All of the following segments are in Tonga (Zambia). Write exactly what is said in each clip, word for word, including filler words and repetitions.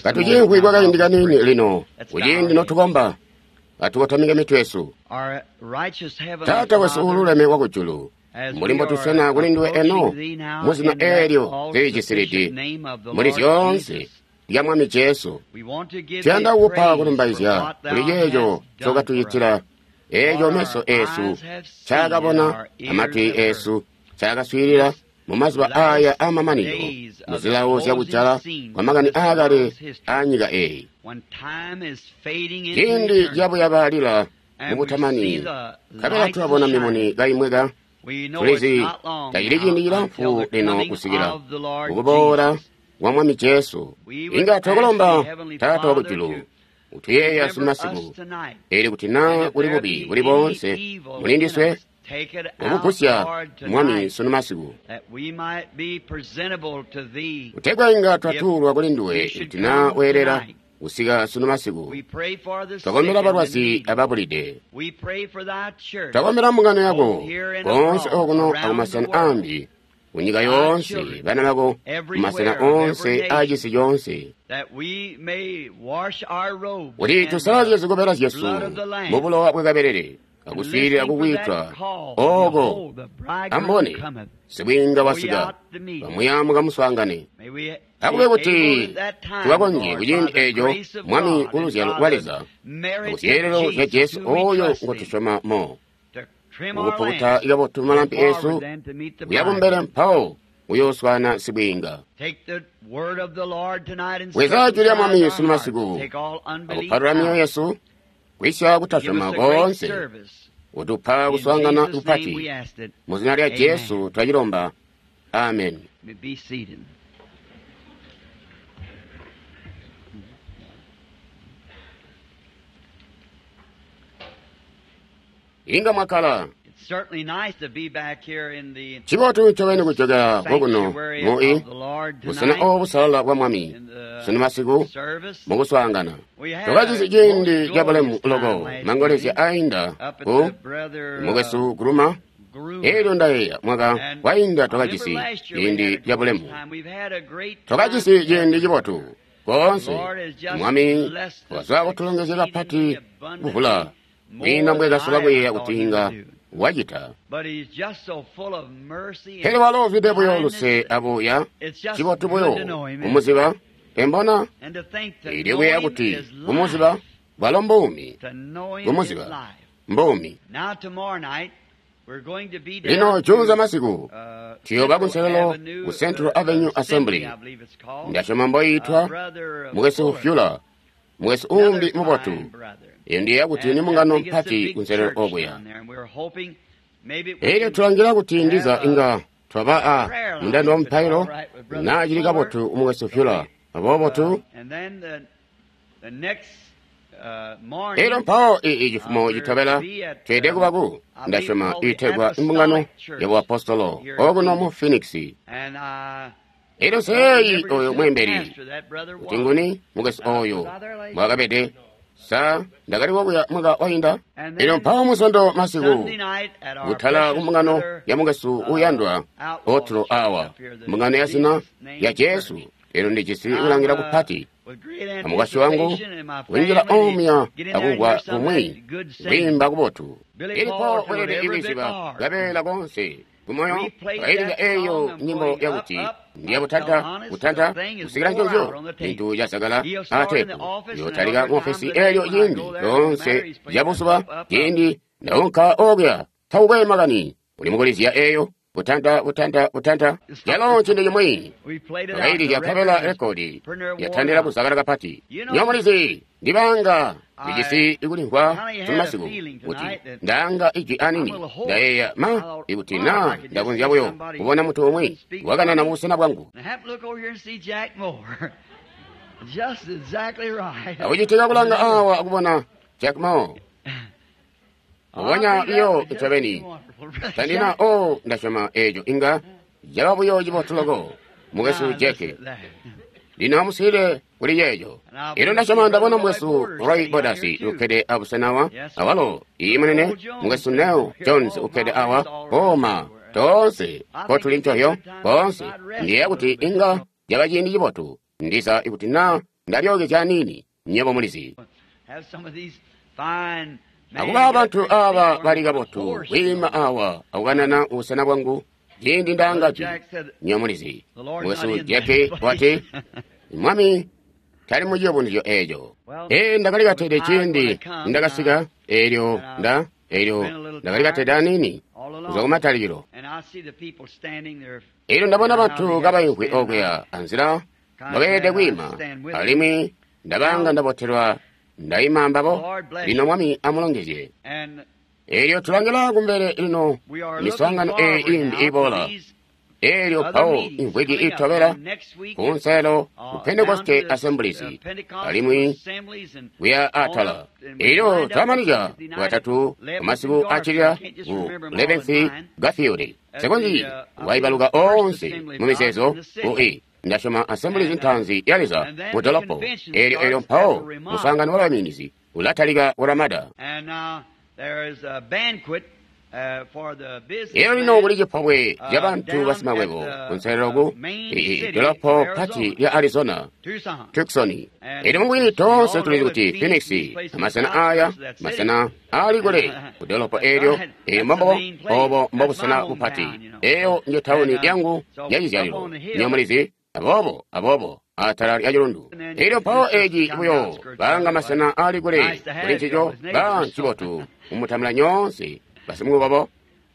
Katuciimvwi kwakaindi kaniini lino, kuciindi notukomba, atukotamike mitwe yesu. Taata wesu uululeme wakujulu, mbuli mbotuswena kuli nduwe eno muzina eelyo lilijisilidi muli zyoonse lya Mwami Jesu, tuyanda kukupa kulumbaizya kuli ceeco ncokatucitila, eeco meso eesu ncaakabona amatwi eesu ncaakaswiilila mumazuba aaya aamamanino muzilawo zyakujala kwamakani aakale aanyika eeyi. Ciindi cabuyabalila mubutamani, nkabela tulabona mimuni kaimweka, tulizi tacili ciindi cilamfu lino kusikila kukuboola kwa Mwami Jesu. Inga twakulomba Taata wakujulu utuyeeya sunumasiku, eelyo kuti naa kuli bubi buli boonse mulindiswe, ukugusya Mwami sunumasiku, kutegwa inga twatuulwa kuli nduwe kuti naa weelela kusika sunumasiku. Twakombela balwazi ababulide, twakombela mbungano yako koonse okuno akumasena aambi kunyika yoonse, bana bako mumasena oonse aacisi coonse, kuti tusalazye zikobela zyesu mubulowa bwakabelele akuswiilila kukwiitwa ooko. Ambone sibwiinga wasika, bamuya mukamuswaangane. Akube kuti tukakonzye kuciindi eeco Mwami kuluzyalo lwa Leza akuzyeelelo zya Jesu ooyo ngotusyoma mo, mukupukuta kabotu malampi eesu kuya kumbele mpawo uyooswaana sibwiinga. Bweza jwi lya Mwami sunumasiku akupalula myoyo yesu kwisya kutasyoma koonse, utupa kuswaangana kupati. Muzina lya Jesu twacilomba, amen. Inga mwakkala. Cibotu ncobeni kujokela kokuno mu busena obu busalala bwa Mwami sunumasiku mukuswaangana. Twakajisi ciindi cabulemu loko mangolezya ainda ku mukwesu Guruma. Eelyo ndayeeya mwaka wainda twakajisi ciindi cabulemu, twakajisi ciindi cibotu koonse. Mwami wazwa kutulongezya kapati kuvula kwiinda mbwekasola kuyeeya kuti inga wacita. Pele walo uzwide buyo luse abuya, cibotu buyo kumuziba embona. Eelyo kuyeeya kuti kumuziba bwalo mbuumi, kumuziba mbuumi. Lino juunza masiku tuyooba kunselelo ku Central Avenue Assembly, ndasyoma mboyiitwa, mukwesu Fuller, mukwesu uumbi mubotu. Eyo ndiyeeya kuti ni mbungano mpati kunselelo okuya. Eelyo tulangila kuti ndiza inga twaba a mundando wa mupailo naa cili kabotu mukwesu Fuller. Aboobo tu eelyo mpawo ii cifumo citobela tweede kuba ku ndasyoma iitegwa imbungano ya buapostolo okuno mu Phoenix. Eelyo seeyi oyo mweembeli kuti nguni mukwesu oyo mbwakabede. Sa ndakali wokuya mwaka wainda. Eelyo mpawo musondo masiku kutala kumbungano ya mukwesu uuyandwa Otro awa, mbungano ya zina ya Jesu. Eelyo ndijisi kulangila kupati amukwasyi wangu kunjila omuya akumvwa kumwi kwiimba kubotu. Ilipo weelede ikwiziba kabeela konse kumoyo kailila eeyo nyimbo yakuti ndiya kutanta kutanta kusikila nconzyo cintu casakala aatepu yotalika muofesi eelyo ciindi loonse lyabuzuba ciindi ndaunka okuya takukwe makani uli mukulizya eeyo kutanta kutanta kutanta yalo cintu cimwi twakailizya nkabela rekodi yatandila kuzakala kapati. Nyomulizi ndibanga ndijisi ikulimvwa sunumasiku kuti ndaanga ijwi anini ndayeeya ma ikuti naa ndakonzya buyo kubona muntu umwi wakanana mubusena bwangu. Akucitika kulanga awa akubona Jack Moore Mbubonya iyo ncobeni tandina o ndasyoma eeco inga caba buyo cibotu loko mukwesu Jack. Lino amuswiilile kuli ceeco. Elyo ndasyoma ndabona mukwesu Roy Borders ukkede abusena awa, awalo iyi munene mukwesu Nel Jones ukkede awa, koma toonse kotuli ncohyo koonse. Ndiyeeya kuti inga caba ciindi cibotu Ndiza ikuti na ndalyookezya aniini, nywebo mulizi. Akuba bantu aba bali kabotu kwiima awa akukanana ubusena bwangu ciindi ndaanga jwi, nywebo mulizi. Mukwesu Jack wati, Mwami tali mu ciyubunuzyo eeco. Ee, ndakali katede ciindi ndakasika, eelyo nda eelyo ndakali katede aniini kuzwa kumatalikilo. Eelyo ndabona bantu kabaimvwi okuya anzila mbabeelede kwiima, alimwi ndabanga ndabotelwa ndaima ambabo. Lino Mwami amulongezye. Eelyo tulangila kumbele lino miswaangano eeyi iimbi iboola. Eelyo mpawo imvwiki itobela kunselelo ku Pentecoste Assemblies, alimwi kuya atala. Eelyo twamanizya Bwatatu masiku accilila ku eleventh Garfield. Nsikonzyi kuwaibaluka oonse mu mizeezo ku i ndasyoma Assemblies ntaanzi ya Leza mu dolopo. Eelyo eelyo mpawo muswaangano wa baminizi ulatalika ku Ramada. Eelyo lino kuli cipobwe ca bantu basimakwebo kunselelo ku dolopo pati lya Arizona, Tucson. Eelyo mubwini toonse tulizi kuti Phoenix amasena aya masena aali kule ku dolopo eelyo. Eelyo mbombo obo mbobusena bupati. Eeyo nje tawuni yangu ya cizyalilo, nywebo mulizi. Aboobo aboobo atala lya cilundu. Eelyo mpawo eci buyo banga masena aali kule kuli ncico ba ncibotu mumutamula nyoonse basimukobo.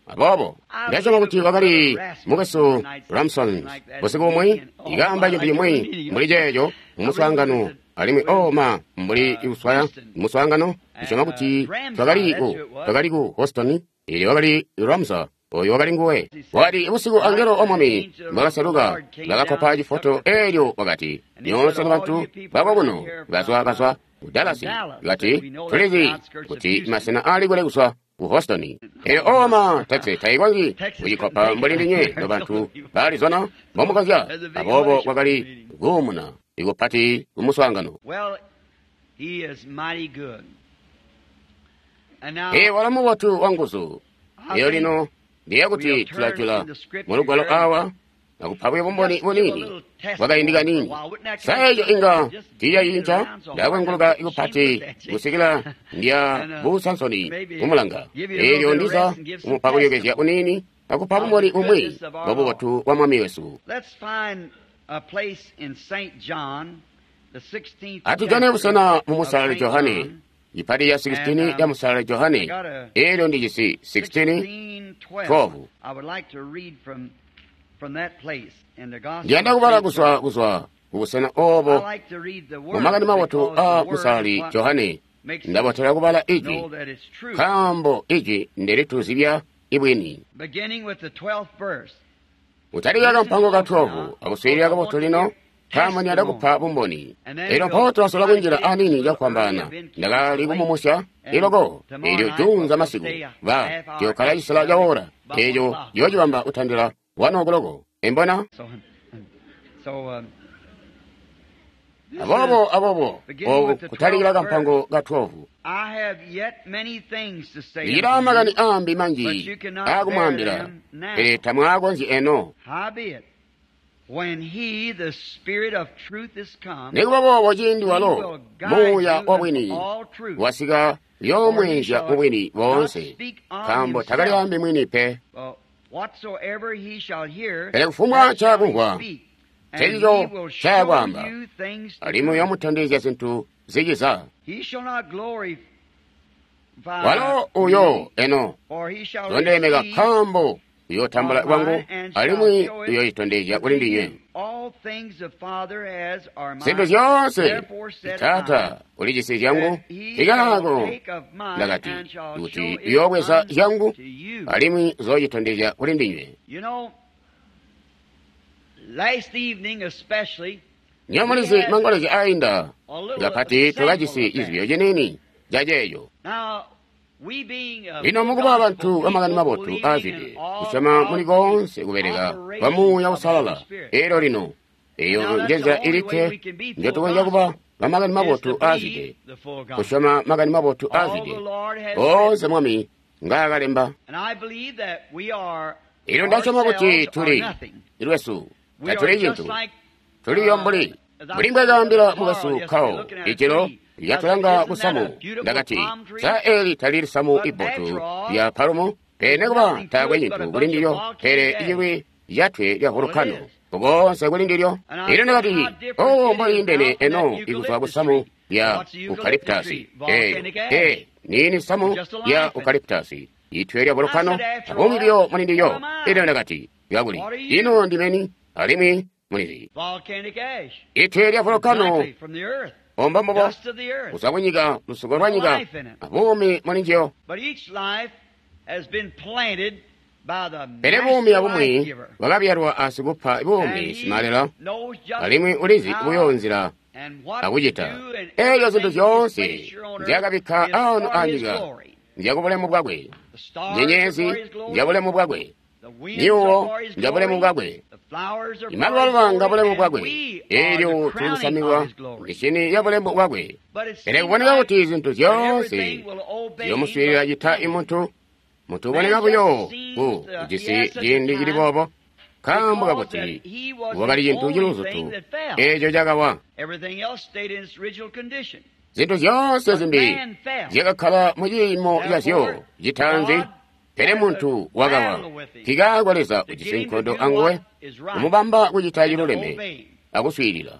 Aboobo ndasyoma kuti wakali mukwesu Ramson busiku bumwi ikaamba cintu cimwi mbuli ceeco mu muswaangano, alimwi oh ma mbuli kuswaya muswaangano. Ndisyoma kuti twakali ku twakali ku Houston. Eelyo wakali Ramsa, oyo wakali nguwe. Wakati busiku angelo wa Mwami mbwakaseluka bakakkopa cifoto. Eelyo wakati, nyoonse bantu bakokuno bazwa bazwa ku Dallas. Kati tulizi kuti masena aali kule kuzwa ku Houston. Eelyo oma Texas taikonzyi kucikopa mbuli ndinywe no bantu ba Arizona mbomukonzya. Aboobo kwakali kuumuna ikupati ku muswaangano. Ee, walo mubotu wa nguzu. Eyo lino ndiye kuti tulajula mu lugwalo awa akupa buyo bumboni buniini bwakaindi kaniini. Sa eco inga tiicacinca? Ndakwenguluka ikupati kusikila ndya bu Sansoni kumulanga. Eelyo ndiza kumupa kulyokezya kuniini akupa bumboni bumwi bwa bubotu bwa Mwami wesu. Atujane busena mu Musalali Johane, ipati ya sixteen ya Musalali Johane. Eelyo ndijisi sixteen twelve. Ndiyanda kubala kuzwa kuzwa kubusena obo mu Makani Mabotu a Musalali Johane. Ndabotela kubala ijwi, nkaambo ijwi ndelituzibya ibwini. Utalika kampango ka twelve akuswiilila kabotu lino, nkaambo ndiyanda kupa bumboni. Eelyo mpawo tulasola kunjila aniini cakufwambaana. Ndakali kumumusya iloko eelyo juunza masiku ba tuyokkala cisela ca ora eeco yoocibamba kutandila one o'clock. Embona? Aboobo aboobo oku kutalikila kampango ka twelve. Ndichita makani ambi manji akumwaambila, pele tamwaakonzyi eno. Nikuba boobo ciindi walo Muuya wa bwini wasika uyoomweenzya mu bwini boonse, nkaambo takalyaambi mwini pe. Pele kufumbwa ncakumvwa ncecico ncayakwaamba, alimwi uyoomutondezya zintu ziciza. Walo uyo eno zondeemeka, nkaambo uyootambula kwangu alimwi uyoocitondezya kuli ndinywe. Zintu zyoonse Taata ulijisi zyangu, ikaako ndakati kuti uyoobweza zyangu alimwi uzoocitondezya kuli ndinywe. Nywebo mulizi mangolezya ainda kapati twakajisi cizibyo ciniini caceeco. Lino mukuba bantu bamakani mabotu aazwide kusyoma muli koonse kubeleka kwa Muuya Uusalala. Eelyo lino eyo njenzila ilikke njotukonzya kuba bamakani mabotu aazwide, kusyoma makani mabotu aazwide oonse Mwami ngaakalemba. Eelyo ndasyoma kuti tuli lwesu tatuli cintu, tuliyo mbuli Mbuli mbwakaambila mukwesu Carl ijilo lyatulanga kusamu, ndakati, sa eli talili samu ibotu lya palumu? Pele nekuba taakwe cintu kuli ndilyo, pele icilwi lyatwe lya volcano kokonse kuli ndilyo. Elyo ndakati, oh, mboliindene eno ikuzwa kusamu lya eucalyptus. Eyo e nini samu lya eucalyptus itwe lya volcano, abuumi buyo muli ndilyo. Elyo ndakati, kakuli ino ndimeni alimwi mulizi itwe lya volcano omba mbubo kuzwa kunyika, lusuko lwa nyika, abuumi muli njiyo. Pele buumi abumwi bwakabyalwa asikupa buumi simalela, alimwi ulizi buyo nzila akucita. Eeyo zintu zyoonse nzyakabikka ano anyika nzyakubulemu bwakwe, nyenyezi nzyabulemu bwakwe, myuwo nzyabulemu bwakwe, imalubaluba ngabulemu bwakwe, eelyo tulusamikwa mishini yabulemu bwakwe. Pele kuboneka kuti zintu zyoonse ziyomuswiilila cita imuntu, muntu uboneka buyo ku ujisi ciindi cili boobo, nkaambo kakuti wakali cintu ciluzutu eeco cakawa. Zintu zyoonse zimbi zyakakkala mu ciimo cazyo citaanzi, pele muntu wakawa. Nkikaako Leza ujisi nkondo anguwe, kumubamba kucita ciluleme akuswiilila.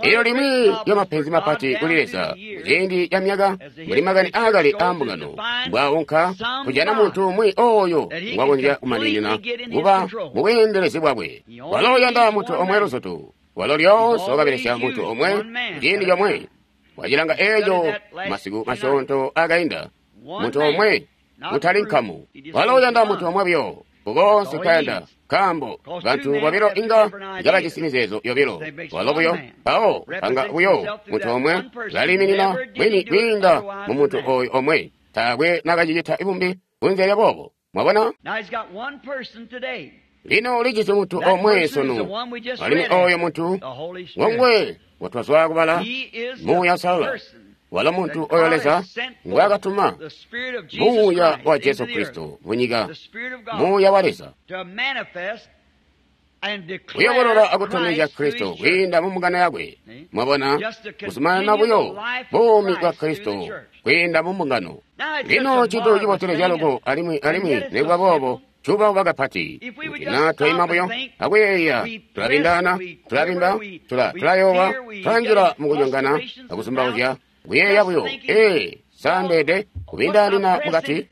Elyo limwi lyamapenzi mapati kuli Leza kuciindi ca myaka, mbuli makani aakale aambungano mbwaunka kujana muntu umwi oyo ngwakonzya kumaninina kuba mubweendelezi bwakwe. Walo uyanda muntu omwe luzutu. Walo lyoonse wakabelesya muntu omwe kuciindi comwe. Wacilanga eeco masiku masyoonto akainda, muntu omwe kutali nkamu. Walo uyanda muntu omwe buyo kukonse nkayanda, nkaambo bantu bobilo inga kabajisi mizeezo yobilo. Walo buyo mpawo panga buyo muntu omwe laliiminina mwini kwiinda mu muntu oyo omwe. Taakwe nakacicita bumbi kunze lya boobo. Mwabona? Lino ulijisi muntu omwe sunu, alimwi oyo muntu ngongwe watwazwa kubala Muuya Uusalala. Walo muntu oyo Leza ngwaakatuma, Muuya wa Jesu Kristo munyika, Muuya wa Leza, kuyobolola akutondezya Kristo kwiinda mu mbungano yakwe. Mwabona, kuzumanana buyo buumi bwa Kristo kwiinda mu mbungano. Lino cintu cibotelezya loko, alimwi alimwi nikuba boobo cuubauba kapati. Kuti naa twaima buyo akuyeeya, tulabindaana, tulabimba, tulayowa, tulanjila mukunyongana akuzumbauzya, kuyeeya buyo, ee, saandeede kubindaanina mukati.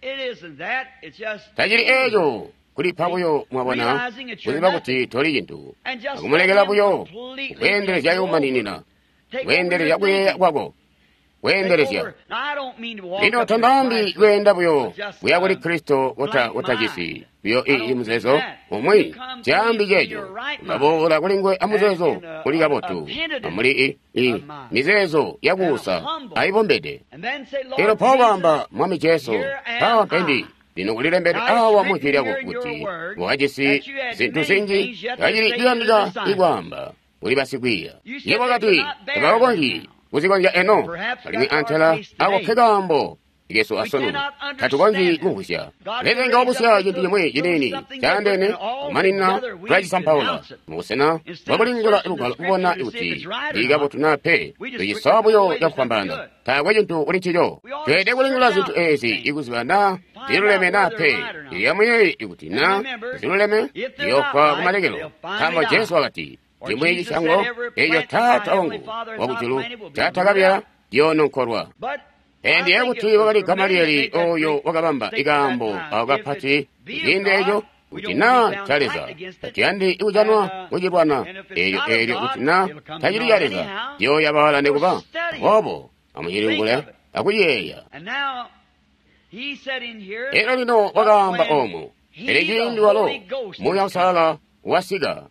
Tacili eeco kulipa buyo, mwabona, kuziba kuti toli cintu, akumulekela buyo kweendelezya yomaninina, kweendelezya kuyeeya kwako, kweendelezya. Lino tandaambi kweenda buyo kuya kuli Kristo kutajisi buyo ii muzeezo umwi, caambi ceeco ulaboola kuli nguwe amuzeezo uli kabotu, amuli ii mizeezo yakuusa ayibombede. Elyo mpawo baamba, Mwami Jesu, mpawa mpendi. Lino kulilembedwe awa mu Jwi lyako kuti wakajisi zintu zinji kacili ciyandika ikwaamba kuli basikwiiya. Yebo wakati tabakonzyi kuzikonzya eno, alimwi antela ako ke kaambo kesu asunu tatukonzyi kumvwisya. Leza inga wabusya cintu cimwi ciniini caandeene kumaninina tulacisampaula mubusena bwakulingula lugwalo kubona kuti lili kabotu naa pe, tucisowa buyo cakufwambaana. Taakwe cintu kuli ncico. Tweelede kulingula zintu eezi ikuziba naa ziluleme naa pe. Ilyamuyeeyi ikuti naa ziluleme ziyofwa kumalekelo, nkaambo Jesu wakati, cimwi cisyango eeco Taata wangu wakujulu catakabyala ciyoononkolwa. Ndiye kuti wakali Gamalieli oyo wakabamba ikaambo ako kapati kuciindi eeco, kuti naa ca Leza tatuyandi kujanwa kucilwana eelyo eelyo kuti naa tacili ca Leza ciyooyabaala nikuba. Aboobo amucilingule akuciyeeya. Elyo lino wakaamba oomu, pele ciindi walo Muuya Uusalala wasika.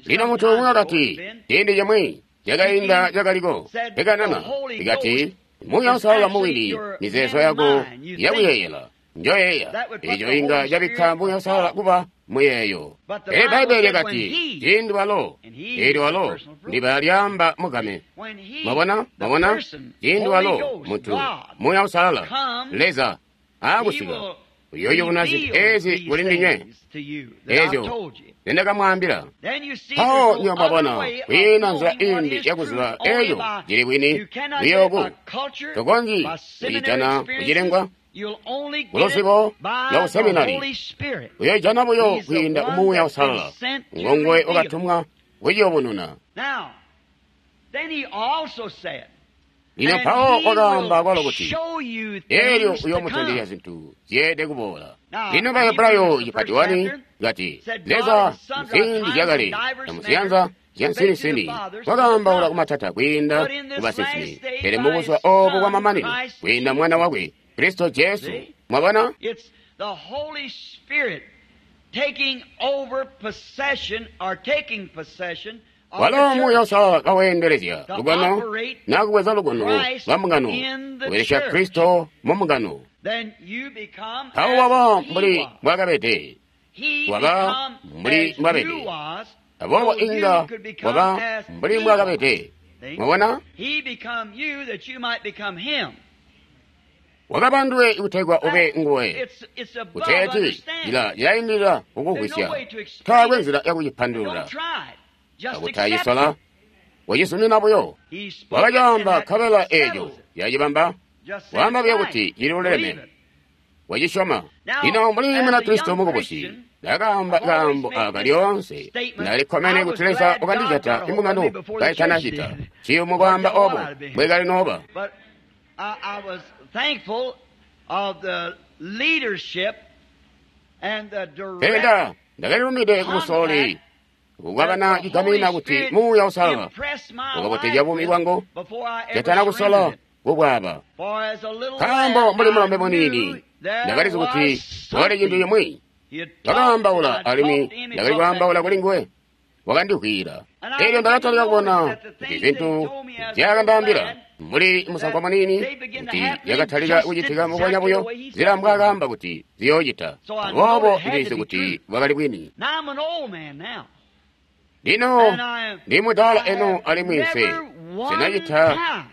Lino muntu umwi wakati, ciindi cimwi cakainda cakaliko ekanana ikati Muuya Uusalala mubwini mizeezo yako yakuyeeyela njoyeeya, eco inga cabikka Muuya Uusalala kuba muyeeyo. Pele Bbaibbele lyakati ciindi walo, eelyo walo ndiba lyaamba mugame. Mwabona, mwabona, ciindi walo muntu Muuya Uusalala Leza aakusika, Uyoyubuna zintu reveal ezi these kuli ndinywe things to you that I've ezyo told you. zendakamwaambila. Then you see Mpawo there's no nywebo mwabona other way of kwiina nzila knowing what imbi is yakuziba truth only eyo by cili bwini you cannot get it buyoku by culture, tokonzyi by seminary kucijana kucilengwa experiences. You'll only get it kuluzibo by lwa the kuseminari. Holy Spirit. Uyoijana buyo He's the kwiinda one kumuuya that's been usalala sent to ngonguwe reveal. wakatumwa kuciyubununa. Now, then he also said, Lino and mpawo he wakaamba kwalo will kuti show you elyo things to uyoomutondezya come. zintu zyeede kuboola. Now, Lino Bahebrayo Hebrews, the cipati first wani chapter, kati said God Leza in sundry muziindi times zyakale and divers na muziyanza manners zya spake to the nsinisini fathers through the wakaambaula prophets. kumatata kwiinda But in this kubasinsimi, last day pele by mubuzuba his obu Son, bwamamanino Christ kwiinda Jesus. mwana wakwe Kristo Jesu. See? Mwabona? It's the Holy Spirit taking over possession or taking possession of Walo the Muuya church Uusalala kaweendelezya to lukono operate nakubweza lukono Christ lwa mbungano in the kubelesya church. Kristo mu mbungano. Then you become Mpawo waba as he mbuli was. mbwakabede, He waba become mbuli as mbwabede. you was, Aboobo so you inga could become waba as mbuli he was. mbwakabede. See? Mwabona? He become you that you might become him. Wakaba nduwe kutegwa ube nguwe. It's, it's above Kuteeti understanding. ila cilaindilila There's kukugwisya. no way to explain Taakwe it. nzila yakucipandulula. Don't try it. Just Akuti accept acisola it. wacizumina buyo. He spoke it and Wakacaamba that nkabela eeco settles it. yacibamba. Just say Waamba it's buyo right. kuti cili Believe luleme. it. Wacisyoma. Now, Lino mbuli as a Munakristo young mukubusi, Christian, ndakaamba I've always kaambo made aaka this lyoonse. statement. Ndalikkomene I was kuti Leza glad God wakandijata got a hold of me imbungano before the church kaitanacita. did. Ciyumu Or kwaamba what obo I'd have been. bwekali nooba. But I, I was thankful of the leadership and the Pele direct nda ndakalilumide kubusololi contact that kukwabana the chigamina Holy kuti Spirit Muuya Uusalala impressed my wakabotezya life buumi with bwangu before I ever jatana kusola surrendered it. kubwaba. For as a little Nkaambo lad, mbuli I mulombe knew muniini there ndakalizi kuti was kwakali cintu something. cimwi. He had talked, Wakaambaula and I alimwi talked to him, he ndakali talked back kwaambaula to kuli me. nguwe. Wakandivwiila. And I Elyo began to ndakatalika notice kubona that the kuti things that he zintu told me as a little nzyaakandaambila lad, mbuli musankwa that muniini they began to kuti happen yakatalika just kucitika mbubonya exactly buyo the way he nzila said they would. mbwaakaamba kuti ziyoocita. So I know Aboobo it had to ndilizi be kuti true. bwakali bwini. Now I'm an old man now. Lino And I am, ndi mudaala I eno have alimwi nse never one sinacita time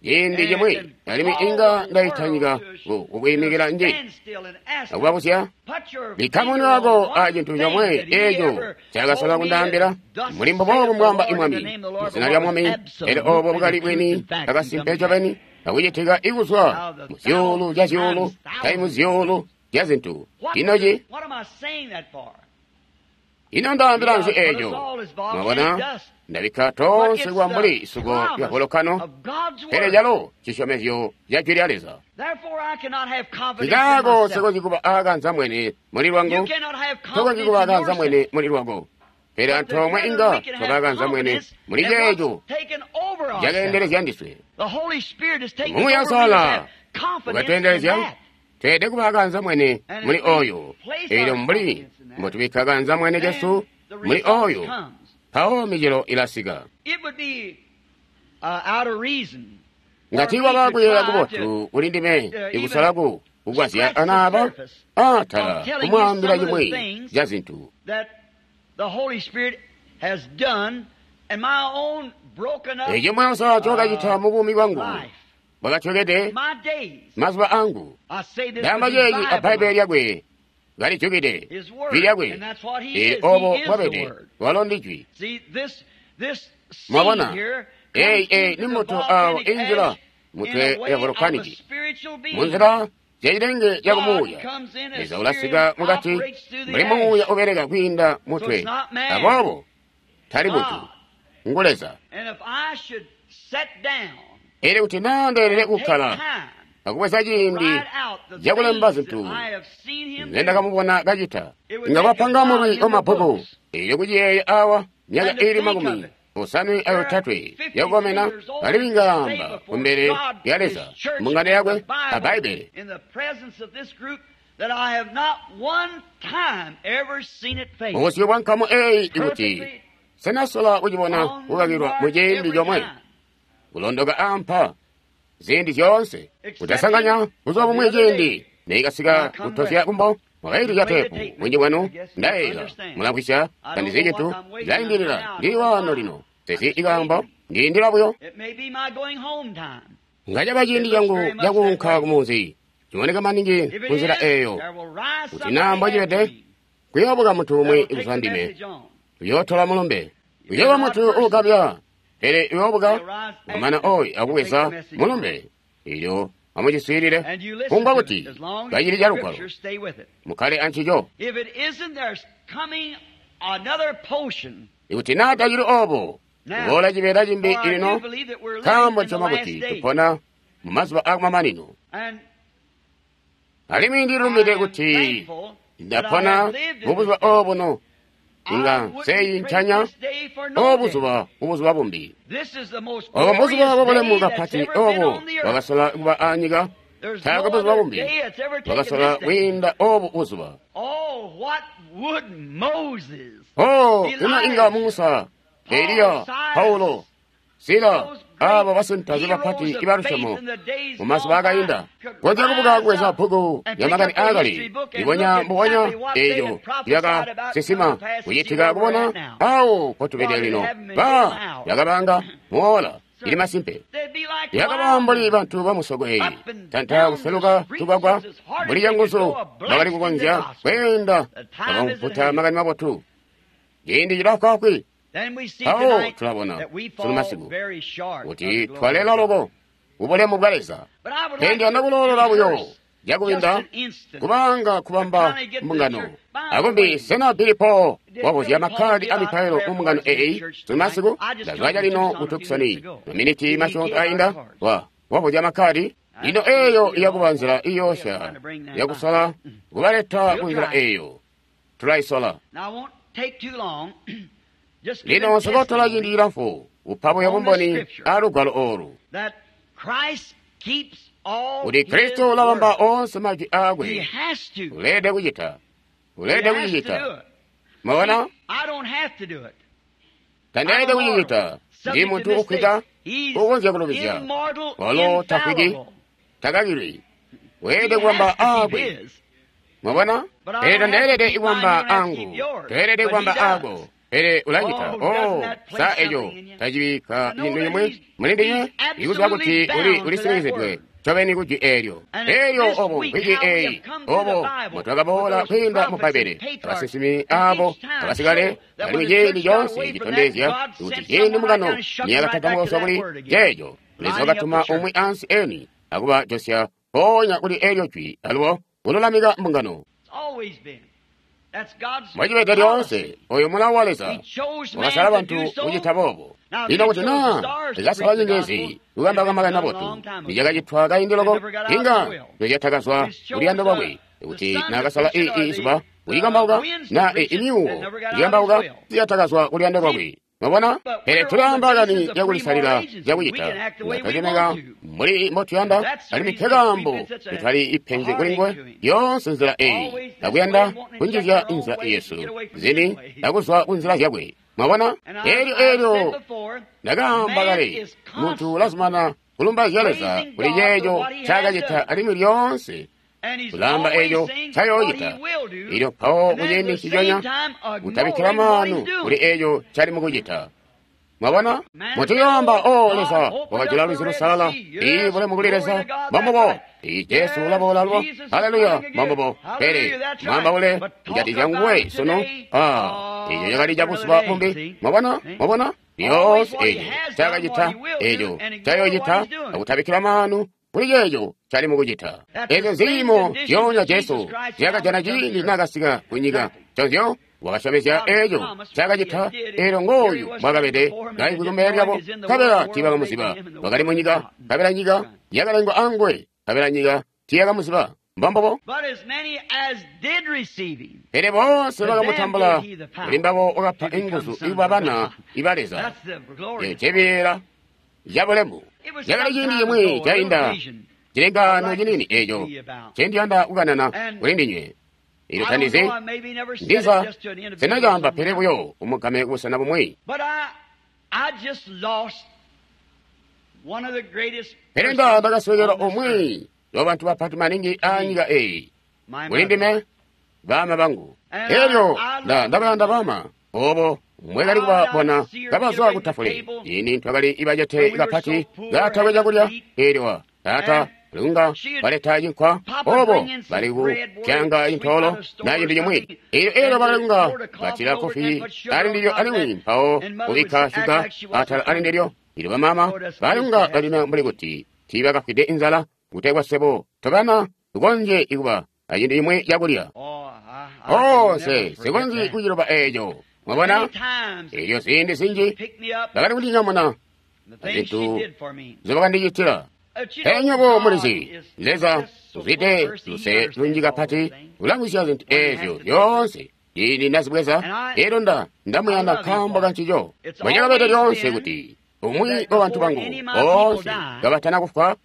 ciindi and cimwi can alimwi call inga the ndayita world nyika to, ku- to a kukwiimikila nji standstill and ask them, akubabuzya put your bikka finger munwe on wako one a cintu thing comwe that he eeco ever cakasola told me that kundaambila. thus Muli mbuboobu saith the mbwaamba Lord in the imwami name of the Lord, muzina but lya what was mwami elyo obo absolutely bwakali the truth bwini and fact and akasimpe come to ncobeni pass. akucitika ikuzwa Now the mu zyuulu thousands zya zyuulu times tayi mu thousands. zyuulu zya zintu. What, Ino ci what am I saying that for? ino ndaambila See, nzi I've put us eeco? all as volcanic Mwabona dust. ndabikka But tonse it's kuba mbuli the isuko lya promise volokano of God's pele Word. calo cisyomezyo ca jwi lya Leza. Therefore, I cannot have confidence in Nkaako myself. sikonzyi kuba aakanzamwene muli You lwangu, cannot have tokonzyi confidence kuba in aakanzamwene yourself. muli lwako. Pele But antoomwe together inga we can twaba have aakanzamwene confidence muli in what's ceeco taken over ourselves. cakeendelezya ndiswe. The Holy Spirit has taken Muuya over me to Uusalala have confidence in ukatweendelezya that. tweelede kuba aakanzamwene And muli if we oyo. place Eelyo our mbuli confidence in that, mbotubikka kanzamwene then kesu the muli result oyo, comes. mpawo micelo ilasika. It would be uh, out of reason for Ngati me kwaba to kuyeeya try to kubotu kuli ndime uh, even ikusalaku kugwasya scratch the ana aba surface aatala of telling you kumwaambila some of the cimwi things ca zintu that the Holy Spirit has done in my own broken up eco Muuya Uusalala cokacita uh, mu buumi bwangu life, bwakatyokede my days. mazuba angu. I say this Ndaamba with his ceeci a Bible Bbaibbele on it, lyakwe kalijukide his jwi Word, lyakwe and that's what he eelyo is. obo He is the bwabede Word. walo ndi jwi. See, this this seed Mwabona here eyi comes eyi into ni the mbuto awo volcanic injila ash in mutwe a ya way of a volokanici spiritual mu being. nzila zyacilenge God cakumuuya. comes in as Leza spirit ulasika and mukati operates through the mbuli muuya ash. ubeleka kwiinda So it's mutwe. not man, Aboobo tali muntu God. ngu Leza. And if I should sit down Elyo kuti naa ndeelele and take kukkala time akubweza to ciindi write out the cakulemba things that zintu I have seen him nze do, ndakamubona kacita it would nga make a bapanga mulwi volume of wamabbuku. books. Elyo kuciyeeya awa myaka And to ili think of makumi it, osanwe there ayotatwe fifty-three yakukomena years old alimwi and say ngaamba before kumbele God, lya his Leza church, mbungano and the yakwe a Bible, Bbaibbele. in the presence of this group, that I have not one time ever seen it fail. Mubusyu bwa nkamu eeyi ikuti Perfectly senasola kucibona on the kukakilwa mu mark ciindi every comwe time. kulondoka ampa ziindi zyoonse Excepting kutasanganya buzuba of the bumwi other ciindi day neikasika when I come kutozya west. kumbo mwakaili You ca play the tepu tape, mwinji I bwanu guess you ndayeeyela understand. mulamvwisya I don't know tandizi what I'm waiting until ndilaindilila now. I ndili don't know waano why. lino I'm sezi just ikaambo waiting. ndiindila buyo It may be my going home time. ngacaba It ciindi looks cangu very much that cakuunka way. kumunzi Ciboneka maningi kunzila eyo. Kuti naa mbocibede, kuyoobuka muntu umwi kuzwa ndime. Uyootola mulumbe. Uyooba muntu uugabya, pele uyoobuka wamana oyu akubweza mulumbe. Elyo amuciswiilile, kumbwa kuti kacili calugwalo, mukkale ancico. Ikuti naa tacili obo, kuboola cibeela cimbi lino, nkaambo nsyoma kuti tupona mu mazuba aakumamanino. Alimwi ndilumbide kuti ndapona mubuzuba obuno, inga nseyincanya obuzuba kubuzuba bumbi. Obo mbuzuba bwabulemu kapati obo bwakasola kuba anyika, taakwe buzuba bumbi bwakasola kwiinda obu buzuba. Oh, ino inga Musa, Eliya, Paulo, Sila, abo basintaze bapati ibalusyomo mu mazuba akainda, konzya kubuka kubweza bbuku lya makani aakale, libonya mbubonya eeyo lyakasinsima kucitika kubona awo mpotubede lino. Ba lyakabanga muola ili masimpe, lyakaba mbuli bantu bamusoko eyi, tanta kuseluka tugwagwa mbuli canguzu bakali kukonzya kweenda bakamputa makani mabotu. Ciindi cilafwaafwi. Awo tulabona sunu masiku kuti twalela loko kubulemu bwa Leza. Pele ndiyanda kuloolola buyo cakubinda kubanga kubamba mbungano. Akumbi sena Billy Paul wabuzya makkadi amipailo mu mbungano eyi sunu masiku? Ndazwa calino ku Tucson maminiti masyoonto ainda wa wabuzya makkadi. Lino eyo iyakuba nzila iyoosya yakusola kubaleta ku nzila eyo. Tulaisola. Lino nsokotola ciindi cilamfu kupa buyo bumboni alugwalo olu kuti Kristo ulabamba oonse majwi aakwe. Uleelede kucita, uleelede kucicita. Mwabona, tandeelede kucicita. Ndi muntu ukwita ukonzya kulubizya, walo tafwiki, takakilwi. Weelede kubamba aakwe. Mwabona, pele tandeelede kubamba angu, toelede kubamba aako. Pele ulacita. Oh, sa eco tacibikka cintu cimwi muli ndinywe ikuziba kuti uli ulisinizidwe ncobeni kujwi eelyo. Eelyo obo mvwiki eyi, obo mbotwakaboola kwiinda mu Bbaibbele, abasinsimi abo abasikale, alimwi ciindi coonse citondezya kuti ciindi mbungano niyakatatamuka kuli ceeco, Leza wakatuma umwi ansi eni akuba josya mpoonya kuli eelyo jwi alubo kululamika mbungano. Mwacibeda lyoonse oyo mulawo wa Leza wakasala bantu kucita boobo. Lino kuti naa likasala nyenyezi kukambauka makani mabotu, nicakacitwa kaindi loko, inga nocyatakazwa kuluyando lwakwe. Kuti naakasala ii izuba kulikambauka, naa imyuuwo kulikambauka, zyatakazwa kuluyando lwakwe. Mwabona? Pele tulaamba kani yakulisalila zyakucita, nga twacemeka mbuli mbotuyanda, alimwi nkekaambo tutali ipenzi kulinguwe yoonse nzila eyi, akuyanda kunjizya inzila yesu zini akuzwa kunzila zyakwe. Mwabona? Eelyo eelyo ndakaamba kale, muntu ulazumana kulumbaizya Leza kuli ceeco ncaakacita alimwi lyoonse ulaamba eeco ncayoocita. Elyo mpawo kuciindi nciconya kutabikkila maanu kuli eeco ncali mukucita. Mwabona? Muntu yoamba, o Leza wakajula lwizi lusalala, ii bulemu kuli Leza, mbambubo. Ii Jesu ulaboola lubo, haleluya, mbambubo. Pele mwambaule kujatikizya nguwe sunu, ah, eeco cakali cabuzuba bumbi. Mwabona? Mwabona? Lyoonse eeco ncaakacita, eeco ncayoocita, akutabikkila maanu kuli ceeco cali mukucita. Eezyo ziimo zyoonya Jesu zyakajana ciindi naakasika ku nyika. Nconzyo wakasyomezya eeco ncaakacita, eelyo ngooyu mbwaakabede kaimvwi kumbele lyabo, nkabela tiibakamuziba. Wakali mu nyika, nkabela nyika yakalengwa anguwe, nkabela nyika tiiyakamuziba. Mbambubo. Pele boonse bakamutambula, kuli mbabo wakapa inguzu ikuba bana iba Leza. Eeco cibeela cabulemu. Cakali ciindi cimwi cainda cilengaano cinini eeco ncendiyanda kukanana kuli ndinywe. Elyo tandizi, ndiza sinacaamba pele buyo umugame kubusena bumwi. Pele nda ndakaswekelwa umwi wa bantu bapati maningi aanyika eyi, kuli ndime, baama bangu. Elyo nda ndabayanda baama obo mwekali kubabona kabazwa ku tafule. Ini twakali ibacete kapati katakwe cakulya. Elyo taata lunga baleta cinkwa obo bali kupyanga intoolo na cintu cimwi elyo elyo bakali kunga batila kofi ali ndilyo alimwi mpawo kubikka shuga atala ali ndilyo ilyo bamama bali kunga balina mbuli kuti tiibakafwide inzala kutegwa sebo tobana tukonzye ikuba acintu cimwi cakulya. Oh, se sikonzyi kuciloba eeco. Mwabona? Elyo ziindi zinji bakali kundinyamuna zintu nzobakandicitila. Pele nywebo mulizi, Leza uzwide luse lunji kapati ulamwisya zintu eezyo zyoonse ciindi ndazibweza. Elyo nda ndamuyanda nkaambo kancico. Mbwecakabede lyoonse kuti umwi wa bantu bangu boonse kabatana kufwa,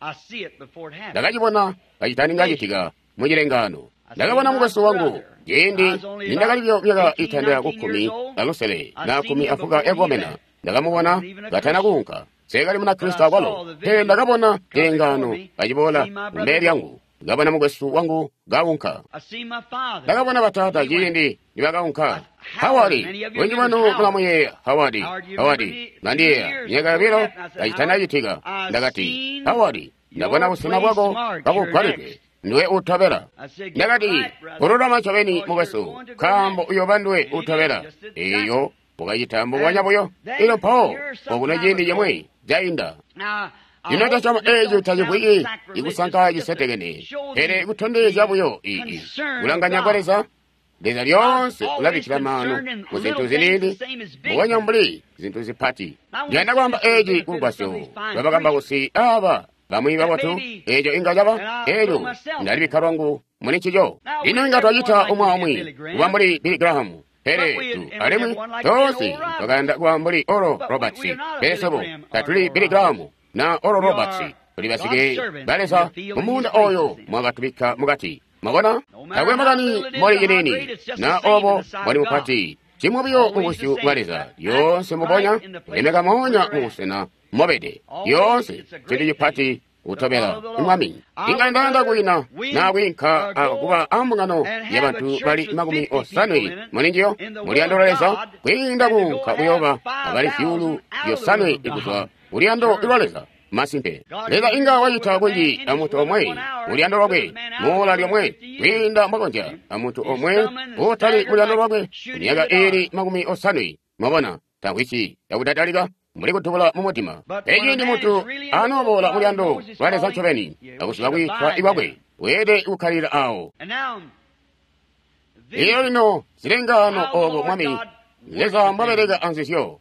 ndakacibona kacitaninga citika mu cilengano. Ndakabona mukwesu wangu ciindi nindakali buyo myaka itandila ku kkumi alusele na kkumi afuka yakukomena. Ndakamubona katana kuunka. Nsekali Munakristo akwalo, pele ndakabona cilengano kaciboola kumbele lyangu. Ndakabona mukwesu wangu kaunka. Ndakabona bataata ciindi nibakaunka. Howard, bunji bwanu mulamuyeeya Howard. Howard, mlandiyeeya myaka yobilo kacitanacitika. Ndakati, Howard, ndabona busena bwako kabugwalidwe. Ndiwe utobela. Ndakati, kululama ncobeni mukwesu, nkaambo uyoba ndiwe utobela. Eyo ukacita mbubonya buyo. Elyo mpawo okuno ciindi cimwi cainda. Lino ndasyoma eeco tacivwiki ikusanka cisetekene, pele kutondezya buyo ii kulanganya kwa Leza. Leza lyoonse ulabikkila maanu ku zintu ziniini mbubonya mbuli zintu zipati. Ndiyanda kwaamba eeci kulugwasyo lwabakambausi aaba bamwi babotu. Eeco inga caba eeco ndalibikka lwangu muli ncico. Lino inga twacita umwi aumwi kuba mbuli Billy Graham, pele tu alimwi toonse twakayanda kuba mbuli Oral Roberts, pele swebo tatuli Billy Graham na Oral Roberts. Tuli basike ba Leza mu muunda oyo mwakatubikka mukati. Mwabona? Takwe makani mboli ciniini na obo mboli mupati, cimwi buyo mu busyu bwa Leza. Lyoonse mubonya kulemeka moonya mu busena mobede. Lyoonse cintu cipati kutobela Mwami. Inga ndayanda kuina na kwiinka kuba ambungano ya bantu bali makumi osanwe mulinjiyo muliyando lwa Leza, kwiinda kuunka kuyoba abali zyuulu zyosanwe kuzwa kuluyando lwa Leza. Masimpe, Leza inga wacita kunji amuntu omwe muluyando lwakwe muula lyomwe kwiinda mwakonzya amuntu omwe utali muluyando lwakwe myaka iili makumi osanwe. Mwabona, tamvwisi yakudadalika mbuli kutubula mu mutima. Eciindi muntu anooboola muluyando lwa Leza ncobeni akuziba kwiitwa kwakwe, weelede kukkalila awo. Elyo lino zilengaano obo Mwami Leza mbwabeleka anzizyo.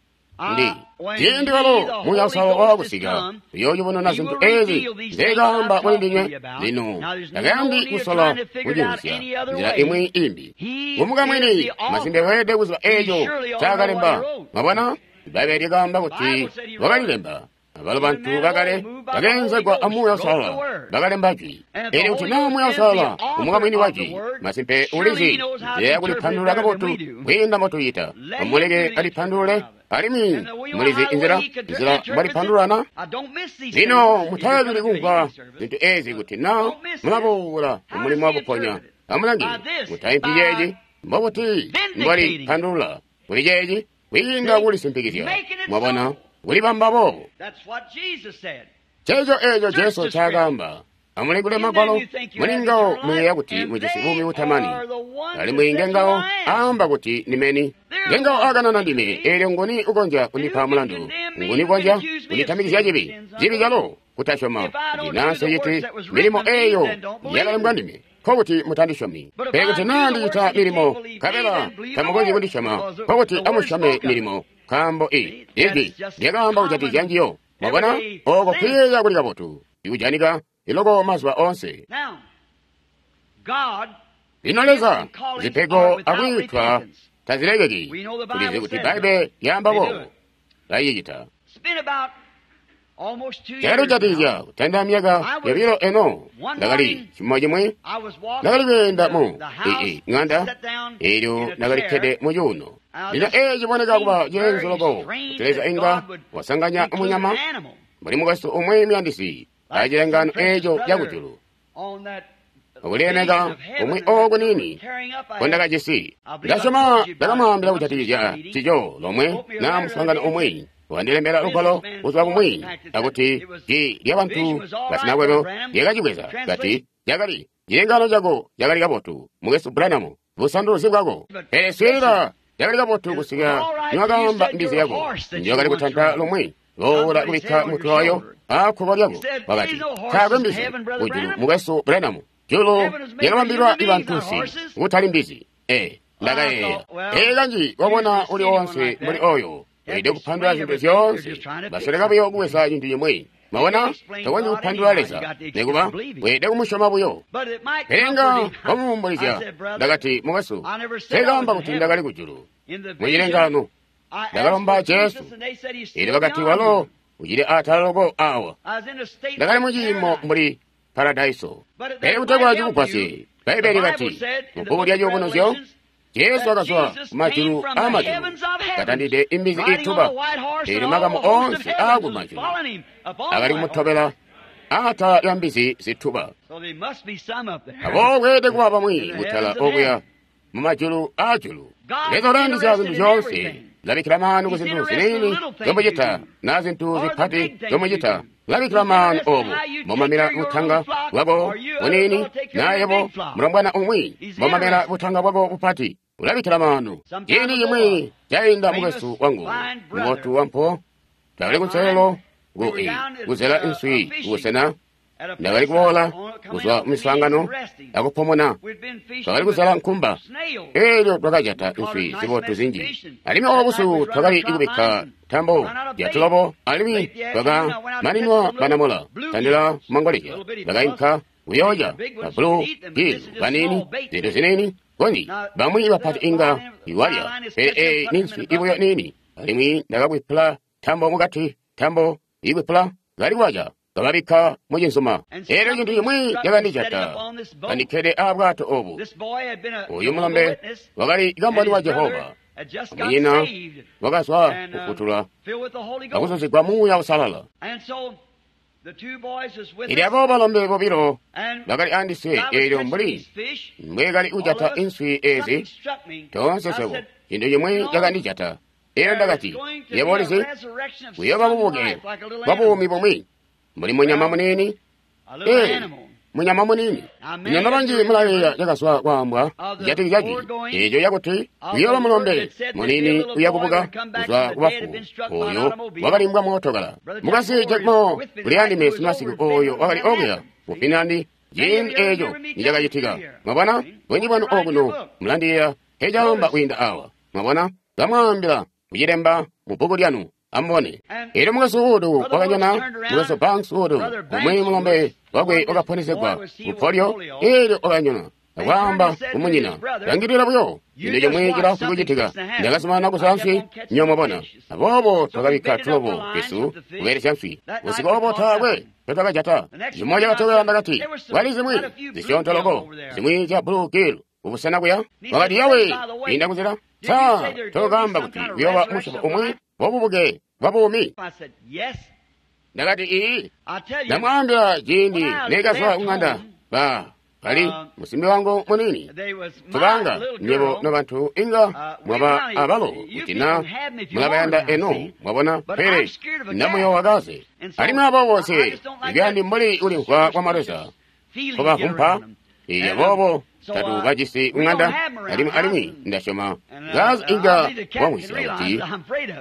Ndi ciindi walo Muuya Uusalala waakusika uyoocibonena zintu eezi nzeekaamba kuli ndinywe. Lino takayandi kusola kucimvwisya nzila imwi imbi. Kumukamwini masimpe weelede kuziba eeco ncaakalemba. Mwabona, Bbaibbele lyakaamba kuti wakalilemba. Abalo bantu bakale bakeenzegwa a Muuya Uusalala bakalemba jwi. Elyo kuti naa Muuya Uusalala umukamwini wa jwi, masimpe ulizi nzila yakulipandulula kabotu kwiinda mbotuyita. Amuleke alipandulule, alimwi mulizi inzila nzila mbwalipandululana. Lino mutayabili kumvwa zintu eezi kuti naa mulaboola mumulimo wakuponya. Amulange, mutaimpi ceeci mbobuti mbwalipandulula kuli ceeci kwiinda kulisimpikizya. Mwabona, kulibamba boobo. Ceeco eeco Jesu ncaakaamba. Amulingule Magwalo, muli ngawo muyeeya kuti mujisi buumi butamani, alimwi ngengawo aamba kuti ndimeni. Ngengawo aakanana ndime, eelyo nguni ukonzya kundipa mulandu? Nguni ukonzya kunditamikizya cibi? Cibi calo kutasyoma kuti naa nseciti milimo eeyo yakalembwa ndime, nkokuti mutandisyomi. Pele kuti naa ndicita milimo nkabela tamukonzyi kundisyoma, nkokuti amusyome milimo, nkaambo i ijwi lyakaamba kujatikizya njiyo. Mwabona, ooko kuyeeya kuli kabotu ikujanika iloko mazuba oonse. Lino Leza, zipego akwiitwa tazilekeki. Tulizi kuti Bbaibbele lyaamba boobo. Lacicita. Cakalujatikizya kutandila myaka yobilo eno. Ndakali cimo cimwi ndakali kweenda mu ii ŋanda, eelyo ndakalikkede mu cuuno. Lino eeci ciboneka kuba ceenzu loko kuti Leza inga wasanganya munyama mbuli mukwesu umwi muyandisi acilengano eeco cakujulu. Okulilemeka umwi ooku niini nkondakajisi. Ndasyoma ndakamwaambila kujatikizya cico lomwe naa muswaangano umwi. Wandilembela lugwalo kuzwa kumwi akuti ji lyabantu basinakwebo lyakacibweza kati cakali cilengano cako cakali kabotu mukwesu Branham busanduluzi bwako pele swiilila cakali kabotu kusika niwakaamba mbizi yako njokali kutanta lumwi boola kubikka mutwe wayo akkuko lyako wakati taakwe mbizi kujulu mukwesu Branham julu lyakabambilwa bantunsi kutali mbizi e ndakayeeya ee kanji wabona uli onse mbuli oyo weelede kupandula zintu zyoonse basoleka buyo kubweza cintu cimwi mwabona tokonzyi kupandula Leza nikuba weelede kumusyoma buyo pele nga wamuumbulizya ndakati mukwesu nseekaamba kuti ndakali kujulu mucilengano ndakalomba Jesu eelyo bakati walo ucili atala loko awa ndakali muciimo mbuli paradaiso pele kutegwa cikugwasye Bbaibbele kati mubbuku lya Ciyubunuzyo Jesu wakazwa kumajulu aamajulu katandide imbizi iituba eelyo makamu onse aakumajulu akali kumutobela atala lya mbizi zituba aboobo kweelede kuba bamwi kutala okuya mumajulu aajulu Leza ulayandisya zintu zyoonse labikkila maanu ku zintu ziniini zomucita na zintu zipati zomucita labikkila maanu obo momamela butanga bwako buniini nayebo mulombwana umwi momamela butanga bwako bupati ulabikkila maanu ciindi cimwi cainda mukwesu wangu mubotu wampo twakali kunselelo ku kuzela inswi kubusena ndakali kuboola kuzwa mumiswaangano akupomona twakali kuzela nkumba eelyo twakajata inswi zibotu zinji alimwi obo busiku twakali kubikka ntambo yatulobo alimwi twakamaninwa banamola tandila mangolezya bakainka kuyoolya babulu gilu baniini zintu ziniini konji bamwi bapati inga iwalya pele eyi ninswi ibuyo niini alimwi ndakakwipula ntambo mukati ntambo ikwipula kali kwaca kababikka mucinzuma eelyo cintu cimwi cakandijata kandikkede aabwato obu uyu mulombe wakali kamboni wa Jehova munyina wakazwa kufutulwa akuzuzigwa Muuya Uusalala eelyo abo balombe bobilo bakali andiswe eelyo mbuli mbwekali kujata inswi ezi toonse swebo cintu cimwi cakandijata eelyo ndakati yebo ulizi kuyooba bubuke bwa buumi bumwi mbuli munyama muniini ee munyama muniini nyama banji mulayeeya cakazwa kwaambwa kujatikizya jwi eeco cakuti kuyooba mulombe muniini uyakubuka kuzwa kubafu oyo wakalimbwa mootokala mukasi Jack Moore uli andime simasiku oyo wakali okuya ku Finland ciindi eeco nicakacitika mwabona bunji bwanu okuno mulandiyeeya ncecaamba kwiinda awa mwabona kamwaambila kucilemba mu bbuku lyanu amubone eelyo mukwesu Wood wakanyona mukwesu Banks Wood umwi mulombe wakwe wakaponesegwa ku polio eelyo wakanyona akwaamba kumunyina langilila buyo cintu cimwi cilaafwi kucitika ndakazumanana kuzwa nswi nyo mwabona aboobo twakabikka tulobo twesu kubelesya nswi busiku obo taakwe ncotwakajata cimo cakatobela ndakati kwali zimwi zisyoonto loko zimwi zya blue gill kubusena kuya wakati yawe inda kunzila sa tokamba kuti kuyooba musyobo umwi wabubuke bwa buumi ndakati ii ndamwaambila ciindi nekazwa kuŋanda ba kali musimbi wangu muniini tubanga nywebo nobantu inga mwaba abalo kuti na mulabayanda eno mwabona pele ndamuyowa kaze alimwi abo bose ibyandi mbuli kulimvwa kwa maleza kubavumpa iya boobo tatu bajisi kuŋanda alimwi alimwi ndasyoma ngazi inga wamwisya kuti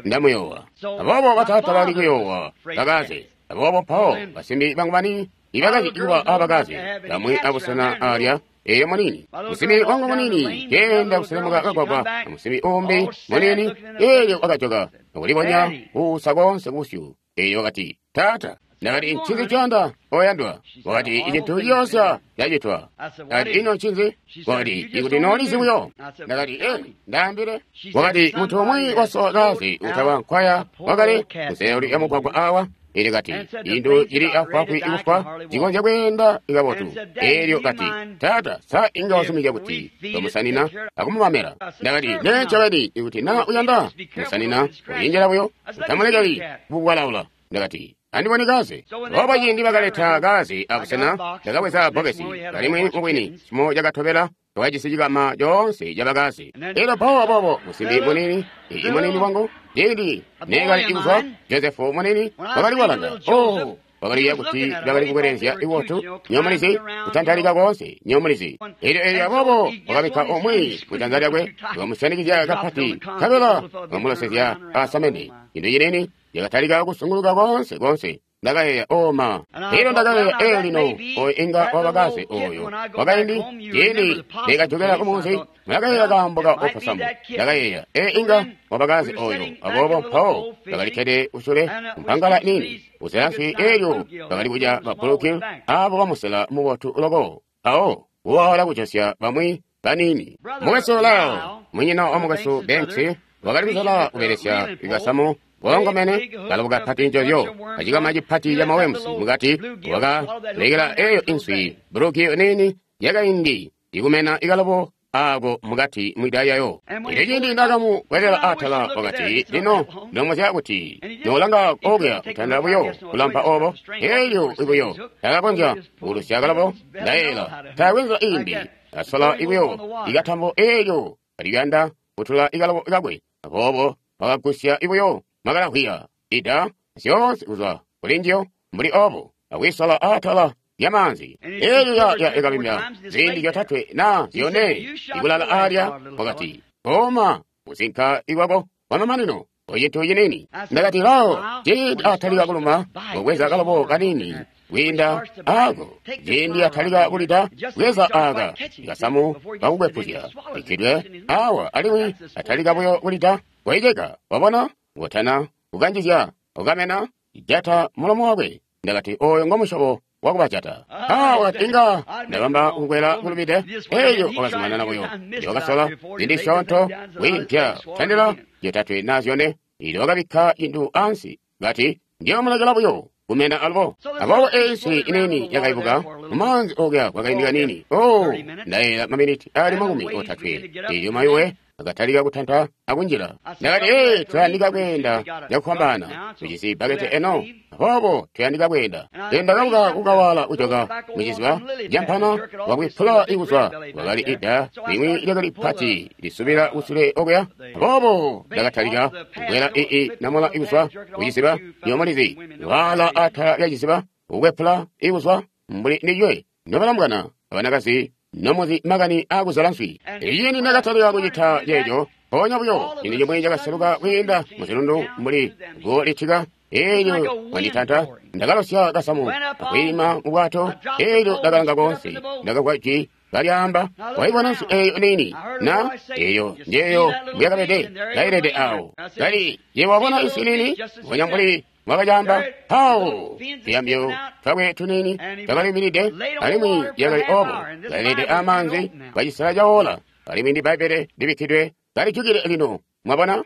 ndamuyowa aboobo bataata bali kuyowa bakaze aboobo mpawo basimbi bangu baniini ibakazi kuba abakazi bamwi abusena alya eyo munini musimbi wangu munini kenda kuselemuka kagwagwa amusimbi umbi munini eelyo wakajoka akulibonya kuusa konse kubusyu eelyo wakati taata ndakati ncinzi coyanda oyandwa wakati icintu ciyoosya cacitwa ndakati ino ncinzi wakati ikuti noolizi buyo ndakati e ndaambile wakati munthu umwi wasowa kazi utawa nkwaya wakali kuseuli ya mugwagwa awa ili kati indu cili afwaafwi ikufwa cikonzya kweenda ikabotu eelyo kati taata sa inga wasumizya kuti tomusanina akumumamela ndakati ne ncobeni ikuti na uyanda musanina ucinjela buyo utamulekeli kukukwalaula ndakati andibone kaze obo ciindi bakaleta kaze abusena ndakabweza bbokesi alimwi mubwini cimo cakatobela twakajisi cikama coonse cabakazi elyo mpawo aboobo musimbi munini ii munini wangu Ciindi neekali kuzwa Josefu munini wakali walanga. Oh, wakaliya kuti bakali kukwelelezya iwotu nyomulizi kutantalika koonse nyomulizi. Elyo elyo aboobo wakabikka umwi kujanza lyakwe wakamusyanikizya kapati nkabela wakamulosezya asamende. Cintu cinini yakatalika kusunguluka koonse koonse. Ndakayeeya oma. Elyo ndakayeeya ee lino oyo inga wabakaze oyo wakaindi ciindi neekajokela kumuunzi ndakayeeya kaambo ka oposamu. Ndakayeeya ee inga wabakaze oyo aboobo mpawo bakalikkede kusule mpangala nini uzela nswi elyo bakali kudya babulukil abo bamusela mubotu loko mpawo kuwala kujosya bamwi banini. Mukwesu Lyle, munyina wa mukwesu Banks, wakali kusola kubelesya ikasamu boongomene kalobo kapati njozyo acikama cipati ca mawemusi mukati wakalekela eyo inswi buluki nini yakaindi ikumena ikalobo ako mukati mwida yayo. Elyo ciindi ndakamukwelera atala wakati lino ndomuzya kuti nolanga okuya kutandila buyo kulampa obo elyo ibuyo takakonzya kuulusya kalobo ndayela taakwe nzila imbi asola ibuyo ikatambo elyo kaliyanda kutula ikalobo kakwe aboobo wakagusya ibuyo makalahwiya ida zyoonse kuzwa kuli njiyo mbuli obo akwisola atala lyamanzi. Elyo ya ikabimya ziindi zyotatwe na zyone ikulala alya wakati koma kuzinka ikwako kwamamanino ocintu cinini. Ndakati lao ciindi atalika kuluma kubweza kalobo kanini kwiinda ako ciindi atalika kulida bweza aka ikasamu kakukwepuzya ikkidwe awa alimwi atalika buyo kulida waiceka wabona ngotana kukanjizya ukamena jata mulomo wakwe. Ndakati oyo ngomusyobo wakubajata. Ah, wakati inga ndabamba kukwela kulumide. Elyo wakazumanana buyo. Elyo wakasola ziindi zisyoonto wiimpya kutandila zyotatwe na zyone. Elyo wakabikka cintu ansi kati ndiyomulekela buyo kumena alubo. Aboobo eyi nswi inini yakaibuka mumaanzi okuya kwakaindi kanini. Oh, ndayela maminiti ali makumi otatwe. Elyo mayuwe akatalika kutanta akunjila. Ndakati ee tuyandika kweenda cakufwambaana tujisi bbakete eno aboobo tuyandika kweenda. Ndakabuka kukawala kujoka muciziba campana wakwipula ikuzwa wakali ida limwi lyakali pati lisubila kusule okuya. Aboobo ndakatalika kukwela ii namola ikuzwa kuciziba nyomulizi wala atala lya ciziba kukwepula ikuzwa mbuli ndinywe nobalambwana abanakazi nomuzi makani akuzala nswi. Iyini ndakatalika kucita ceeco mpoonya buyo cintu cimwi cakaseluka kwiinda muzilundu mbuli guwo litika. Elyo wanditanta ndakalosya kasamu akwiima mu bwato. Elyo ndakalanga koonse ndakagwa jwi kalyaamba waibona nswi eyo nini na eyo njeyo mbuyakabede kailede awo kali ye wabona nswi nini mbonya mbuli mwakacaamba pawo tuyambyo twakwe tunini twakaliminide alimwi yakali obo kailede amanzi kacisala cawola alimwi ndi Bbaibbele libikkidwe kalijukile lino mwabona.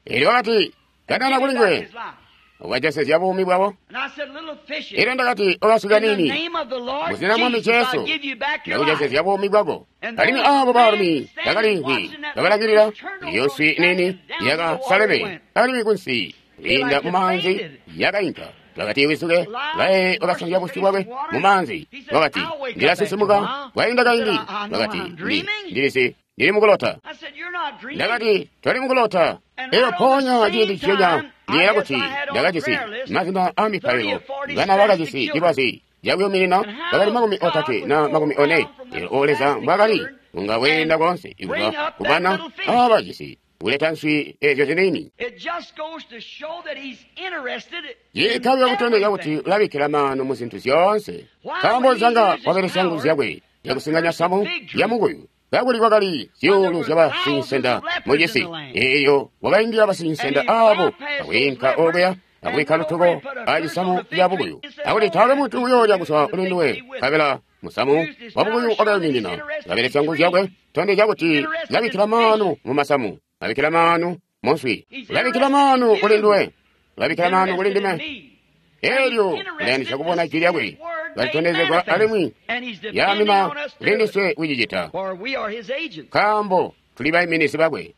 Elyo wakati kanana kuli nguwe wakajosezya buumi bwabo. Elyo ndakati okasuka nini muzina Mwami Jesu ndakujosezya buumi bwako. Alimwi abo baalumi bakaliimvwi bakalangilila iyo nswi nini yakasaleme alimwi kunsi kwiinda mumaanzi yakainka. Wakati wisuke laye wakasanzya busyu bwakwe mumaanzi. Wakati ndilasisimuka kwainda kaindi. Wakati ndilisi ndili mukulota. Ndakati toli mukulota. Elyo mpoonya ciindi nciconya ndiyeeya kuti ndakajisi mazina a mipailo bana bakajisi cilwazi cakuyuminina bakali makumi otatwe na makumi one. Elyo o Leza mbwaakali unga weenda koonse ikuva kubana abajisi kuleta nswi ezyo zinini. Yikabya kutondezya kuti ulabikkila maanu mu zintu zyoonse. Nkaambo nzanga wabelesya nguzu zyakwe yakusinganya samu ya mukuyu kakuli kwakali zyuulu zya basinsenda mucisi. Eyo wakaindila basinsenda abo akwiinka okuya akubikka lutuko acisamu ca bukuyu akuti taakwe muntu uyoolya kuzwa kuli nduwe. Nkabela musamu wa bukuyu wakayuminina. Kabelesya nguzu zyakwe tondezya kuti ulabikkila maanu mu masamu, ulabikkila maanu mu nswi, ulabikkila maanu kuli nduwe, ulabikkila maanu kuli ndime. Elyo ulayandisya kubona jwi lyakwe kalitondezegwa alimwi yaamina kuli ndiswe kucicita nkaambo tuli baiminizi bakwe.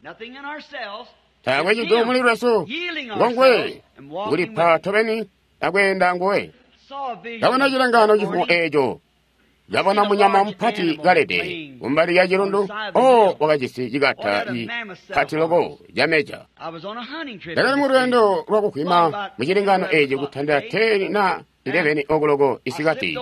Taakwe cintu muli lwesu ngonguwe kulipa tobeni akweenda nguwe. Kabona cilengano cifumo eeco kabona munyama mupati kalede kumbali ya cilundu o wakajisi cikata pati loko cameja. Ndakali mu lweendo lwakukwima mu cilengano eci kutandila ten na eleven okuloko isikati,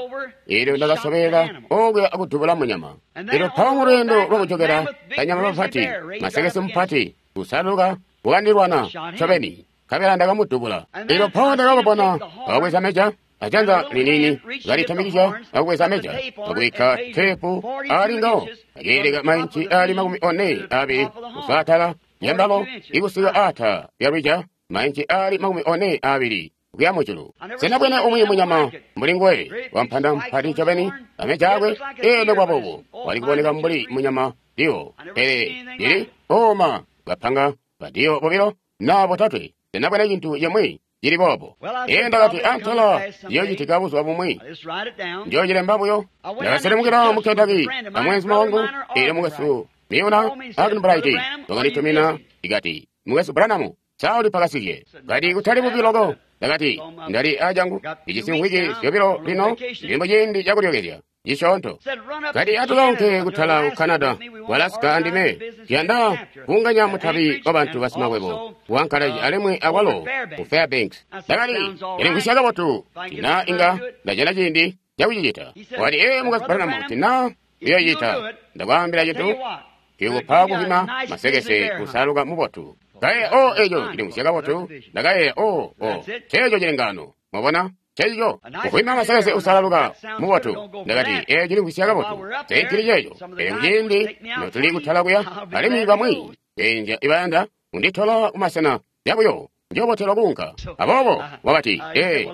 elyo ndakasobela okuya akudubula munyama. Elyo mpawo mu lweendo lwakujokela kanyama bapati masekese mupati kusaluka wakandilwana ncobeni, nkabela ndakamudubula. Elyo mpawo ndakababona kababweza meja ajanza linini kalitamikizya akubweza meja akubikka teepu ali ngawo, akeeleka mainci ali makumi one abili kuzwa atala lyambalo ikusika ata lyalwija mainci ali makumi one abili kuya mujulu. Sena bwene umwi munyama mbuli nguwe wampanda mpati ncobeni ameja akwe elo kwabobo wali kuboneka mbuli munyama diwo, pele lili oma bapanga badiwo bobilo na botatwe. Sena bwene cintu cimwi cili boobo. Ee, ndakati antela ciyocitika buzuba bumwi, njoocilemba buyo. Ndakaselemukila mu Kentucky na mweenzuma wangu, elyo mukwesu Miuna Arganbright wakanditumina ikati, mukwesu Branham, sauli pakasike kati kutali bubi loko. Ndakati ndali ajangu ijisi mwiki zyobilo lino ndili muciindi cakulyokezya cisyoonto. Kati atukaunke kutala ku Canada ku Alaska andime tuyanda kuunganya mutabi wa bantu basimakwebo ku Anchorage alimwi akwalo ku Fairbanks. Ndakati ilimvwisya kabotu tina inga ndajana ciindi cakucicita. Wakati ee mukwesu Branham, tina uyoocita ndakwaambila cintu cikupa kukwima masekese kusaluka mubotu. Kaye o eco cilimvwisya kabotu. Ndakayeeya o o ceeco cilengano mwabona ceeco kukwima masekese usalaluka mubotu. Ndakati ee cilimvwisya kabotu seicili ceeco. Pele kuciindi notuli kutala kuya alimwi bamwi benja ibayanda kunditola kumasena yabuyo njobotelwa kuunka. Aboobo wakati ee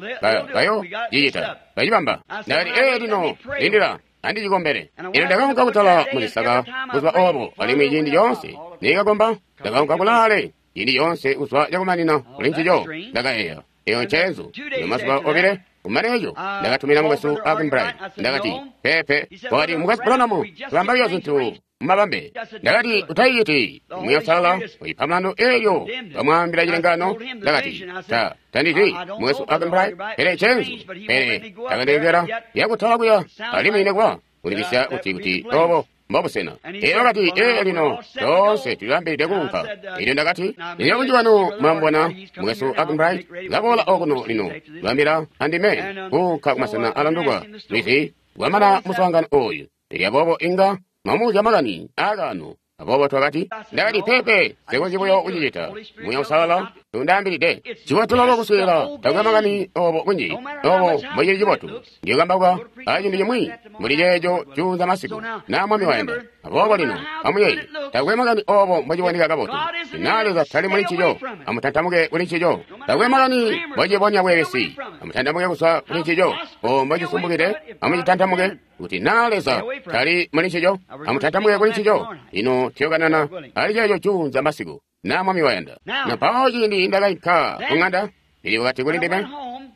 bayo cicita bacibamba. Ndakati ee lino lindila andicikombele. Elyo ndakaunka kutala mucisaka buzuba obo, alimwi ciindi coonse nikakomba ndakaunka kulaale ciindi coonse kuzwa cakumanina kuli ncico. Ndakayeeya eyo ncenzu. Elyo mazuba obile kumane eco ndakatumina mukwesu Arganbright. Ndakati pepe. Wakati mukwesu Branham, tulamba buyo zintu mumabambe. Ndakati utayiciti Muuya Uusalala uyipa mulandu elyo bamwaambila cilengano. Ndakati ta tandizi mukwesu Arganbright, pele ncenzu, pele takandilekela yakutala kuya alimwi nekuba kulibisya kuti kuti obo mbobusena. Elyo wakati ee lino toonse tulilambide kuunka. Elyo ndakati lino bunji bwanu mwambona mukwesu Arganbright laboola okuno lino lwambila andime kuunka kumasena alandukwa lwizi lwamana muswaangano oyu. Elyo aboobo inga mwamuuzya makani aakaano. Aboobo twakati ndakati pepe sekonzyi buyo kucicita. Muuya Uusalala tundaambilide cibotu loko kuswiilila takwe makani obo kunji obo mbocili cibotu. Ndiyokambauka aciindi cimwi muli ceeco cuunza masiku naa Mwami wayanda. Aboobo lino amuyeeye takwe makani obo mbociboneka kabotu, naa Leza tali muli ncico amutantamuke kuli ncico. Takwe makani mbocibonya bweebesi amutantamuke kuzwa kuli ncico. O mbocisumbukide amucitantamuke kuti naa Leza tali muli ncico amutantamuke kuli ncico. Lino tuyokanana ali ceeco cuunza masiku naa Mwami wayanda. Na mpawo ciindi ndakainka kuŋanda, Billy wakati kuli ndime,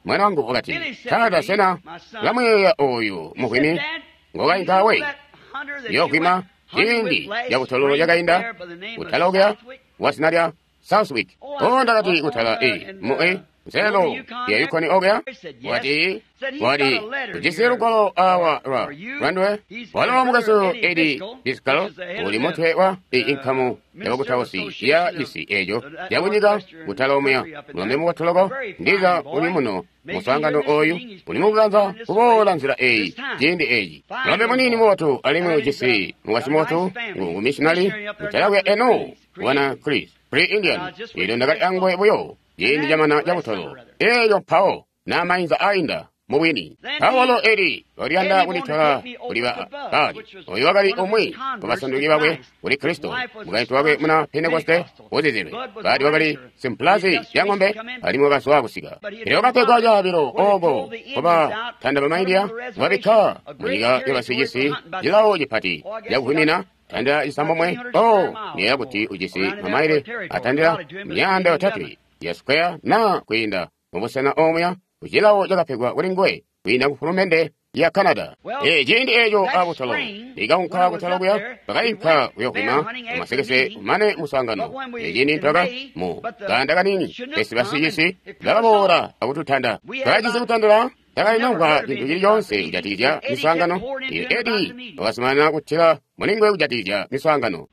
mwana wangu wakati, Taata, sena ulamuyeeya oyu mukwimi ngokainka we yokwima ciindi cakutololo cakainda kutala okuya wazina lya Southwick? O ndakati kutala e mu e nzelo ya Yukon okuya. Wakati wali ujisi lugwalo awa lwa lwandwe walo mukwesu Eddie Driscoll uli mutwe wa inkamu yabakutausi ya cisi eco yakunyika kutala omuya mulombe mukotoloko ndiza uli muno muswaangano oyu uli mukukanza kuboola nzila eyi ciindi eci. Mulombe muniini mubotu alimwi ujisi mukwasyi mubotu ngu missionary kutala kuya eno wana Chris Pre Indian. Elyo ndakali angwe buyo ciindi camana cabutolo eyo mpawo namainza ainda mubwini. Mpawo Eli waliyanda kunditola kuli Baali. Oyu wakali umwi wabasanduki bakwe kuli Kristo, mukaintu wakwe muna Pentekoste uzizilwe. Baali wakali simpulazi ya ng'ombe alimwi wakazwa kusika. Elyo wakapegwa caabilo oko kubatanda bamaindiya wabikka munyika yabasicisi cilawo cipati cakuhwimina tandila cisambomwe. O niyeeya kuti ujisi mamaile atandila myaanda yotatwe ya square na kwiinda mubusena omuya kucilawo cakapegwa kuli nguwe kwiinda ku fulumende ya Canada. E ciindi eco abutolo likaunka kutala kuya bakainka kuyokwima kumasekese kumane muswaangano. E ciindi ntwaka mu kaanda kanini pesi basicisi bakaboola akututanda. Twakajisi kutandila takalinamvwa cintu cili coonse kujatikizya miswaangano. Elyo Edi wakazumanana kutila mulinguwe kujatikizya miswaangano.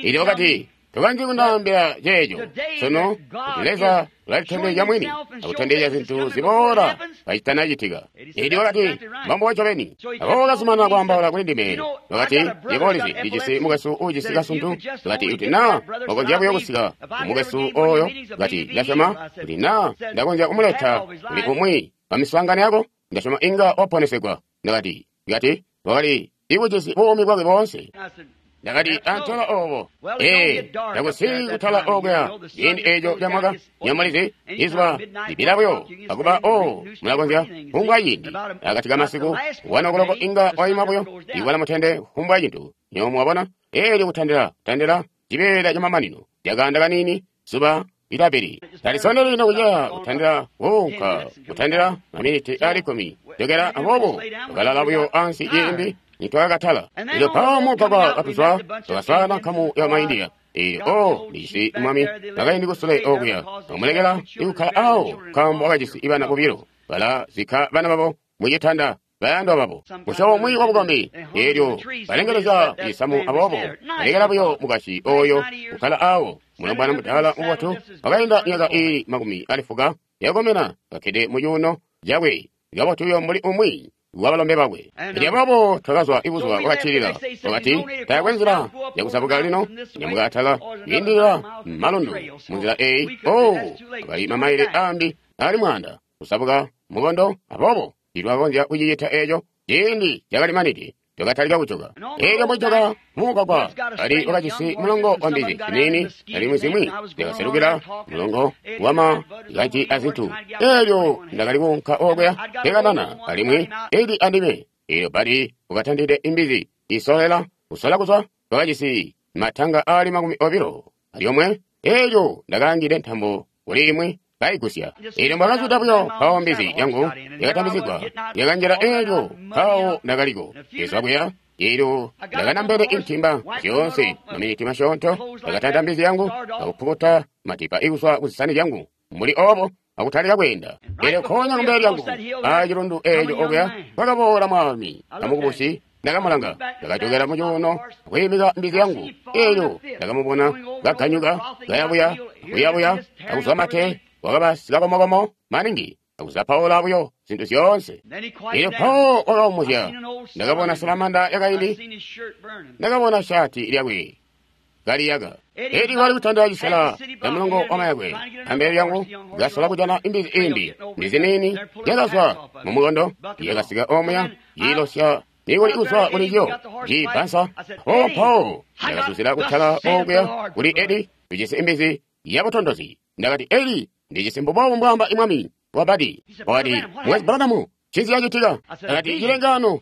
Elyo wakati, tokanji kundaambila ceeco sunu kuti Leza ulalitondezya mwini akutondezya zintu ziboola kacitanacitika. Elyo wakati, mbambo ncobeni. Aboobo wakazumanana kwaambaula kuli ndime. Wakati, yebo ulizi, ndijisi mukwesu uujisi kasuntu. Wakati, kuti naa wakonzya buyo kusika kumukwesu oyo. Wakati, ndasyoma kuti naa ndakonzya kumuleta kuli umwi wa miswaangano yako, ndasyoma inga waponesegwa. Ndakati, kati, wakali ikujisi buumi bwakwe boonse. Ndakati, antala obo. Ee, takusi kutala okuya ciindi eco camwaka. Nyamulizi, izuba libila buyo akuba o mulakonzya kufumbwa ciindi. Akati kamasiku, wanokoloko inga waima buyo, iwala mutende kufumbwa cintu. Nyowe mwabona, eelyo kutandila, kutandila, cibeela camamanino. Cakaanda kaniini, zuba lilabili. Talisoneli lino kuceya kutandila kuunka, kutandila maminiti ali kkumi. Jokela aboobo, tukalala buyo ansi ciindi nitwakatala. Elyo mpawo mugwagwa katuzwa, twakaswaana nkamu ya Maindiya. Elyo o ndijisi mwami nakaindi kusule okuya, amulekela ikukkala awo nkaambo wakajisi bana bobilo. Balazikka bana babo mucitanda bayandwa babo. Musyobo umwi wabukombi. Elyo balengelezya cisamu aboobo, balekela buyo mukashi oyo kukkala awo. Mulombwana mudaala mubotu wakainda myaka iili makumi ali fuka yakomena kakkede mucuuno cakwe kabotu buyo mbuli umwi wabalombe bakwe. Elyo aboobo twakazwa ibuzuba bwakaccilila. Wakati, taakwe nzila yakuzabuka lino, nyamuka atala, kwiindilila malundu munzila eyi. Oh, akali mamaile ambi ali mwaanda kuzabuka mukondo. Aboobo titwakonzya kucicita eco. Ciindi cakalimanide, twakatalika kujoka. Elyo mbujoka mugwagwa ali wakajisi mulongo wa mbizi ziniini alimwi zimwi zyakaselukila mulongo wama kaji azintu. Elyo ndakali kuunka okuya nkekanana alimwi Edi andime. Elyo bali wakatandide imbizi isolela kusola kuzwa. Twakajisi matanga ali makumi obilo alyomwe. Elyo ndakaangide ntambo kuli imwi kaigusya. Elyo mbwakazwida buyo mpawo mbizi yangu yakatambizigwa yakanjila. Elyo mpawo ndakaliko izwa kuya. Elyo ndakanambele intimba zyoonse maminiti masyoonto. Ndakatanta mbizi yangu akupukuta matipa ikuzwa kuzisani zyangu mbuli obo akutalika kweenda. Elyo nkoonya kumbele lyangu acilundu eco okuya kwakaboola mwami amukubusi. Ndakamulanga, ndakajokela mucuuno akwiimika mbizi yangu. Elyo ndakamubona kaganyuka kayabuya kuyabuya akuzwa mate. Wakaba sikakomokomo maningi akuzapaula buyo zintu zyoonse. Elyo mpawo wakaumuzya. Ndakabona salamanda yakaindi, ndakabona shati lyakwe kaliyaka. Eli wali kutandila cisela ca mulongo wa mayakwe ambele lyangu kasola kujana imbizi imbi. Mbizi niini yakazwa mumukondo yakasika omuya yiilosya nikuli kuzwa kuli yo ciibbansa. Mpawo mpawo ndakazuzila kutala okuya kuli Edi tujisi imbizi yabutondozi. Ndakati, Edi, ndijisi mbubobu mbwaamba imwami wa Badi. Wakati, Mukwesu Branham, ncinzi cacitika? Ndakati, cilengano.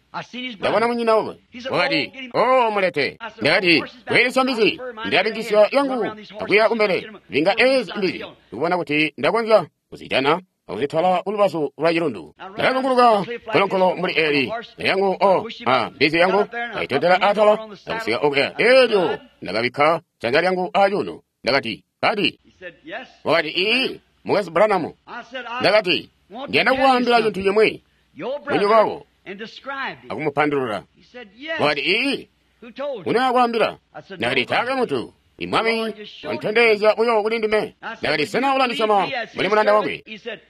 Ndabona munyina wakwe. Wakati, o mulete. Ndakati, kweelesya mbizi, ndilabingisya yangu akuya kumbele. Binga ezi mbizi, ndikubona kuti ndakonzya kuzijana akuzitwala kulubazu lwa cilundu. Ndakazunguluka nkolonkolo mbuli eli yangu o a mbizi yangu ndaitondela atala akusika okuya. Elyo ndakabikka janza lyangu acuuno. Ndakati, Badi. Wakati, ii, Mukwesu Branham. Ndakati, ndiyanda kukwaambila cintu cimwi. Munyoko wako akumupandulula. Wakati, ii, unakwaambila. Ndakati, taakwe muntu. Imwami wantondezya buyo kuli ndime. Ndakati, sena ulandisyoma mbuli mulanda wakwe?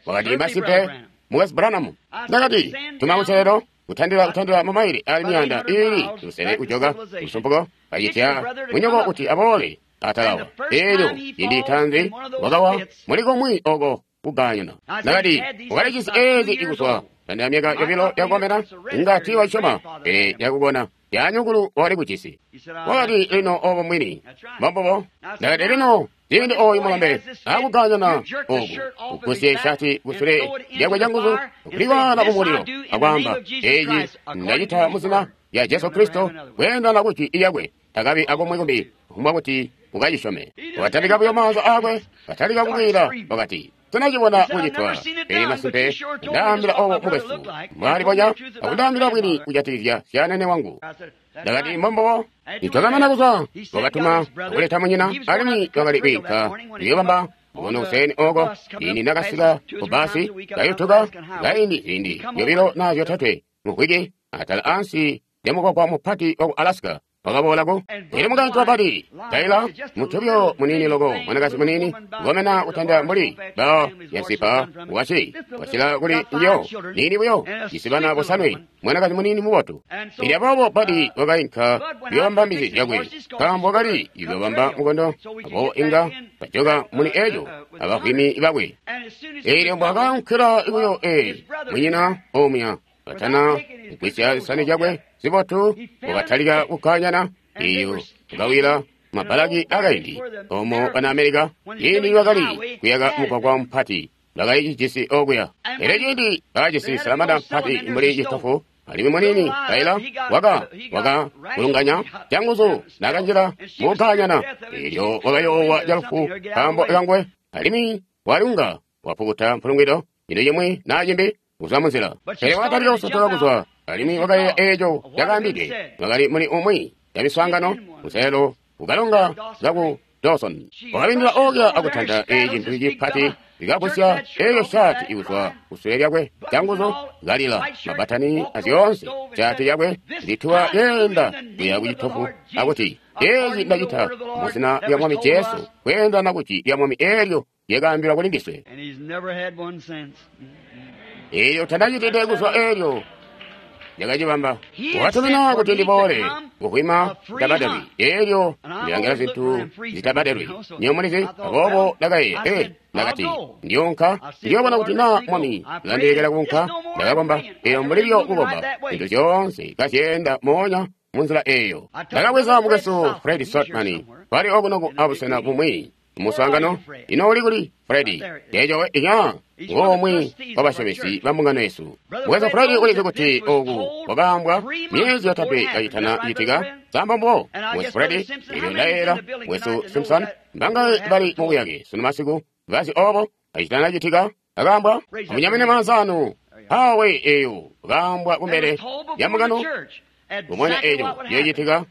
Wakati, masimpe, Mukwesu Branham. Ndakati, tuma kuselelo kutandila kutandila mamaili ali miyanda iili lusele kujoka lusumpuko kacitya munyoko kuti aboole atalawa. Elyo ciindi tanzi wakawa muli komwi oko kuganyana. Ndakati, wakalijisi ezi ikuzwa tandila myaka yobilo yakukomena inga tiiwasyoma pele yakubona yanyukulu wakali kujisi. Wakati, lino obo mwini mbombubo. Ndakati, lino ciindi oyu mulombe akuganyana oku kugusye shati kusule lyakwe canguzu kuliwaala kumulilo akwaamba, eci ndacita muzina lya Jesu Kristo kweendana kujwi lyakwe, takabi akomwe kumbi kufumbwa kuti ukacisyome. Wakatalika buyo maanza aakwe, katalika kukwiila, wakati, sinacibona kucitwa, pele masimpe ndaambila obo mukwesu mbwalibonya akundaambila bwini kujatikizya syanene wangu. Ndakati, mbombubo. Nitwakamana kuzwa, wakatuma akuleta munyina, alimwi wakali kwiinka kuyobamba Mukono kuseni oko ini nakasika ku basi kayutuka kaindi ziindi zyobilo na zyotatwe muvwiki atala ansi lya mugwagwa mupati waku Alaska wakaboolako. Elyo mukaintu wapati Taylor mutubyo munini loko mwanakazi munini ngomena kutanda mbuli bao yansipa waci wacila kuli njo nini buyo jisi bana bosanwe mwanakazi munini mubotu. Elyo aboobo Badi wakainka kuyobamba mbizi zyakwe nkaambo wakali kuyobamba mukondo aboobo inga bajoka muli eco abavwimi bakwe. Elyo mbwakaunkila buyo ee munyina omuya batana kugwisya zisani zyakwe zibotu wakatalika kukanyana iyo kukawila mabalaki akaindi omo bana Amerika ciindi bakali kuyaka mugwagwa mupati bakali cijisi okuya. Elyo ciindi bakajisi salamanda mpati mbuli citofu alimwi munini Taylor waka waka kulunganya canguzu nakanjila mukukanyana elyo wakayoowa calufu nkaambo kangwe alimwi walunga wapukuta mpulungwido cintu cimwi naa cimbi kuzwa munzila. Pele wakatalika kusotoka kuzwa alimwi wakayeeya eeco cakaambide wakali muli umwi ya miswaangano muselo ukalonga zaku Dawson. Wakabindila okuya akutanta eeci cintu cipati likagusya eeyo shaati ikuzwa kusule lyakwe canguzu kalila mabatani azyoonse shaati yakwe lituwa yeenda kuya kucitofu akuti eeci ndacita muzina lya Mwami Jesu kweendana kuti lya Mwami eelyo lyakaambilwa kuli ndiswe. Elyo tandacitide kuzwa eelyo lyakacibamba watumina kuti ndiboole kuhwima zitabadelwi eelyo ndilangila zintu zitabadelwi nyomulizi. Aboobo ndakayeeya ee ndakati ndiyonka ndiyobona kuti naa Mwami ulandilekela kuunka. Ndakakomba eyo mbulilyo kukomba zintu zyoonse kazyeenda moonya munzila eeyo. Ndakabweza mukwesu Fred Sotman kwali okuno ku abusena bumwi muswaangano. Ino uli kuli Fred? Eeco inya ngomwe wabasyomesi ba mbungano yesu. Mukwesu Fred ulizi kuti oku kwakaambwa myezi yotatwe kacitana citika samba mbo. Mukwesu Fred elyo ndayeeyela mukwesu Simpson mbangaye bali mubuyake sunu masiku bazi obo kacitana citika akaambwa amunyamene maanza anu awe eyo kaambwa kumbele ya mbungano kumwenya eco yocitika.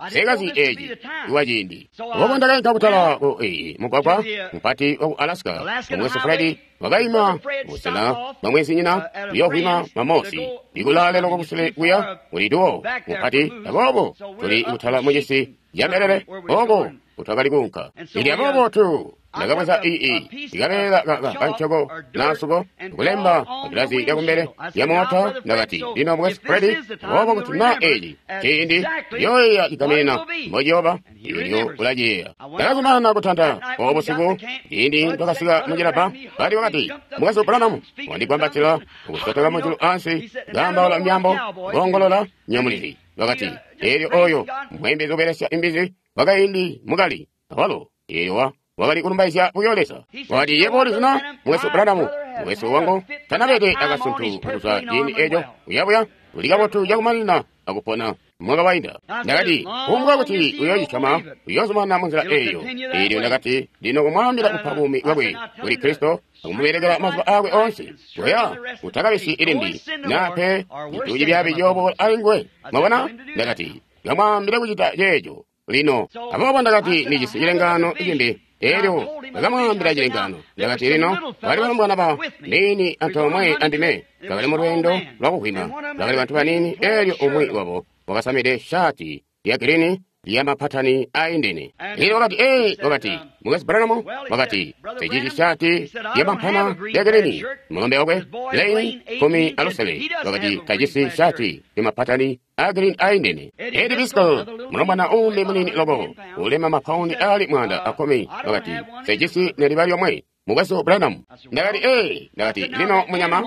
Sekazi eeci iwa ciindi. Aboobo ndakainka kutala ku mugwagwa mupati waku Alaska. Mukwesu Fred wakaima busena bwa mwenzinyina kuyoovwima mamosi ikulaale loko kusule kuya kuli tuwo mupati. Aboobo tuli kutala mucisi ca mbelele oko kutwakali kuunka. Ili aboobo tu ndakabweza ii ikabeela kancoko nasuko kulemba gilazi lyakumbele lya moota. Ndakati lino mukwesu Fred, aboobo kuti naa eeci ciindi yoyeya cigamena mbociyooba elyo ulaciyeeya. Ndakazumanana kutanta obo busiku ciindi twakasika mucilabba. Bali wakati mukwesu Branham wandigwambatila ukusotoka mujulu ansi kaambaula myaambo koongolola nyamulizi. Wakati eelyo oyo mwembezi ubelesya imbizi wakaindi mukali awalo eyowa wakali kulumbaizya buyo Leza. Wakati yebo ulizina mukwesu Branham, mukwesu wangu tanabede akasuntu kuzwa ciindi eco uyabuya uli kabotu cakumanina akupona mwaka wainda. Ndakati kumbwa kuti uyoocicama uyoozumana munzila eeyo. Eelyo ndakati lino kumwaambila kupa buumi bwakwe kuli Kristo akumubelekela mazuba aakwe oonse kuya utakabisi ilimbi nape cintu cibyaabi ciyooboola alinguwe. Mwabona? Ndakati kamwaambile kucita ceeco lino. Aboobo ndakati ndijisi cilengaano cimbi. Eelyo ndakamwaambila cilengaano. Ndakati lino bali balombwana ba niini antoomwe andime bakali mu lweendo lwakuhwima bakali bantu baniini. Eelyo umwi wabo wakasamide shaati lya girini lya mapatani aindene. Elyo wakati ee wakati mukwesu Branham wakati sijisi shaati lya mampana lya girini. Mulombe wakwe Lane kumi alusele wakati tajisi shaati lya mapatani a girini aindene. Eddie Biscoe mulombwana uumbi munini loko ulema mapaundi ali mwanda akumi wakati sijisi neliba lyomwe mukwesu Branham. Ndakati ee ndakati lino munyama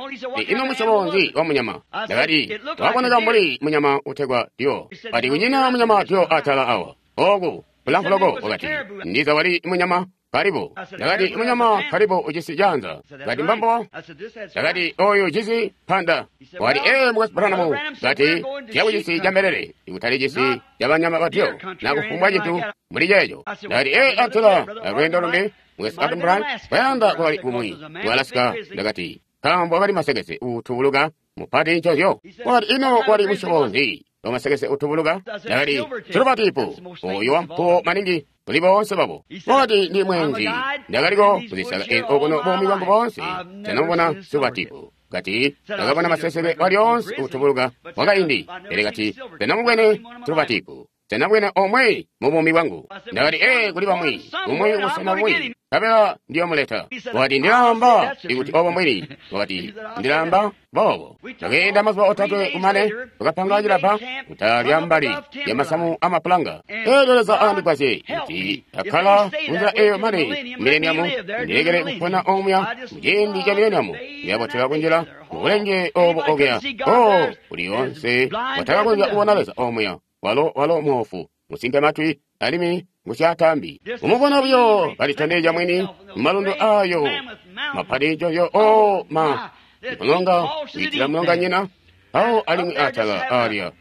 ino musyobo nzi wa munyama? Ndakati waboneka mbuli munyama utegwa dio. Kati kunyina munyama dio atala awa oku bulamfu loko. Wakati ndiza wali munyama karibu. Ndakati munyama karibu ujisi janza. Ndakati mbambo. Ndakati oyu ujisi panda. Wakati ee mukwesu Branham kati tiyakucisi ca mbelele ikutali cisi ca banyama batyo nakufumbwa cintu muli ceeco. Ndakati ee atala alweendo lumbi mukwesu Branham wayanda kwakali kumwi ku Alaska. Ndakati nkaambo wakali masekese utubuluka mupati ncozyo. Wakati ino wali musyobo nzi wa masekese utubuluka? Ndakati siluvatipu oyo wampuwo maningi Kuli boonse babo. Wakati ndi mwenzi. Ndakaliko kuzisaka ezi okuno buumi bwangu boonse. Tanamubona silvatipu. Kati ndakabona maseseke walyoonse kutubuluka wakaindi. Pele kati tanamubwene silvatipu. Tanabwene omwe mu buumi bwangu. Ndakati ee kuli bamwi, umwi ubusena bumwi, nkabela ndiyomuleta. Wakati ndilaamba ikuti obo mbwini. Wakati ndilaamba boobo. Twakeenda mazuba otatwe kumane, twakapanga cilabba kutala mbali ya masamu amapulanga. Eelyo Leza akandigwasye kuti akkala munzila eyo mane mileniamu, ndilekele kupona omuya muciindi ca mileniamu, ndiyabotela kunjila mubulenge obo okuya. Oh, kuli yoonse watakakonzya kubona Leza omuya. Walo walo muofu, musimpe matwi, alimwi ngusyatambi. Umubona buyo kalitondezya mwini mumalundu ayo mapati joyo o ma mulonga kuitila mulonga nyina awo alimwi atala alya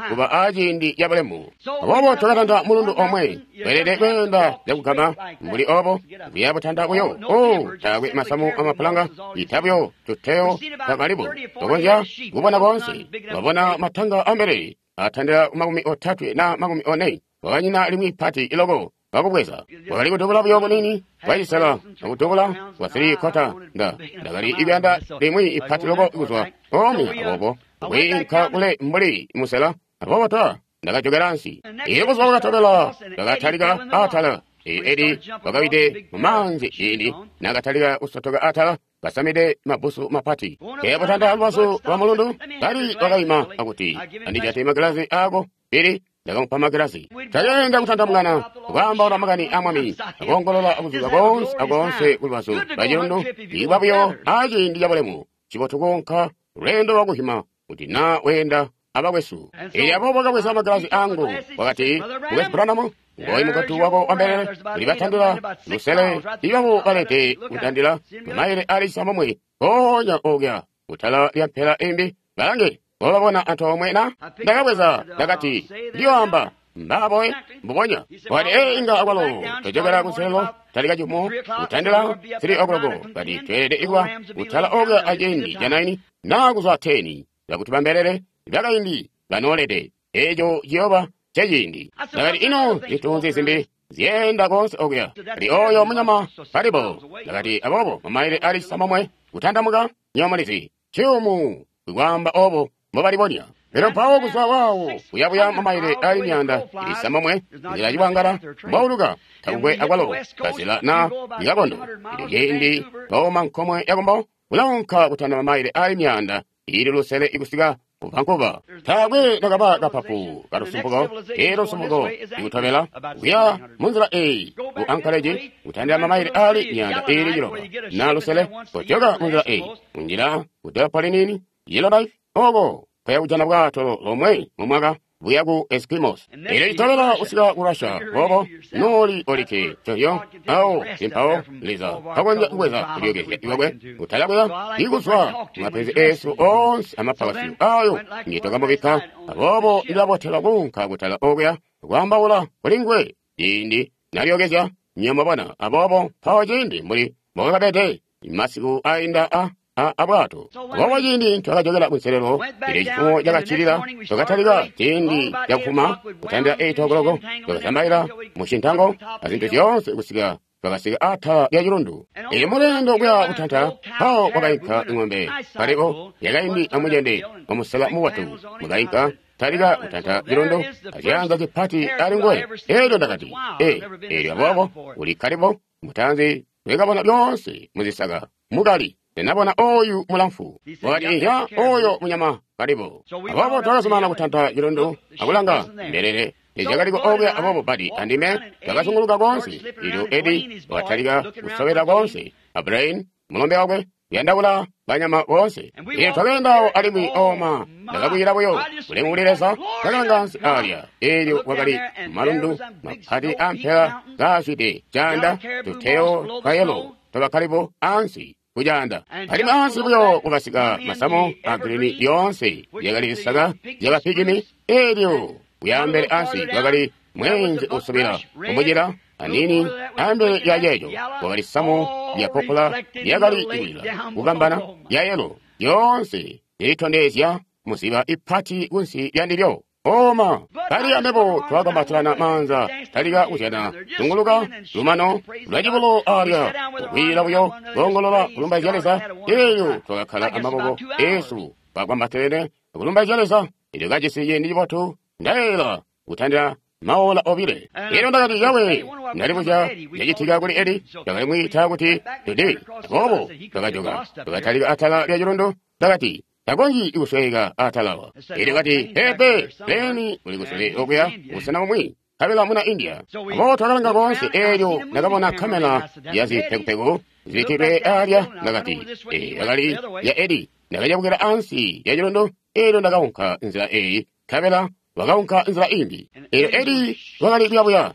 kuba aciindi cabulemu. Aboobo twakatanta mulundu omwe, tweelede kweenda cakugama mbuli obo kuya butanta buyo. O taakwe masamu amapulanga, ita buyo tuteyo twakalibo tukonzya kubona koonse. Twabona matanga ambele atandila makumi otatwe na makumi one. Wakanyina limwi pati iloko wakubweza. Wakali kudubula buyo bunini bwacisela akudubula kwa three quarter nda ndakali ikuyanda limwi ipati loko kuzwa omwe aboobo kwiinka kule mbuli musela aboobo twa ndakajokera ansi. Iyo buzuba bwakatobela ndakatalika atala. Edi wakawide mumaanzi ciindi nakatalika kusotoka atala kasamide mabusu mapati. Kebutanda lubazu lwa mulundu kali wakayima akuti andijate magilazi ako pili ndakamupa magilazi. Tayenda kutandamukana kwaambaula makani a mwami akoongolola akuzuza koonse akoonse kulubazu lwa cilundu ibwa buyo aciindi cabulemu. Cibotu kuunka lweendo lwakuhima kuti naa weenda abakwesu. Eelyo aboobo kabweza magilazi angu wakati mukwesu Branham, ngoyi mugotu wako wambelele ulibatandila lusele ibabo balete kutandila mamayile ali cisambomwe mpoonya okuya kutala lya mpela imbi balange wababona antoomwe na ndakabweza ndakati ndiyoamba mbaboe mbubonya. Wakati ee inga akwalo tojokera kunselelo talika cifumo kutandila three o'clock kati tweelede ikuba kutala okuya aciindi ca nine naa kuzwa ten zakuti bambelele bakaindi banoolede eeco ciyooba ceciindi. Ndakati ino zintu zimbi zyeenda koonse okuya. Kati oyo munyama palibo. Ndakati aboobo mamayile ali cisambomwe kutandamuka nyomulizi ciyumu kwaamba obo mbobalibonya. Lero mpawo kuzwa waawo kuyabuya mamayile ali miyanda ilisambomwe nzila cibwangala mbwauluka takukwe akwalo kazila na ikakondo. Ilyo ciindi wauma nkomwe yakumbo ulaunka kutanda mamayile ali miyanda ili lusele ikusika ku Vancouver. Taakwe nakaba kapapu kalusumpuko elo lusumpuko ikutobela kuya munzila eyi ku Anchorage kutandila mamayile ali miyanda ili ciloba na lusele kojoka munzila eyi kunjila ku Delphi nini Yellowknife oko kaya kujana bwato lomwe mu mwaka buya ku Eskimos. Elyo litobela usika ku Russia bobo noli olike coyo awo simpawo Leza kakonzya kubweza kulyokezya iwakwe kutala kuya ikuzwa mapenzi esu onse amapakasyo ayo ngitokamubikka aboobo ndilabotela kuunka kutala okuya kwaambaula kuli nguwe ciindi nalyokezya nyamabona aboobo mpawo ciindi mbuli mbokakabede masiku ainda a abwato. Aboobo ciindi twakajokera kunselelo elyo cifumo cakaccilila twakatalika ciindi cakufuma kutandila eight o'clock twakazambaila mu cintango azintu zyoonse kusika twakasika atala lya cilundu. Elyo mulendo kuya kutanta mpawo kwakainka ing'ombe palipo yakaindi amucende wamusela mubotu mukainka talika kutanta cilundu aciyanza cipati ali nguwe. Elyo ndakati ee elyo aboobo uli kalibo mutanzi twekabona lyonse muzisaka mukali. Ndinabona oyu mulamfu. Wakati inzya oyo munyama kalibo. Aboobo twakazumana kutanta cilundu akulanga mbelele tezyakaliko okuya aboobo badi andime twakazunguluka koonse. Ilyo Edi wakatalika kusobela koonse a Brain mulombe wakwe kuyandaula banyama boonse. Ilyo twakeendawo alimwi oma ndakakwila buyo ulemu kuli Leza ndakalanga ansi alya. Elyo kwakali malundu mapati ampela kaazwide caanda tuteyo twa yelo twabakalibo ansi kujanda. Alimwi ansi buyo kwakasika masamu a girini yoonse yakali zisaka zyabapigimi. Elyo kuyambele ansi kwakali mwenze usubila kumujira anini ambele ya yeyo kwakali samu lya popola lyakali ikulila kukambana ya yelo yoonse lilitondezya muziba ipati kunsi lya ndilyo. Oma kali ambebo twakambatilana maanza talika kuzyana zunguluka lumano lwacibulo alya kukwiila buyo koongolola kulumbaizya Leza. Elyo twakakkala amaboko esu twakwambatilene kulumbaizya Leza. Elyo kajisi ciindi cibotu ndaela kutandila maola obile. Elyo ndakati, Yawe, ndalibuzya cacitika kuli Eli. Twakali mwiita kuti Dudi. Aboobo twakajoka twakatalika atala lya cilundu. Ndakati, takonzyi kusweka atalawa. Elyo kati, pepe, leni uli kusule okuya busena bumwi kabela muna India. Aboobo twakalanga koonse. Elyo ndakabona kamera ya zipekupeku zibikkidwe alya. Ndakati, ee, yakali ya Eli. Ndakacabukila ansi ya cilundu. Elyo ndakaunka nzila eyi, kabela wakaunka nzila imbi. Elyo Eli wakali kuyabuya,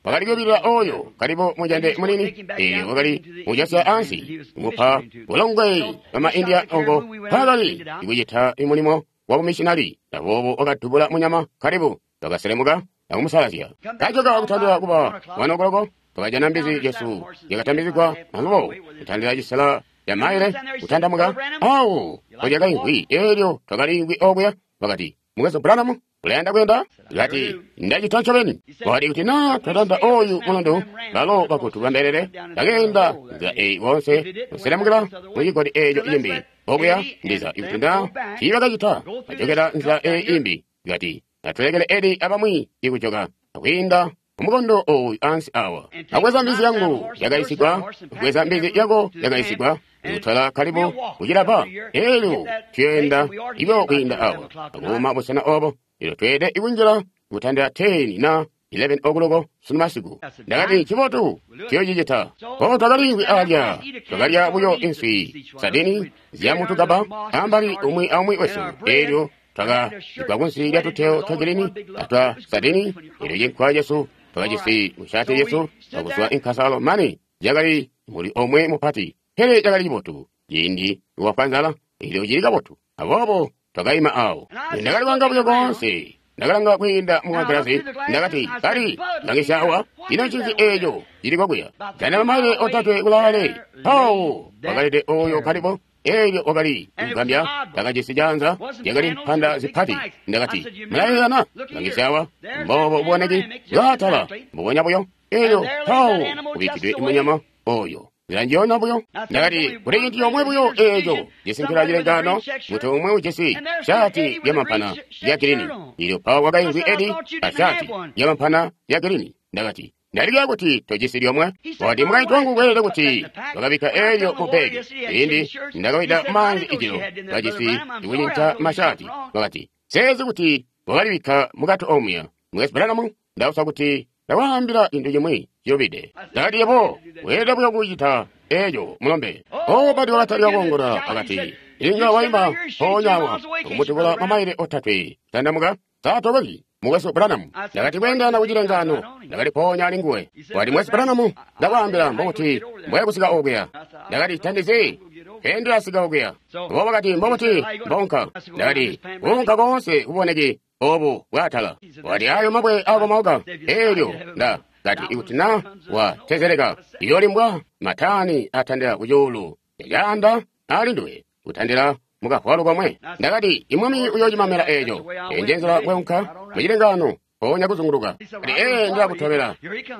wakali kuyubilila oyo kalibo mujande munini. Elyo wakali kujasya ansi kumupa bulongwe bama India oko mpakali kucita mulimo wa bumissionari. Aboobo wakadubula munyama kalibu, wakaselemuka akumusalazya. Kajoka kutandila kuba wanokoloko, twakajana mbizi yesu yakatambizigwa alubo kutandila cisela ya maile kutandamuka awo kolyakaimvwi. Elyo twakaliimvwi okuya. Wakati, Mukwesu Branham, ulayanda kuyenda? Kati, ndacita ncobeni. Wakati, kuti naa twatanda oyu mulundu, balo bakutu bambelele bakeenda nzila eyi koonse kuselemukila mucigodi eeco cimbi okuya, ndiza ikuti naa tiibakacita bajokela nzila eyi imbi. Kati, atulekele Eli abamwi ikujoka akwiinda umukondo oyu ansi awa. Akweza mbizi yangu yakaisigwa, akweza mbizi yako yakaisigwa, kutwala kalibu kucilapa. Elyo tuyenda ibo kwiinda awa akuma busena obo. Elyo tweede ikunjila kutandila ten na eleven o'clock sunu masiku. Ndakati, cibotu, tuyocicita. O twakaliimvwi alya, twakalya buyo inswi sadini zyamutukaba ambali umwi aumwi wesu. Elyo twakagwa kunsi lya tuteo twacilini atwa sadini. Elyo cinkwa cesu twakajisi mushati yesu akuswa inkasalo mani yakali muli omwe mupati, pele cakali cibotu ciindi wafwa nzala. Elyo cili kabotu. Aboobo twakaima awo. Ndakali kwanga buyo koonse, ndakalanga kwiinda mu magalasi. Ndakati, kali langisya awa, ino ncinzi eeco cili kwakuya? Jana mamaile otatwe kulaale. Pawo wakalede oyo kalibo. Elyo wakali kugambya, takajisi janza, yakali mpanda zipati. Ndakati, mulayeyana, langisya awa, mbobo uboneki bwaatala mbubonya buyo. Elyo pawo kubikkidwe munyama oyo nzila njiyona buyo. Ndakati, kuli cintu comwe buyo eeco cisinkila cilengano, mutu umwe ujisi shati yamampana ya girini. Elyo pawo wakaimvwi Edi ashati yamampana ya girini. Ndakati, ndalilya kuti tojisi lyomwe. Wakati, mukaintu wangu kweelede kuti wakabikka elyo mu begi. Ciindi ndakawida maanzi ijilo, kajisi ikucinca mashati. Wakati, seezi kuti wakalibikka mukati omuya. Mukwesu Branham, ndausa kuti ndawaambila cintu cimwi cilubide. Ndakati, yebo weelede buyo kucita eeco, mulombe. O bati wakatalika koongola. Akati, inga waima mpoonya awa akumutubula mamaile otatwe tandamuka saatokoki, Mukwesu Branham. Ndakati, kweendana kucilengano. Ndakali mpoonya ali nguwe. Wakati, Mukwesu Branham, ndakwaambila mbokuti mboya kusika okuya. Ndakati, tandizi kendilasika okuya. Bo wakati, mbokuti mbonka. Ndakati, kuunka koonse kuboneki obu bwaatala. Wakati, ayo mabwe akomauka. Elyo nda kati, ikuti na watezeleka iyolimbwa matani atandila kucuulu yacaanda ali nduwe kutandila mukavwalu komwe. Ndakati, imwami uyocimamela eeco. Enje nzila bweunka mucilengano mpoonya kuzunguluka. Kati, ee, ndilakutobela.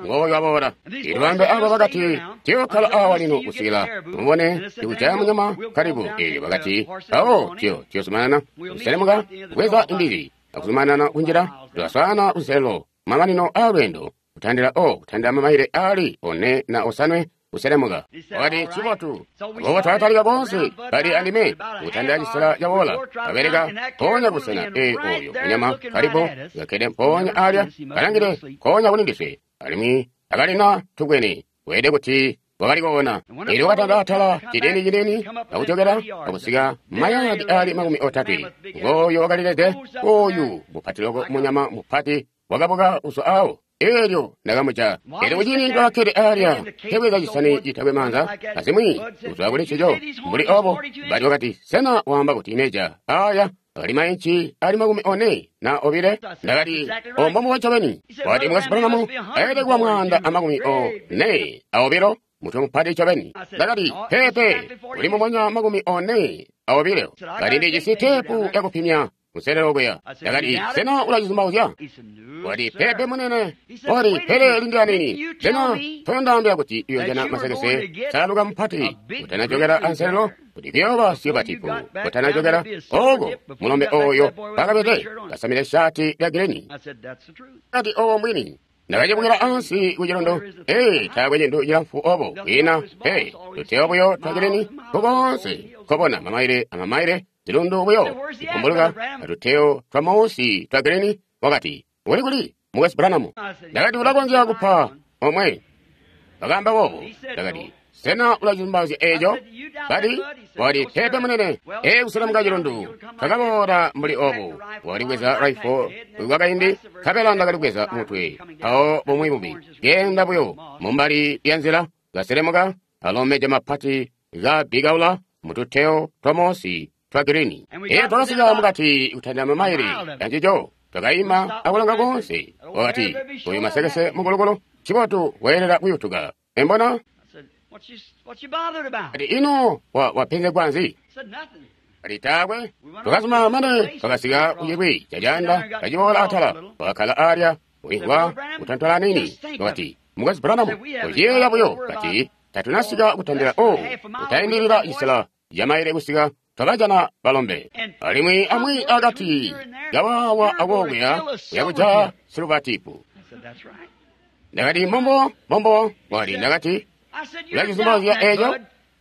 Ngooyo waboola. Ilwambe abo bakati, tiyokkala awa lino kusikila tumubone ikujaya munyama kalibu. Elyo bakati, awo tiyo tiyozumanana kuselemuka kubweza imbizi akuzumanana kunjila. Twaswaana kunselelo mamanino alweendo kutandila o kutandila mamaile ali one na osanwe kuselemuka. Wakati, cibotu. Aboobo twakatalika koonse bali andime kutandila cisela cawola. Kabeleka mpoonya kusena ee oyo munyama kalipo kakkede mpoonya alya kalangile nkoonya kuli ndiswe, alimwi akalina tubwene weede kuti wakali koona. Elyo wakatanda atala cilini cilini akujokela akusika mayadi ali makumi otatwe. Ngooyo wakalilede oyu mupati loko munyama mupati wakabuka kuzwa awo. Elyo ndakamuca. Elyo kuciindi ndakakkede alya tebweza cisani citakwe maanza azimwi kuzwa kuli ncico mbuli obo. Bali wakati, sena waamba kuti imeja aya akali mainci ali makumi one na obile? Ndakati, ombo ncobeni. Wakati, Mukwesu Branham, ayelede kuba mwaanda amakumi one aobilo, mutwe mupati ncobeni. Ndakati, pepe, uli mumonya makumi one aobilo. Kati, ndijisi teepu yakupimya kuselelo kuya. Ndakati, sena ulacizumbauzya? Wati, pepe munene. Wati, pele lindila nini. Sena toyondaambila kuti uyojana masekese saluka mupati utanajokera anselelo kuti kuyooba siyobatipu utanajokera oko mulombe oyo pakapete kasamile shati lya gileni. Kati owo mwini. Ndakachibukira ansi ku chilondo. Ee, taakwe chintu chilamfu obo kwina. Ee, tuteyo buyo twagileni kukonse kobona mamaile amamaile zilundu buyo kumbuluka atuteyo twa mausi twagileni. Wakati, uli kuli Mukwesu Branham? Ndakati, ulakonzya kupa omwe. Bakamba bobo. Ndakati, sena ulacizumbauzya eco? Bati, wati, pepe munene. Ee, kuselemuka chilundu twakaboola mbuli obu. Walibweza rifle kwakaindi, nkabela ndakalibweza mutwe mpawo bumwi bubi genda buyo mumbali ya nzila kaselemuka alomeja mapati kabikaula mututeyo twa mosi twa girini. Ee, twakasika mukati kutandila mamaili yanjijo. Twakaima akulanga konse. Wakati, uyu masekese mukulukulu chibotu weelera kuyutuka. Embona? Ati ino wapenzegwa nzi? Ati taakwe. Twakazuma mane twakasika kuchikwi chachanda kachiboola atala. Wakakhala alya uingwa kutantola nini. Wakati, Mukwesu Branham, kuchiyeeya buyo. Kati tatunasika kutandila o kutayindilira chisela chamaile kusika twakajana balombe. Alimwi amwi akati kawawa akokuya kuyakuja siluvatipu. Ndakati, mombo mombo. Wati, ndakati ulacizumbauzya eco?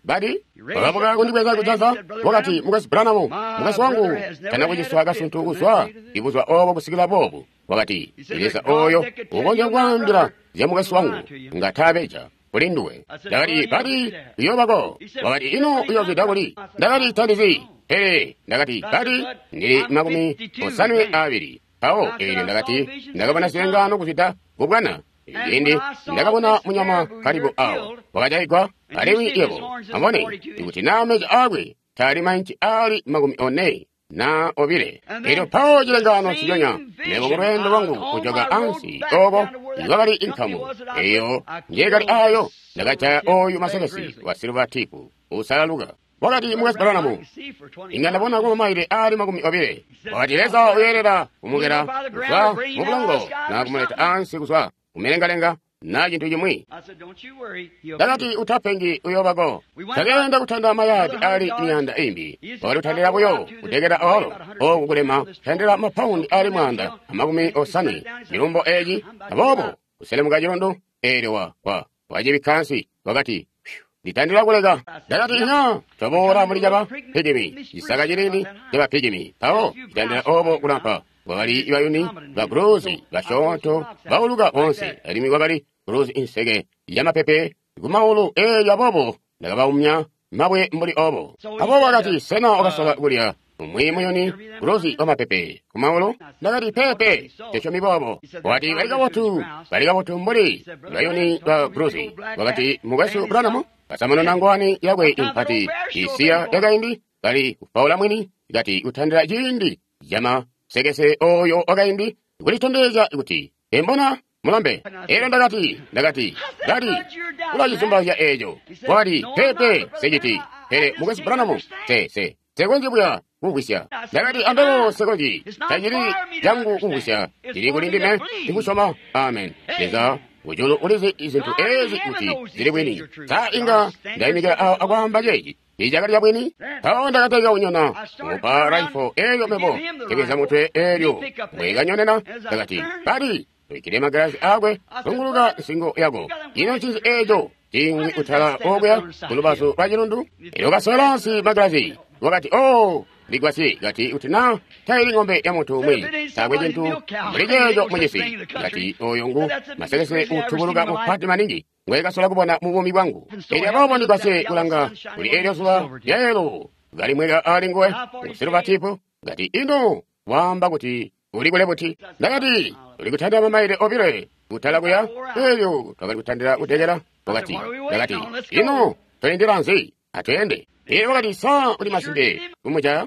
Bati wakabuka kundibweza kujaza. Wakati, Mukwesu Branham, mukwesu wangu tana kuciswa kasuntu kuzwa ibuzwa obo kusikila bobu. Wakati, Leza oyo ukonzya kwaambila zya mukwesu wangu ngatabeja kuli nduwe. Ndakati, bati uyobako. Wakati, ino uyozwida kuli? Ndakati, tandizi. Pele ndakati, bati ndili makumi osanwe abiri. Mpawo eelyo ndakati, ndakabona zilengano kuzwida kubwana. Indi ndakabona munyama kalibu awo wakajayigwa alimwi yebo ambone ikuti naa meja akwe taali mainci ali makumi one na obile. Elyo mpawo chilengano chichonya mebo kulwendo lwangu kujoka ansi oko ikwakali inkamu eyo njekali ayo ndakajaya oyu masekesi wa siluvatipu usalaluka. Wakati, Mukwesu Branham, inga ndabona kwa mamaile ali makumi obile. Wakati, Leza uyelera kumukera kuzwa mubulongo na kumuleta ansi kuzwa kumilengalenga na chintu chimwi. Ndakati, utapengi uyobako. Takenda kutanda mayadi ali miyanda imbi. Wakati utandira buyo kutekera olo oku kulema kutandira mapaundi ali mwanda amakumi osanwe milumbo eji. Abobo kuselemuka chilundu elyo wa wa wachibikkansi. Wakati, nditandira kuleka. Ndakati, ina twaboola muli chaba pigimi chisaka chilini chaba pigimi. Mpawo chitandira obo kulampa. Wakali bayuni ba guruzi bashoto bauluka bonse, alimwi wakali guruzi inseke yamapepe kumaulu eyo. Abobo ndakabaumya mabwe mbuli obo. Abobo akati, sena wakasola kulya umwi muyuni guruzi wamapepe kumaulu? Ndakati, pepe techomi bobo. Wakati, bali kabotu, bali kabotu mbuli bayuni ba guruzi. Wakati, Mukwesu Branham kasamanona ngwani yakwe impati isiya yakaindi kali kupaula mwini kati kutandira ciindi chama sekese oyo wakaindi kulitondezya kuti embona mulombe. Elyo ndakati ndakati ndati ulacizumbauzya eco. Wakati, pepe seciti. Pele Mukwesu Branham se se sekonzyi buya kumvwisya. Ndakati, andolo sekonzyi tacili changu kumvwisya, cili kuli ndime ndikusyoma. Amen. Leza kujulu ulizi izintu ezi kuti zili bwini. Sa inga ndayimikira awo akwaamba ceeci icakali cabwini? Mpawo ndakatalika kunyona mupa raifo elyo mebo kebweza mutwe elyo mbwekanyonena. Ndakati, bati tuikile magalasi akwe zunguluka nsingo yako. Ino ncinzi eco cingwi utala okuya kulubazu lwa chilundu? Elyo kasola nsi magalasi. Wakati, oh, ndigwasye. Kati kuti na taili ng'ombe ya munthu umwe taakwe cinthu mbuli ceeco mucisi. Kati oyo ngu masekese utubuluka mupati maningi ngwekasola kubona mu bumi bwangu. Elyo abobo ndigwasye kulanga kuli elyo zuba lyayelo kalimweka ali nguwe usiluvatipu. Kati ino waamba kuti uli kule buti? Ndakati, uli kutandira mamaile obile kutala kuya. Elyo twakali kutandira kutekera. Wakati, ndakati, ino toyendera nzi? Atuyende. Iye wakati, sa uli masimpe kumujaya?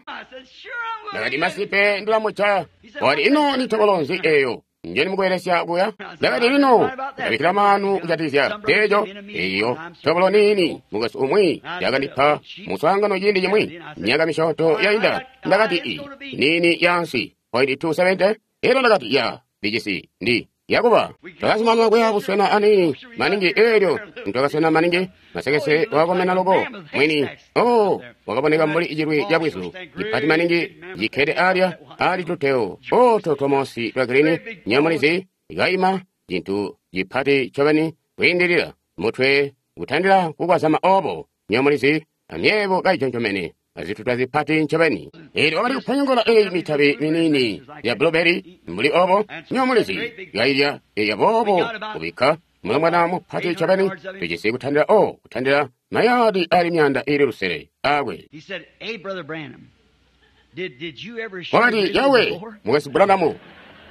Ndakati, masimpe ndilamuchaya. Wakati, ino ni tokolo nzi eyo njeni mukubelesya kuya? Ndakati lino ndabikkila maanu kujatikizya eeco eyo tobolo niini mukwesu umwi yakandipa muswaangano ciindi cimwi myaka misyoonto yainda. Ndakati i niini yaansi point two seventy. Elyo ndakati ya ndijisi ndi yakuba. Twakazumanana kuya buswena aniini maningi. Elyo ntwakaswena maningi, masekese wakakomena loko mwini. Oh, wakaboneka mbuli icilwi ca bwizu cipati maningi cikkede alya ali tuteo oto twamosi twa girini nyamulizi ikaima cintu cipati ncobeni kwiindilila mutwe kutandila kukwazama obo nyamulizi amyebo kayiconcomene azituta zipati ncobeni. Elyo wakali kuponyongola eyi mitabi miniini ya blueberry mbuli obo nyamulizi kailya eya boobo kubikka mulongwana mupati ncobeni tujisi kutandila o kutandila mayadi ali myanda ili lusele akwe. He said, "Hey, Brother Branham, did, did you ever shoot Wakati a yawe before?" mukwesu Branham,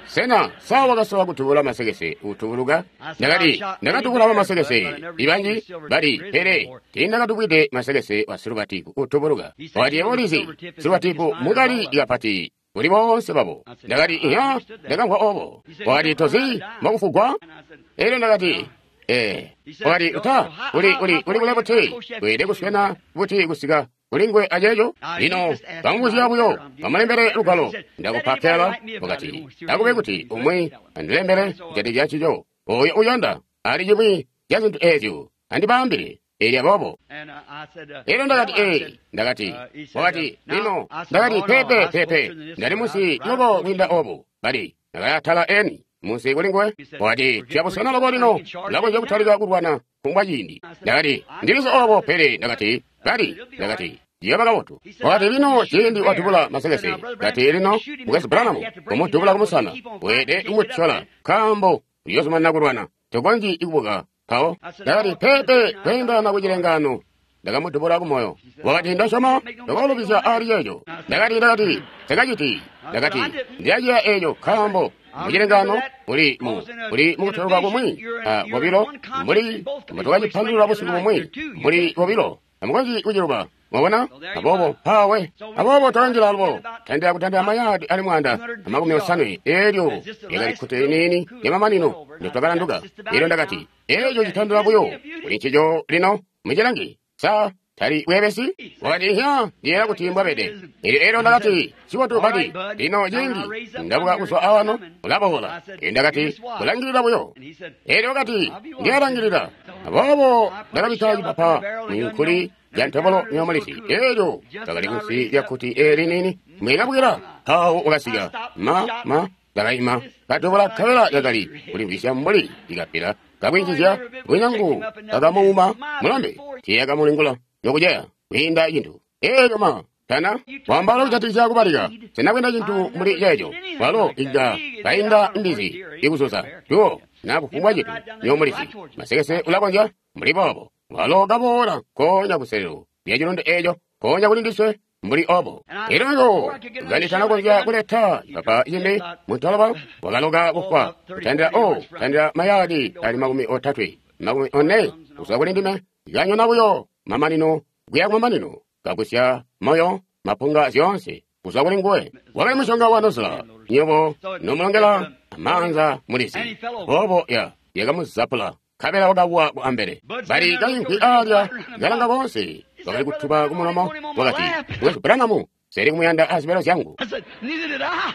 sena sawa wakasola kutubula masekese utubuluka? Ndakati ndakatubula masekese ibanji bali, pele tiindakatubwide masekese wa silubatipu utubuluka. Wakati yebo ulizi silubatipu mukali kapati kuli boonse babo. Ndakati iya, ndakamvwa obo. Wakati tozi mbokufugwa? And I said, Elyo ndakati eh. Wakati uta uli uli uli kule buti weede kuswena buti kusika kulingwe ajejo. Lino bamubuzya buyo bamulembele lugwalo ndakupa kela. Wakati akube kuti umwi andilembele kujatikizya ncico oyo uyanda ali cimwi ca zintu ezyo andibambile. Elyo aboobo and uh, I said, uh, elyo ndakati well, I ee said, ndakati uh, he said, wakati uh, now, lino I said, ndakati oh, no, pepe I was pepe closer than this ndali one. munsi I was right loko closer kwiinda to you. obo bali ndakayatala eni munsi kulingwe. He said, Wakati "We're getting tuyabusena pretty loko lino close. We can charge ulakonzya it kutalika now." kulwana kumbwa ciindi. I said, Ndakati "I ndilizi know obo that. pele ndakati bali It'll be all ndakati right." ciyaba kabotu. He said, Wakati "Now, lino you shoot ciindi the watubula bear." masekese He said, "Now, Brother kati Branham, lino shoot him in mukwesu the back. Branham You have to break him kumudubula down because kumusana he keep on weede fighting. He can't get up kumutyola there. nkaambo uyozumanana kulwana tokonzyi kubuka mpawo. I said, Ndakati "No, pepe I kweendana kuchilengano ndakamudubula kumoyo. Wakati ndasyoma ndakalubizya ali yeejo. Ndakati ndakati sekaciti ndakati ndiyaciya eejo nkaambo muchilengano muli mu muli mukutoloka kumwi a bobilo muli mutukacipandulula busiku bumwi muli bobilo amukonzyi kuciluba. Mwabona? Aboobo mpawe aboobo twakanjila alubo tandila kutandila mayadi ali mwanda amakumi osanwe. Elyo lyakali kkute liniini lyamamanino ndotwakalanduka. Elyo ndakati eeco citandila buyo kuli ncico lino mucilangi sa tali bwebesi. Wakati iya ndiyera kuti mbwabede. Elyo elyo ndakati cibotu bati lino ciindi ndabuka kuzwa awano ulaboola. Elyo ndakati kulangilila buyo. And he said, Elyo wakati ndiyalangilila. Aboobo ndakabikka cipapa mwinkuli lya ntobolo nyomulisi. Elyo kakali kunsi lya kkuti eli nini mwikabwira mpawo wakasika ma ma ndakayima katobola kabela kakali kulimvwisya mbuli ikapila kakwinjizya bwinyangu kakamuuma mulambe tiyakamulingula nokujeya kwiinda cintu. Elyo ma tana wambala kujatikizya kubalika sena kwinda cintu mbuli ceeco walo inga kainda mbizi ikuzuza tuwo na kufumbwa cintu nyomulizi masekese ulakonzya mbuli boobo walo kaboola konya kuselelo lya cilondo eeco konya kuli ndiswe mbuli obo. Elyo iko kanditana konzya kuleta ipapa cimbi muntoloba wakaloka kufwa kutandila o kutandila mayadi ali makumi otatwe makumi one kuzwa kuli ndime kanyona buyo mamanino kuya kumamanino kagusya moyo mapunga zyoonse kuzwa kuli nguwe. Wakali mushonga wa nozula nyobo nomulongela amaanza mulizi obo ya yakamuzapula kabela wakawa ku ambele bali kayinkwi alya kalanga bonse wakali kutuba kumulomo. Wakati mukwesu Branham seli kumuyanda azibelo zyangu. I said, "Neither did I."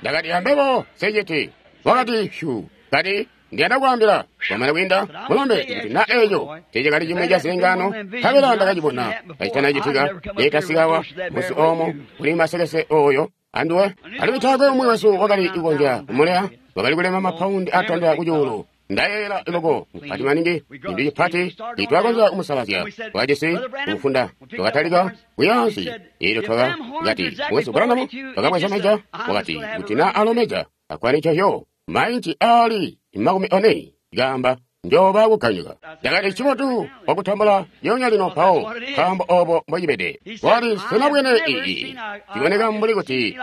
Ndakati ambebo sejeti. Wakati shu kati ndiyanda kuambila kwamana kwiinda mulombe kuti na eeco tecakali cimwi ca zilengano kabela ndakacibona kacitanacitika letasikawa musi omo kuli masekese oyo anduwe alimwi taakwe umwi wesu wakali kukonzya kumuleya. Wakali kulema mapaundi atandila kucuulu ndayeeyela loko mupati maningi cintu cipati titwakonzya kumusalazya twakajisi kumufunda. Twakatalika kuyaansi elyo twakati mukwesu Branham twakabweza meja. Wakati kuti na alomeja akwani cahyo mainci ali makumi one gamba njoba kukanyuka. Ndakati cibotu wakutambula lyonya lino mpawo nkaambo obo mbocibede. Wakati sinabwene ii ciboneka mbuli kuti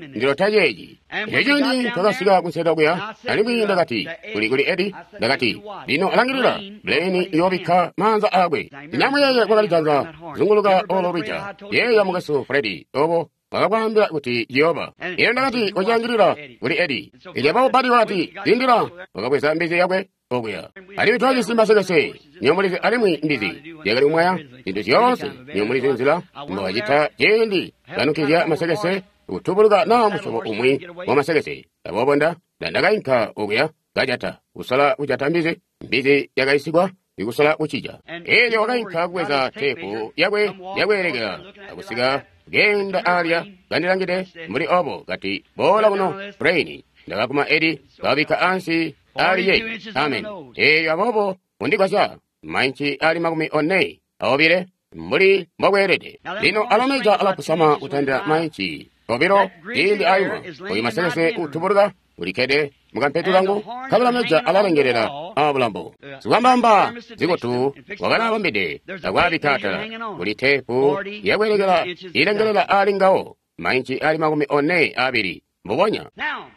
ndilota ceeci. Elyo ciindi twakasika kunseda kuya alimwi ndakati kuli kuli Edi ndakati lino alangilila Blaine iyoobikka maanza akwe. Ndinamuyeye kwakali janza zunguluka olo lwija yeeya mukwesu Fredi obo Wakakwaambila kuti ciyooba. Elyo Ndakati, kocangilila kuli Edi. Elyo aboobo Badi wakati, lindila. Wakabweza mbizi yakwe okuya. Alimwi twajisi masekese, nyomulizi alimwi mbizi yakali kumwaya zintu zyoonse, nyomulizi nzila mbobacita ciindi banukizya masekese kutubuluka naa musyobo umwi wa masekese. Aboobo nda ndakainka okuya kajata, kusola kujata mbizi, mbizi yakaisigwa ikusola kucija. Elyo wakainka kubweza teepu yakwe yakweelekela akusika kenda alya kandilangide mbuli obo kati boola kuno Brain. Ndakaguma Edi kababikka ansi ali ye. Amen. Elyo aboobo undigwasya mainci ali makumi one aobile mbuli mbokweelede. Lino alameja alapusama kutandila mainci obilo ciindi ayuma oyu masekese utubuluka ulikkede mukampetu kangu kabila meja alalengelela abulambo. Sikwambamba zikutu wakalabambide akwaabikka atala kuli teepu yakweelekela ilengelela ali ngawo mainci ali makumi one abili mbubonya.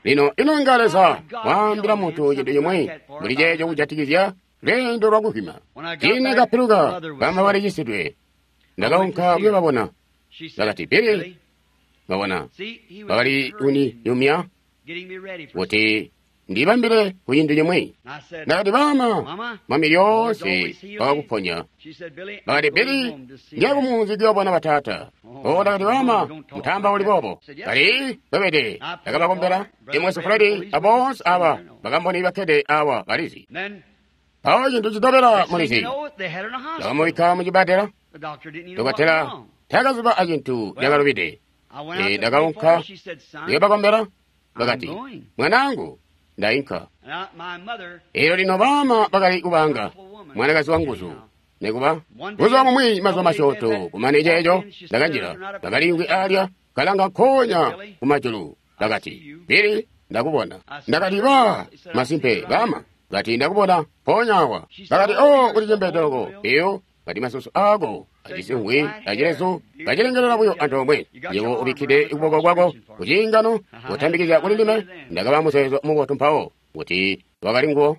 Lino ino inga Leza waambila muntu cintu cimwi mbuli ceeco kujatikizya lweendo lwakuvwima. Ciindi kapiluka bama balicisidwe, ndakaunka kuyobabona. Bakati, Billy, babona bakali kuniyumya kuti ndibambile ku cintu cimwi. Ndakati, bama, Mwami lyoonse wakakuponya. Bakati, Billy, ndiya kumunzi kuyobona bataata. O, ndakati, bama, mutamba uli boobo. Kali bwebede, ndakabakombela. Imwesu Fredi aboonse aba bakamboni bakkede awa balizi. Mpawo cintu citobela mulizi, ndakamubikka mucibbadela. Dokotela taakaziba acintu cakalubide. Ndakaunka kuyobakombela. Bakati, mwanaangu, ndainka. Elyo lino bama bakali kubanga mwanakazi wanguzu nikuba buzuba bumwi mazuba masyoonto kumane ceeco ndakanjila bakaliimvwi alya kalanga nkoonya kumajulu. Bakati, Billy, ndakubona. Ndakati, ba masimpe bama. Kati ndakubona mpoonya awa. Bakati, o ulicembede loko iyo. Kati masusu ako ajisi ngwi acilezu kacilengelela buyo antoomwe. Yebo ubikkide kuboko kwako kuciingano kutambikizya kuli ndime. Ndakaba muzeezo mubotu mpawo kuti wakali nguwo.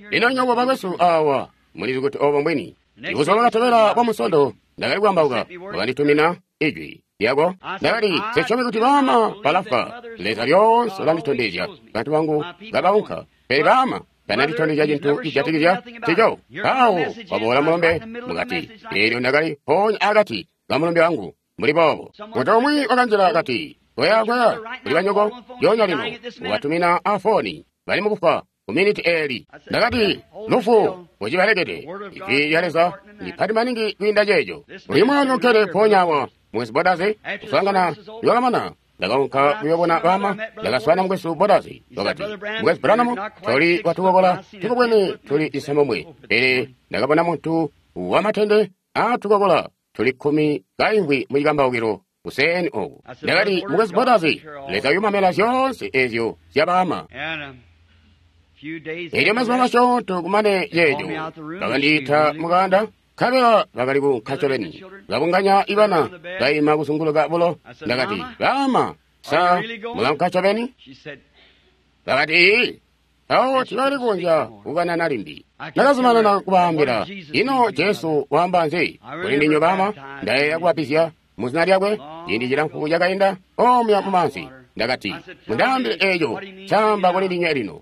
Lino nywebo bakwesu awa mulizi kuti obo mbwini. Ibuzuba bwakatobela bwa Musondo ndakali kuambauka, wakanditumina ijwi lyako. Ndakati, nsisyomi kuti bama balafwa. Leza lyoonse ulanditondezya bantu bangu kabaunka, pele bama tananditondezya cintu cijatikizya ncico. Mpawo waboola mulombe mukati. Eelyo ndakali mpoonya akati kamulombe wangu mbuli boobo. Muntu umwi wakanjila kati, koya koya kuli banyoko lyoonya lino ubatumina afoni bali mukufwa ku miniti eeli. Ndakati, lufu ucibalekede. Ijwi lya Leza ndipati maningi kwiinda ceeco. Uyu mwana ukkede mpoonya awa mwezi Bodazi kuswaangana lwakamana. Ndakaunka kuyobona bama, ndakaswaana mukwesu Bodazi. Wakati, mukwesu Branham, toli watukokola tukubwene tuli isambomwe, pele ndakabona muntu wamatende atukokola tuli kkumi kaimvwi mucikambaukilo kuseeni oku. Ndakati, mukwesu Bodazi, Leza uyumamela zyoonse ezyo zyabama. Elyo mazuba masyoonto kumane ceeco, bakandiita mukanda. Nkabela bakali kuunka ncobeni, babunganya ibana baima kuzunguluka bulo. Ndakati, bama, sa mulaunka ncobeni? Bakati, ii. Mpawo tibakali kukonzya kukanana limbi. Ndakazumanana kubaambila, ino Jesu waamba nzi kuli ndinywe bama? Ndayeeya kubapizya muzina lyakwe ciindi cilamfu cakainda omuya mumaanzi. Ndakati, mundaambile eeco caamba kuli ndinywe lino.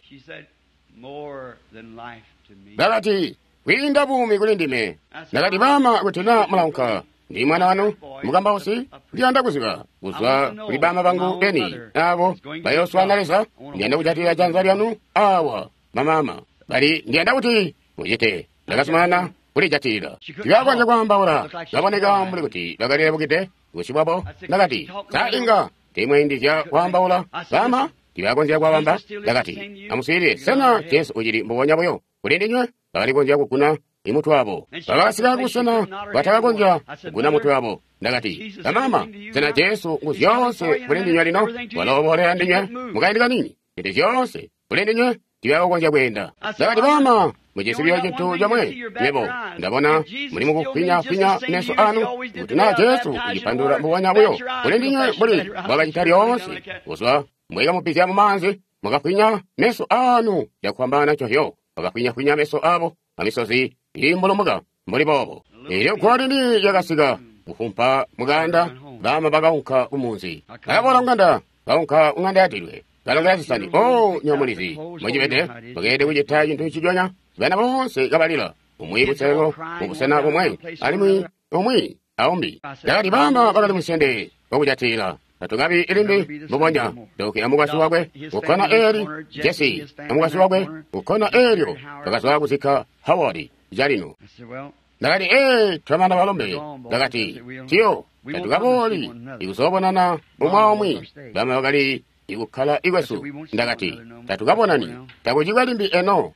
Bakati, kwiinda buumi kuli ndime. Ndakati, bama, kuti naa mulaunka ndi mwana wanu mukambausi, ndiyanda kuziba kuzwa kuli bama bangu beni abo bayooswaana Leza. Ndiyanda kujatilila janza lyanu awa mamama bali ndiyanda kuti mucite. Ndakazumanana kulijatilila. Tibakonzya kwaambaula, baboneka mbuli kuti bakalilebukide busyu bwabo. Ndakati, sa inga tiimwaindizya kwaambaula bama? Tibakonzya kwaabamba. Ndakati, amuswiilile, sena Jesu ucili mbubonya buyo kuli ndinywe? Bakali konzya kuguna imutwe wabo. Bakasika kubusena batakakonzya kuguna mutwe wabo. Ndakati, bamama, sena Jesu ngu zyoonse kuli ndinywe lino? Waloobolela ndinywe mukaindi kanini. Zintu zyoonse kuli ndinywe tibakukonzya kweenda. Ndakati, bama, mujisi buyo cintu comwe nywebo. Ndabona muli mukufwinya-fwinya meso anu kuti naa Jesu ucipandulula mbubonya buyo kuli ndinywe mbuli mbwakacita lyoonse. Kuzwa mbwekamupizya mumaanzi, mukafwinya meso anu cakufwambaana ncovyo. Bakafwinya-fwinya meso abo amisozi iimbulumuka mbuli boobo. Elyo gwalini lyakasika kufumpa mukanda Baama bakaunka kumunzi. Bakaboola kung'anda, kaunka kung'anda yadilwe. Kalongela zisani. Oh, nyomulizi. Mucibede, bakeelede kucita cintu nciconya. Bana boonse kabalila. Umwi kuselelo, mubusena bumwe, alimwi umwi aumbi. Ndakati baama bakali musende wakujatila. Tatukabi ilimbi mbubonya. Doki amukwasyi wakwe kukkona eli, Jesse amukwasyi wakwe kukkona elyo. Bakazwa kuzikka Howard calino. Ndakati, ee, twamana balombe. Ndakati, tiyo, tatukabooli ikuzoobonana umwi aumwi. Bama bakali ikukkala ikwesu. Ndakati, tatukabonani, takucikwe limbi eno.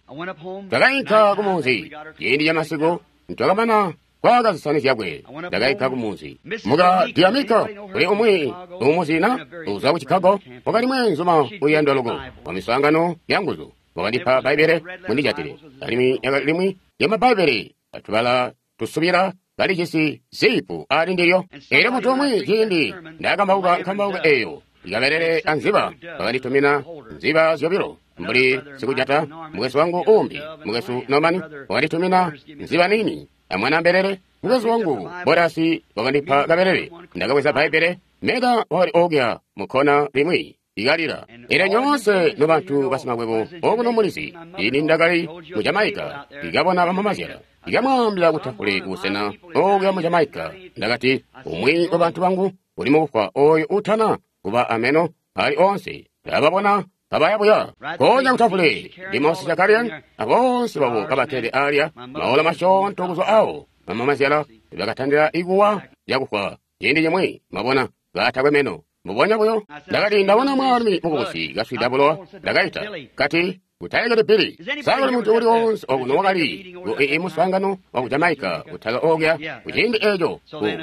Twakainka kumunzi ciindi camasiku, twakamana kwaaka zisani zyakwe. Ndakainka kumunzi. Muka Diamika kuli umwi umuzina uzwa ku Chicago, wakali mweenzuma uyandwa loko wa miswaangano ya nguzu. Wakandipa Bbaibbele mundijatile, alimwi yakali limwi lyamabbaibbele atubala tusubila kalijisi zipu ali ndilyo. Elyo muntu umwi ciindi ndakambauka nkambauka eyo ikabelele anziba, bakanditumina nziba zyobilo mbuli sikujata. Mukwesu wangu umbi, mukwesu Norman, wakanditumina nziba nini amwana mbelele. Mukwesu wangu Borasi wakandipa kabelele. Ndakabweza Bbaibbele, Meda wakali okya mukkona limwi ikalila. Elyo nyoonse nobantu basimakwebo okuno mulizi, ini ndakali mu Jamaica ikabona bamamazyala ikamwaambila kutafule kubusena okuya mu Jamaica. Ndakati, umwi wa bantu bangu uli mukufwa oyo utana kuba ameno ali onse. Ndababona kabaya buya konya kutafule ndi Shakarian abonse babo kabakkede alya maola masyoonto kuzwa awo. Bamamazyala bakatandila ikuwa lyakufwa ciindi cimwi, mabona kaatakwe meno. Mbubonya buyo ndakati ndabona mwaalumi mukubusi kaswida bulowa. Ndakaita kati, kutaekele Billy. Sakuli muntu uli wonse okuno wakali ku muswaangano wa ku Jamaica kutala okuya kuciindi eco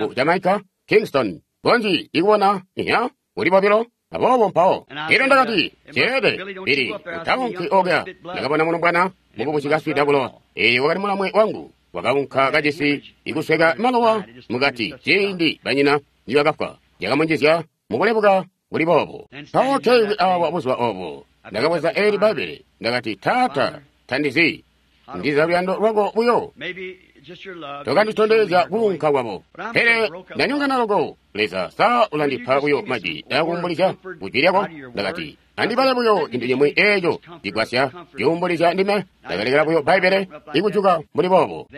ku Jamaica Kingston konji ikubona iya kuli bobilo. Aboobo mpawo elyo ndakati, ceede Billy, utaunki okuya. Ndakabona mulombwana mukubusi kaswida bulowa. Eyo wakali mulamwe wangu wakaunka kajisi ikusweka malowa mukati ciindi banyina nibakafwa. Yakamunjizya mukulebuka kuli boobo. Mpawo kewi awa buzuba obo ndakabweza eli Bbaibbele. Ndakati, Taata, tandizi ndiza luyando lwako buyo tokanditondezya kuunka kwabo, pele ndanyongana loko. Leza sa ulandipa buyo majwi akuumbulizya kujwi lyako. Ndakati, andibale buyo cintu cimwi eco cigwasya cuumbulizya ndime. Ndakalekela buyo Bbaibbele ikujuka mbuli boobo.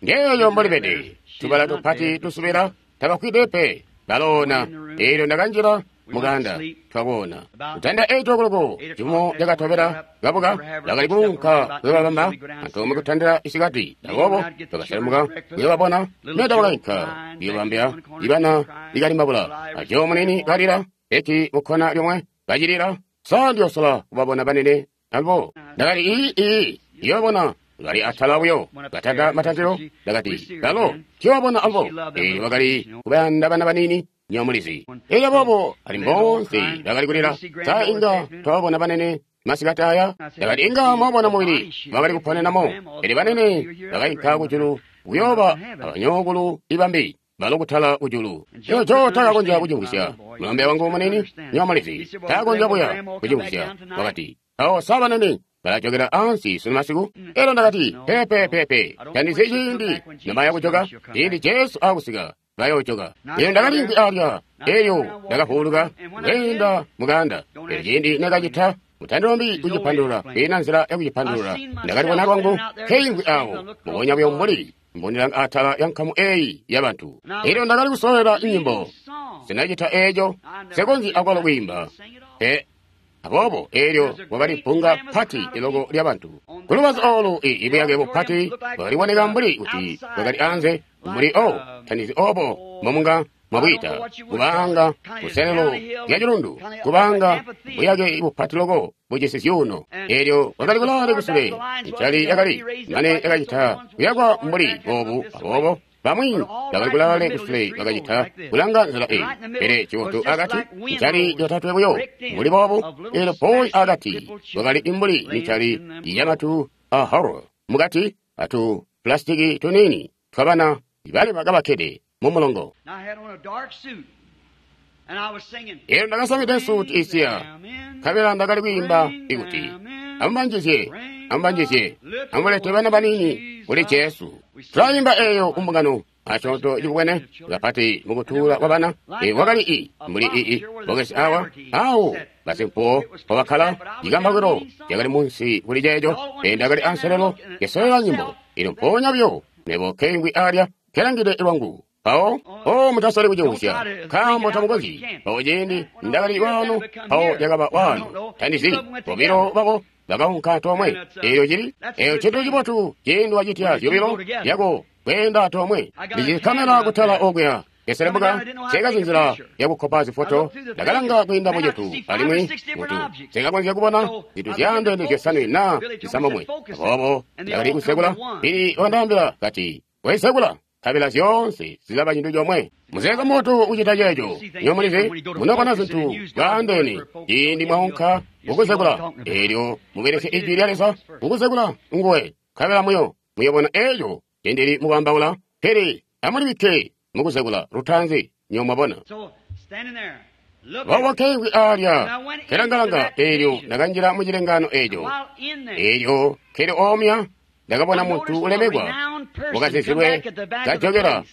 Ngeeyo mbolibede tubala tupati tusubila tabakwide pe baloona. Elyo ndakanjila muganda twakoona kutanda eito koloko cifumo cakatobela kabuka bakali kuunka kuyobabamba antoomwe kutandila isikati. Aboobo bakaselemuka kuyobabona. Meda wakainka kuyobambila ibana ikalimbabula ajo munini kalila eki mukkona lyomwe kacilila. Sa ndiyosola kubabona banene abo. Ndakati ii ii iyobona bali atala buyo katanda matantilo. Ndakati balo tiyobabona abo. Elyo bakali kubayanda bana banini nyomulizi. Elyo boobo ali boonse bakali kulila. Sa inga twababona banene masikati aya? Ndakati inga mwabona mubili bakali kuponenamo. Elyo banene bakainka kujulu kuyooba abanyokulu ibambi balo kutala kujulu. Eco takakonzya kucimvwisya. Mulombe wangu munini nyomulizi takakonzya buya kucimvwisya. Wakati, awo sa banene balajokela ansi sunu masiku? Elyo ndakati, pepe pepe, tandizi ciindi nobaya kujoka. Ciindi Jesu akusika bayojoka. Elyo ndakalimvwi alya. Elyo ndakavuuluka kweenda muganda. Elyo ciindi nekacita mutandilombi kucipandulula, kwiina nzila yakucipandulula. Ndakalibona lwangu nkeimvwi awo mbubonya buyo mbuli mbonilanga atala ya nkamu eyi yabantu. Elyo ndakali kusolera nyimbo. Sinacita eco, sekonzyi akwalo kwiimba pe. Aboobo elyo kwakali bbunga pati iloko lyabantu kulubazu olu. Ibuyake bupati bwakaliboneka mbuli kuti bwakali anze mbuli o tandizi obo mbomunga mwabwita kubanga kuselelo lya cilundu, kubanga buyake bupati loko bujisi zyuuno. Elyo kwakali kulaale kusule ncali yakali mane yakacita kuyakwa mbuli boobu. Aboobo bamwi bakali kulaale kusule bakacita kulanga nzila eyi, pele cibotu akati ncali yotatwe buyo mbuli boobu. Elyo poyi akati kwakali mbuli micali yamatu a horror mukati atu pulasitiki tuniini twabana balema kabakkede mumulongo. Elyo ndakasamide suuti isiya, nkabela ndakali kwiimba ikuti, Amubanjizye, amubanjizye, amulete bana baniini kuli Jesu. Tulaimba eyo kumbungano asyoonto cibwene kapati mukutuula kwa bana. E, wakali i mbuli ii bokesi awa awo basimpuwo pobakkala cikambakilo cakali munsi kuli ceeco. E, ndakali anselelo kesolela nyimbo ino mpoonya buyo mebo keingwi alya kelangide lwangu. Mpawo o mutasali kucimvwisya nkaambo tamukonzyi. Mpawo ciindi ndakali waano, mpawo cakaba waano, tandizi bobilo babo bakaunka antoomwe. Eyo cili eyo cintu cibotu ciindi wacitya zyobilo lyako kweenda antoomwe. Ndici kamera kutala okuya keselembuka sekazi nzila yakukkopa zifoto. Ndakalanga kwiinda mucintu alimwi mutu sekakonzya kubona zintu zyaandeene zyosanwe naa zisamomwe. Aboobo ndakali kusekula pili wandaambila kati koisekula nkabela zyoonse zilaba cintu comwe. Muzeezo mubotu kucita ceeco. Nyo mulizi munobona zintu bwaandeene ciindi mwaunka mukuzekula. Eelyo mubelesye ijwi lya Leza mukuzekula nguwe, nkabela muyo muyobona eeco cindili mukwaambaula. Pele amulibikke mukuzekula lutaanzi, nyo mwabona. Boobo keingwi alya kelangalanga. Eelyo ndakanjila mu cilengaano eeco. Eelyo keli omya ndakabona muntu ulemekwa wakazizilwe kajokera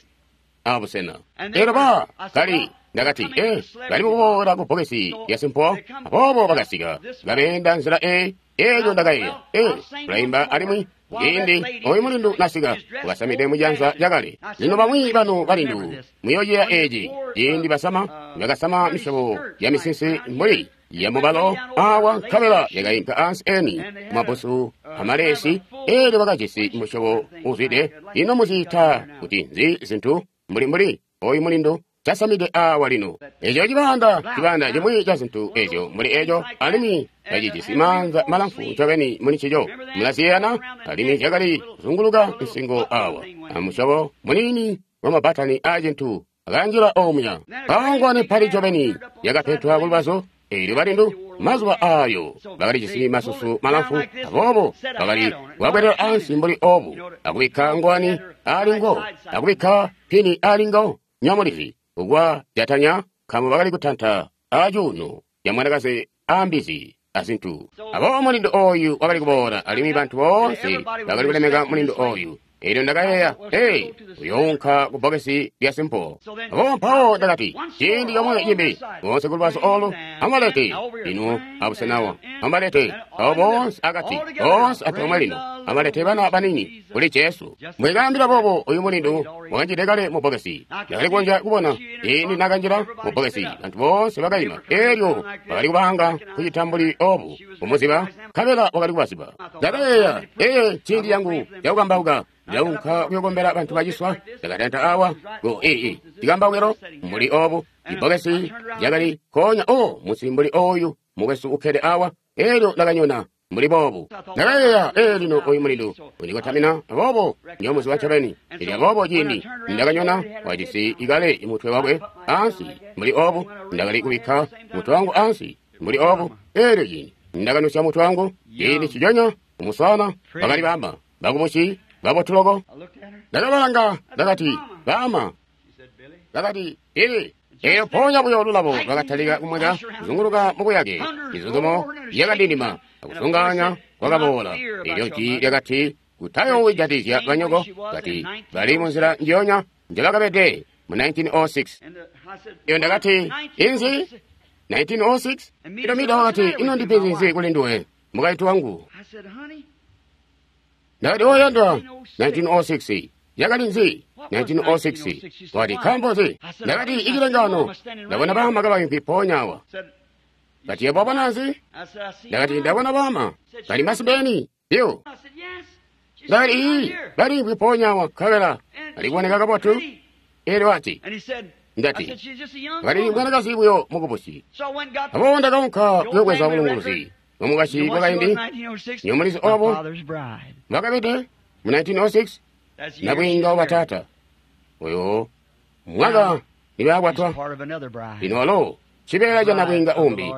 abusena. Eelyo ba kali ndakati eh bali mukuboola ku bbokesi lya simpo. Aboobo bakasika babeenda nzila eyi. Eelyo ndakayeeya eh tulaimba alimwi ciindi oyu mulindu nasika wakasamide mujanza lyakale. Lino bamwi banu balindu muyoociya eeci ciindi basama bakasama misyobo ya misinsi mbuli yamubalo awa, nkabela yakainka ansi eni kumabusu amalesi. Eelyo bakajisi musyobo uzwide. Ino muziita kuti nzi zintu mbuli mbuli oyu mulindu casamide awa lino? Eco cibanda cibanda cimwi ca zintu ezyo mbuli eco, alimwi kacijisi maanza malamfu ncobeni muli ncico. Mulaziyana, alimwi zyakali kuzunguluka nsingo awa, amusyobo muniini wa mabatani a cintu akanjila omuya. Mpawo pali ncobeni yakapetwa kulubazu. Eelyo balindu mazuba ayo bakalijisi masusu malamfu, aboobo bakali kuwabwelela ansi mbuli obu, akubikka ngwani alingo, akubikka pini alingo. Nyamulizi ukwa jatanya nkaambo bakali kutanta acuuno ya mwanakazi ambizi azintu. Aboobo mulindu oyu wakali kuboola, alimwi bantu boonse bakali kulemeka mulindu oyu. Eelyo ndakayeeya, hey, uyounka ku bbokesi lya simpo. Aboobo mpawo ndakati, ciindi comwe cimbi, boonse kulubazu olu, amubalete lino abusenawa, amubalete abo boonse akati, boonse antoomwe lino, amubalete bana baniini kuli Jesu. Mbwekaambila boobo oyu mulindu wakanjide kale mu bbokesi. Ndakali kukonzya kubona ciindi nakanjila mu bbokesi, bantu boonse bakaima. Eelyo bakali kubanga kucita mbuli obu, kumuziba, nkabela wakali kubaziba. Ndakayeeya, ee, ciindi yangu cakukambauka. Ndaunka kuyokombela bantu baciswa. Ndakatanta awa ku ii cikambaukilo mbuli obu, ibbokesi lyakali konya o musi mbuli oyu mukwesu ukkede awa. Eelyo ndakanyona mbuli boobu. Ndakayeeya, ee, lino oyu mulindu undikotamina, aboobo ndiyomuziba ncobeni. Elyo aboobo ciindi ndakanyona wajisi ikale mutwe wakwe ansi mbuli obu, ndakali kubikka mutwe wangu ansi mbuli obu. Eelyo ciindi ndakanusya mutwe wangu, ciindi cijonya umuswana bakali bamba bakubusi babotuloko. Ndakabalanga, ndakati, baama. Bakati, Billy. Eyo mpoonya buyo lulabo lwakatalika kumweka kuzunguluka mubuyake. Mizuzumo yakadindima akuzungaanya kwakaboola. Eelyo jwi lyakati, kutayoowijatizya banyoko. Kati bali munzila njiyonya njebakabede mu nineteen oh six. Iyo ndakati, inzi nineteen oh six? Ilo Mida wakati, ino ndipenzi nzi kuli nduwe, mukaintu wangu? Ndakati, oyandwa, nineteen oh six yakali nzi? nineteen oh six wati nkaambo nzi? Ndakati, icilengano ndabona baama kabaimvwi mpoonya awa. Kati, yebo wabona nzi? Ndakati, ndabona baama bali masibeni yo. Ndakati, ii baliimvwi mpoonya awa, nkabela bali kuboneka kabotu. Eelyo wati, ndati, kali mwanakazi buyo mukubusi. Aboobo ndakaunka kuyobweza bulunguluzi bwamukwasyi bwakaindi. Nyomulizi obo bwakabede mu nineteen oh six, nabwiinga wa taata oyo mwaka nibakwatwa. Lino walo cibeela ca nabwiinga umbi,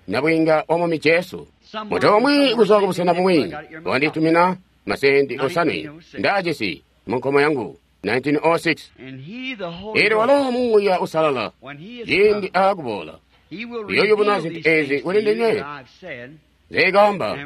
nabwiinga wa Mwami Jesu. Muntu umwi kuzwa kubusena bumwi wanditumina masendi osanwe ndaajisi mu nkomo yangu nineteen oh six. Eelyo walo Muuya Usalala ciindi aakuboola uyoyubuna zintu eezi kuli ndinywe nzeikaamba,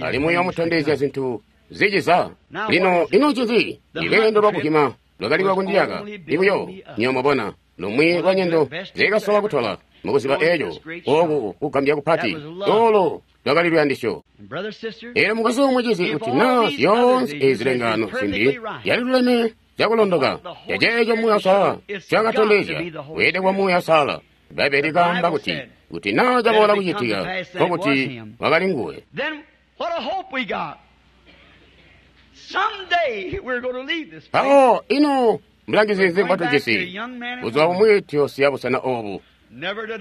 alimwi uyoomutondezya zintu ziciza. Lino ino ncinzi? Ilweendo lwakuhima lwakali lwakundiyaka ibuyo nyoomubona lumwi lwa nyendo nzeikasola kutola mukuziba eco oku kugambya kupati olo lwakali luyandisyo. Elyo mukwesu mucizi, kuti naa zyoonse ezi zilengaano zimbi yaliluleme cakulondoka caceeco Muuya Uusalala ncakatondezya, weelede kuba Muuya Uusalala. Bbaibbele likaamba kuti kuti naa caboola kucitika nkokuti wakali nguwe. Mpawo ino mulangizi nzi mbwatujisi? Buzuba bumwi tuyoosiya busena oobu,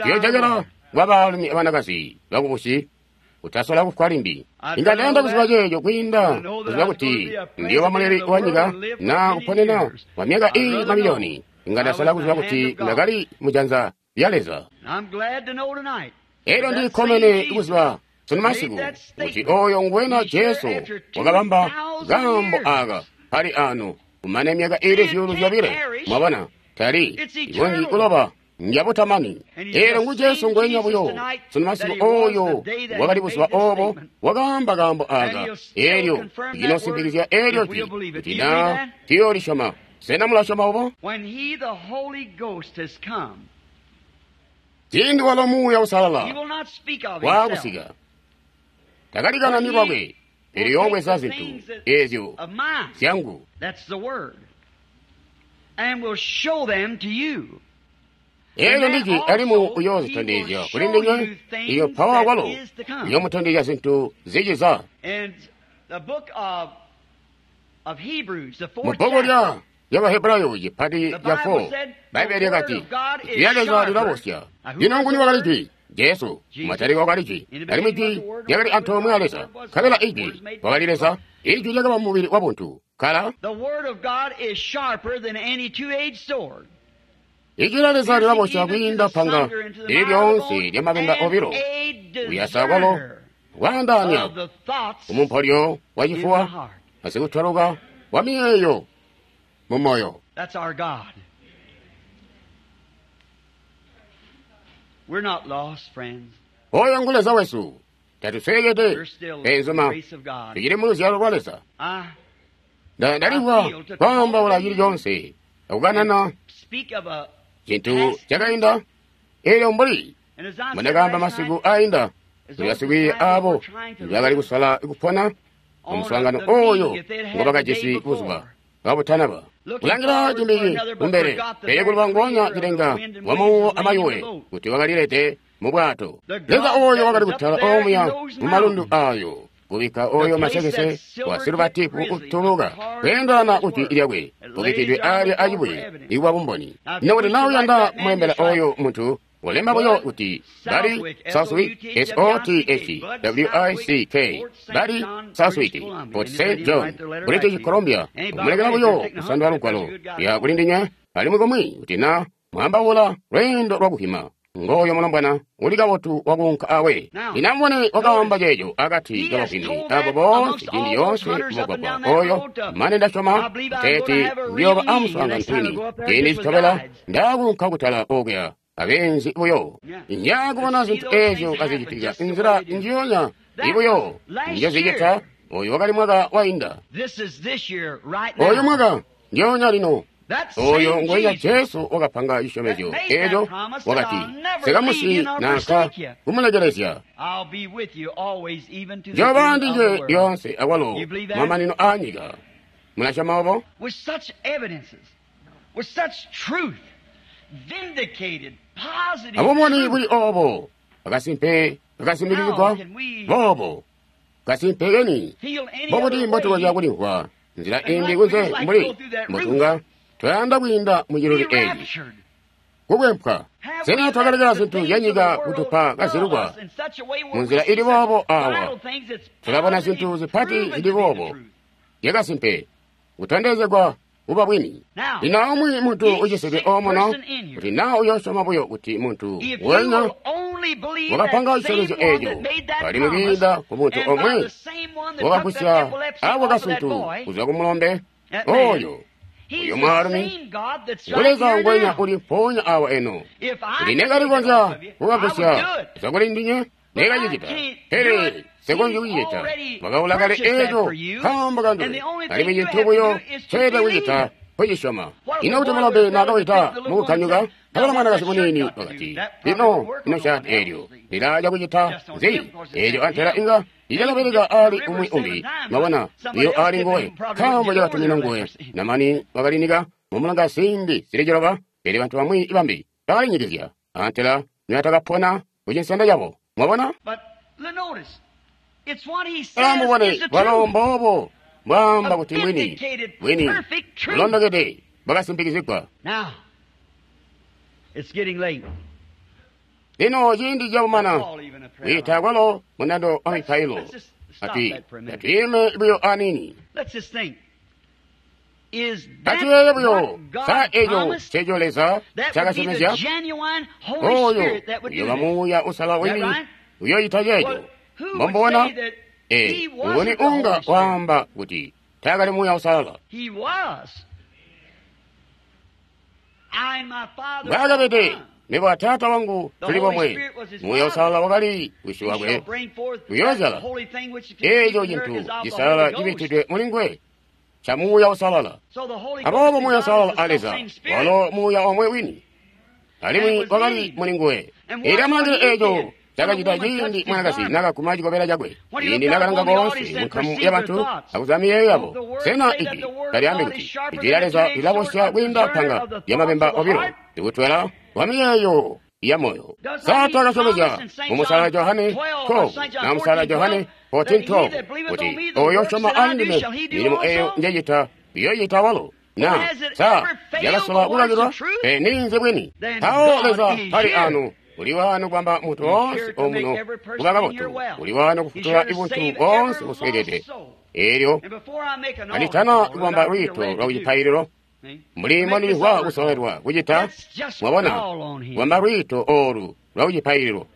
tuyoojokela kwa baalumi abanakazi bakubusi kutasola kufwa limbi. Inga ndayanda kuziba ceeco kwiinda kuziba kuti ndiyooba muleli wa nyika naa kuponena kwa myaka iili mamiliyoni. Inga ndasola kuziba kuti ndakali mujanza lya Leza. Elyo ndikkomene kuziba sunu masiku kuti oyo ngwena Jesu wakabamba kaambo aka pali ano kumane myaka iili zyuulu zyobile. Mwabona, tali ikonzyi kuloba, njabutamani. Elyo ngu Jesu ngwenya buyo sunu masiku oyo wakali buzuba obo wakaamba kaambo aka. Elyo linosimpikizya elyo jwi kuti naa tuyoolisyoma. Sena mulasyoma obo? Ciindi walo Muuya Uusalala waakusika, takalikanani lwakwe, pele yoobweza zintu ezyo zyangu. Elyo ndijwi alimwi uyoozitondezya kuli ndinywe. Iyo mpawo akwalo uyoomutondezya zintu ziciza. Mubbuku lya lyabahebrayo cipati ca four, Bbaibbele lyakati Ijwi lya Leza lilabosya. Lino nguni wakali Jwi? Jesu. Mataliko wakali Jwi, alimwi Jwi lyakali antoomwe a Leza, nkabela Ijwi wakali Leza. Ijwi lyakaba mubili wa buntu. Kala Ijwi lya Leza lilabosya kwiinda panga lili lyoonse lya mabemba obilo, kuyasa kwalo kwaandaanya kumumpolyo wa cifuwa asikutwaluka wa miyeeyo mu moyo. Oyo ngu Leza wesu. Tatusweekede beenzuma, tucili mu luzyalo lwa Leza. Ndalimvwa kwaambaula cili coonse akukanana cintu cakainda. Elyo mbuli mbundakaamba masiku ainda, kuli basikwiiya abo bakali kusola kupona mumuswaangano oyo ngobakajisi buzuba kabutanaba, kulangila cimbi kumbele, pele kuluba nguonya cilenga wamuwo amayuwe kuti wakalilete mu bwato. Leza oyo wakali kutala omuya mu malundu ayo, kubikka oyo masekese wa siluvatipu kutuluka kweendelana kujwi lyakwe kubikkidwe alya acibuye ikuba bumboni. Ino kuti naa uyanda kumulembela oyo muntu, ulemba buyo kuti Buddy Southwick, S O T H W I C K, Buddy Southwick, Port Saint John, British Columbia. Kumulekela buyo kusandula lugwalo ya kulindinya alimwi kumwi kuti naa mwambaula lweendo lwakuhima. Ngoyo mulombwana uli kabotu wakuunka awe. Lino amubone wakaamba ceeco akati kabavwimi abo boonse ciindi yoonse mugwagwa oyo, mane ndasyoma kuteeti ndiyooba amuswaangano kwini ciindi citobela ndaakuunka kutala okuya abenzi buyo. Njakubona zintu ezyo kazicitika nzila njiyonya ibuyo njozicita. Oyu wakali mwaka wainda, oyu mwaka ndyoonya lino. Oyo ngwenya Jesu wakapanga cisyomezyo eco, wakati sikamusi nanka kumulekelezya, njoba ndinywe lyoonse akwalo mamanino a nyika. Mulasyoma obo? Abumoni buli obo akasimpe kakasimbikizigwa boobo kasimpe keni, mbobuti mbotukonzya kulimvwa nzila imbi kunze mbuli mbotunga twayanda kwiinda muciluli eeci kukwempwa? Sena twakalekela zintu zyanyika kutupa kazilukwa munzila ili boobo? Awa tulabona zintu zipati zili boobo zyakasimpe kutondezegwa kuba bwini. Lino aumwi muntu ucisidwe omuno, kuti naa uyoosyoma buyo kuti muntu wenya wakapanga cisyomezyo eeco alimwi kwiinda ku muntu omwe wakagusya ako kasuntu kuzwa ku mulombe oyo, uyo mwaalumi ngu Leza ngwenya uli mpoonya awa eno. Kuti nekalikonzya kukagusya kuzwa kuli ndinywe, Nekacicita, pele nsekonzyi kucicita. Wakaula kale eeco nkaambo kanduwe, alimwi cintu buyo nceelede kucita kucisyoma. Ino kuti mulombe naakawida mukukanyuka, nkabela mwanakazi muniini wakati, lino ino shaati eelyo lilaaca kucita nzi? Eelyo antela inga licakabeleka aali umwi umbi, mwabona, buyo aali nguwe, nkaambo cakatumina nguwe. Namani wakalinika mumulonga ziindi zili ciloba, pele bantu bamwi bambi bakalinyikizya, antela nibatakapona kucinsenda cabo. Mwabona? Amubone, bwalo mboobo mbwaamba kuti mbwini, bwini, bulondokede bwakasimpikizigwa. Lino ciindi cakumana kwiita kwalo mundando wa mipailo, ati atwiime buyo aniini. Atuyeeye buyo, sa eco nceco Leza ncaakasyomezya? Oyo uyooba Muuya Uusalala wini uyoocita ceeco. Mbombona? Ee, nguni unga waamba kuti taakali Muuya Uusalala? Mbwaakabede, mebo a Taata wangu tuli bomwe. Muuya Uusalala wakali Wisi wakwe, uyoozyala eeco cintu cisalala cibikkidwe muli nguwe ca Muuya Uusalala. Aboobo Muuya Uusalala a Leza walo Muuya omwe wini, alimwi wakali muli nguwe. Eelyo amulangile eeco cakacita ciindi mwanakazi naakaguma cikobela cakwe, ciindi naakalanga koonse munkamu yabantu akuziba miyeeyo yabo. Sena ijwi talyaambi kuti ijwi lya Leza lilabosya kwiinda panga lyamabemba obilo, likutwela wa miyeeyo ya moyo? Sa taakasyomezya mu Musalala Johane twelve na Musalala Johane fourteen twelve kuti oyo usyoma ali ndime, milimo eyo njecita uyoyita walo? Na sa yakasola kukakilwa? Pe ninzi bwini? Mpawo Leza tali anu, uli wano kubamba muntu woonse omuno kuba kabotu, uli wano kufutula ibuntu boonse busweekede. Eelyo kanditana kubamba lwiito lwa kucipaililo, mbuli mbondilimvwa kusololelwa kucita, mwabona, kubamba lwiito oolu lwa kucipaililo,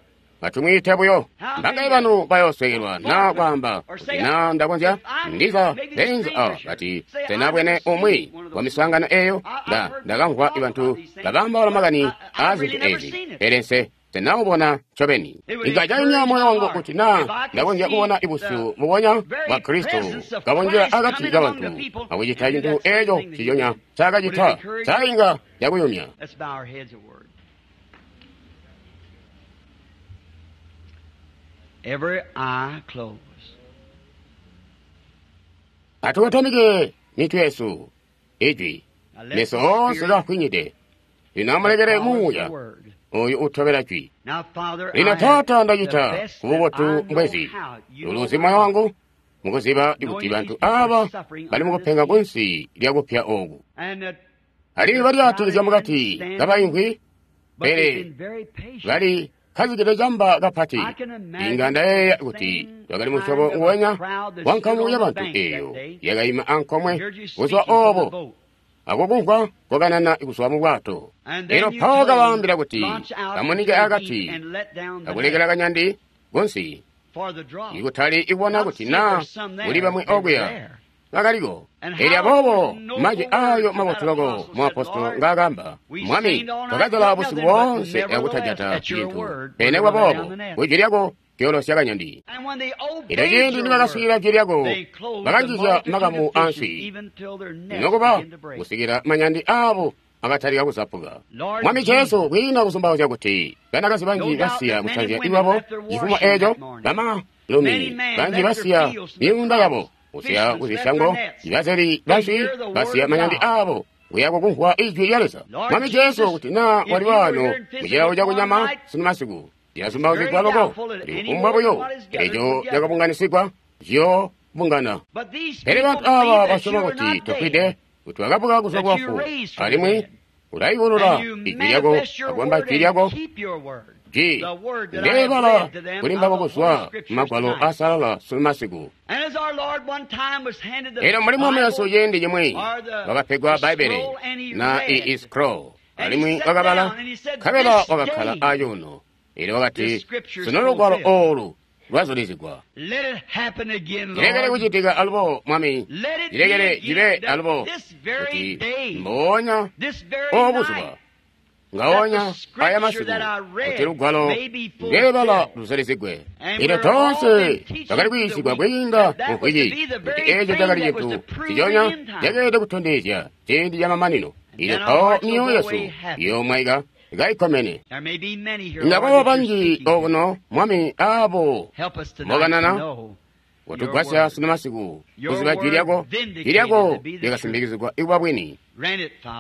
atumwiite buyo. Mbangaye banu bayooswekelwa na kwaamba kuti na ndakonzya ndiza beenzi awa bati senabwene umwi wa miswaangano eyo, nda ndakamvwa bantu babambaula makani aa zintu ezi, pele nse senawubona ncobeni. Inga cayumya moyo wangu kuti na ndakonzya kubona ibusyu bubonya bwa Kristo kabonjela akati kabantu akucita cintu eco ciconya ncaakacita, sa inga cakuyumya. Every eye closed. Atukotamike mitwe yesu, ijwi, meso oonse kaafwinyide. Lino amulekele Muuya oyu utobela jwi. Lino Taata, ndacita kububotu mbwezi, uluzi moyo wangu mukuziba kuti bantu aba bali mukupenga kunsi lyakupya oku, alimwi balyaatilizya mukati kabaimvwi, pele bali kazikide camba kapati. Inga ndayeeya kuti twakali musyobo nguwenya wa nkamu yabantu eeyo yakayima ankomwe buzuba oobo akukumvwa kokanana kuzwa mu bwato. Elyo mpawo kabaambila kuti kamunike akati akulekela kanyandi kunsi, ikutali ikubona kuti naa kuli bamwi okuya bakaliko. Elyo aboobo majwi ayo mabotu loko muapostolo ngaakamba, Mwami, twakazala busiku boonse akutajata cintu, pele kwaboobo kwijwi lyako kyoolosya kanyandi. Elyo ciindi nibakaswiilila jwi lyako, bakanjizya makamu answi, nokuba kusikila manyandi aabo akatalika kuzapuka. Mwami Jesu, kwiina kuzumbauzya kuti banakazi banji basiya kusanzya iwabo cifumo eeco, bamalumi banji basiya myuunda yabo kusiya kuzisyango, ibazeli banswi basiya manyandi aabo kuya kukumvwa ijwi lya Leza. Mwami Jesu, kuti naa wali wano mucilawo cakunyama sunu masiku, cilazumbauzigwa loko kuti kufumbwa buyo eco cakabunganisigwa ciyoobungana. Pele bantu aaba basyoma kuti tofwide, kuti wakabuka kuzwa kubafu, alimwi ulayulula ijwi lyako akubamba jwi lyako, jwi ndeebala kuli mbabo kuzwa mumagwalo aasalala sunu masiku. Elyo mbuli Mwami wesu ciindi cimwi wakapegwa Bbaibbele na ii scroll, alimwi wakabala, nkabela wakakkala acuuno. Elyo wakati, sunu lugwalo oolu lwazulizigwa. Cilekele kucitika alubo, Mwami, cilekele cibe alubo, kuti mboonya obuzuba, Ngaonya aya masiku kuti lugwalo ndelebala luzalizigwe. Ino toonse twakali kuyiisigwa kwiinda mu mvwiki kuti eco cakali cintu ciconya cakeelede kutondezya ciindi camamanino. Ino mpawo myoyo yesu iyoomwaika kaikkomene. Inga kwaba banji okuno, Mwami, abo mbokanana kutugwasya sunu masiku kuziba jwi lyako. Jwi lyako lyakasimbikizigwa ikuba bwini.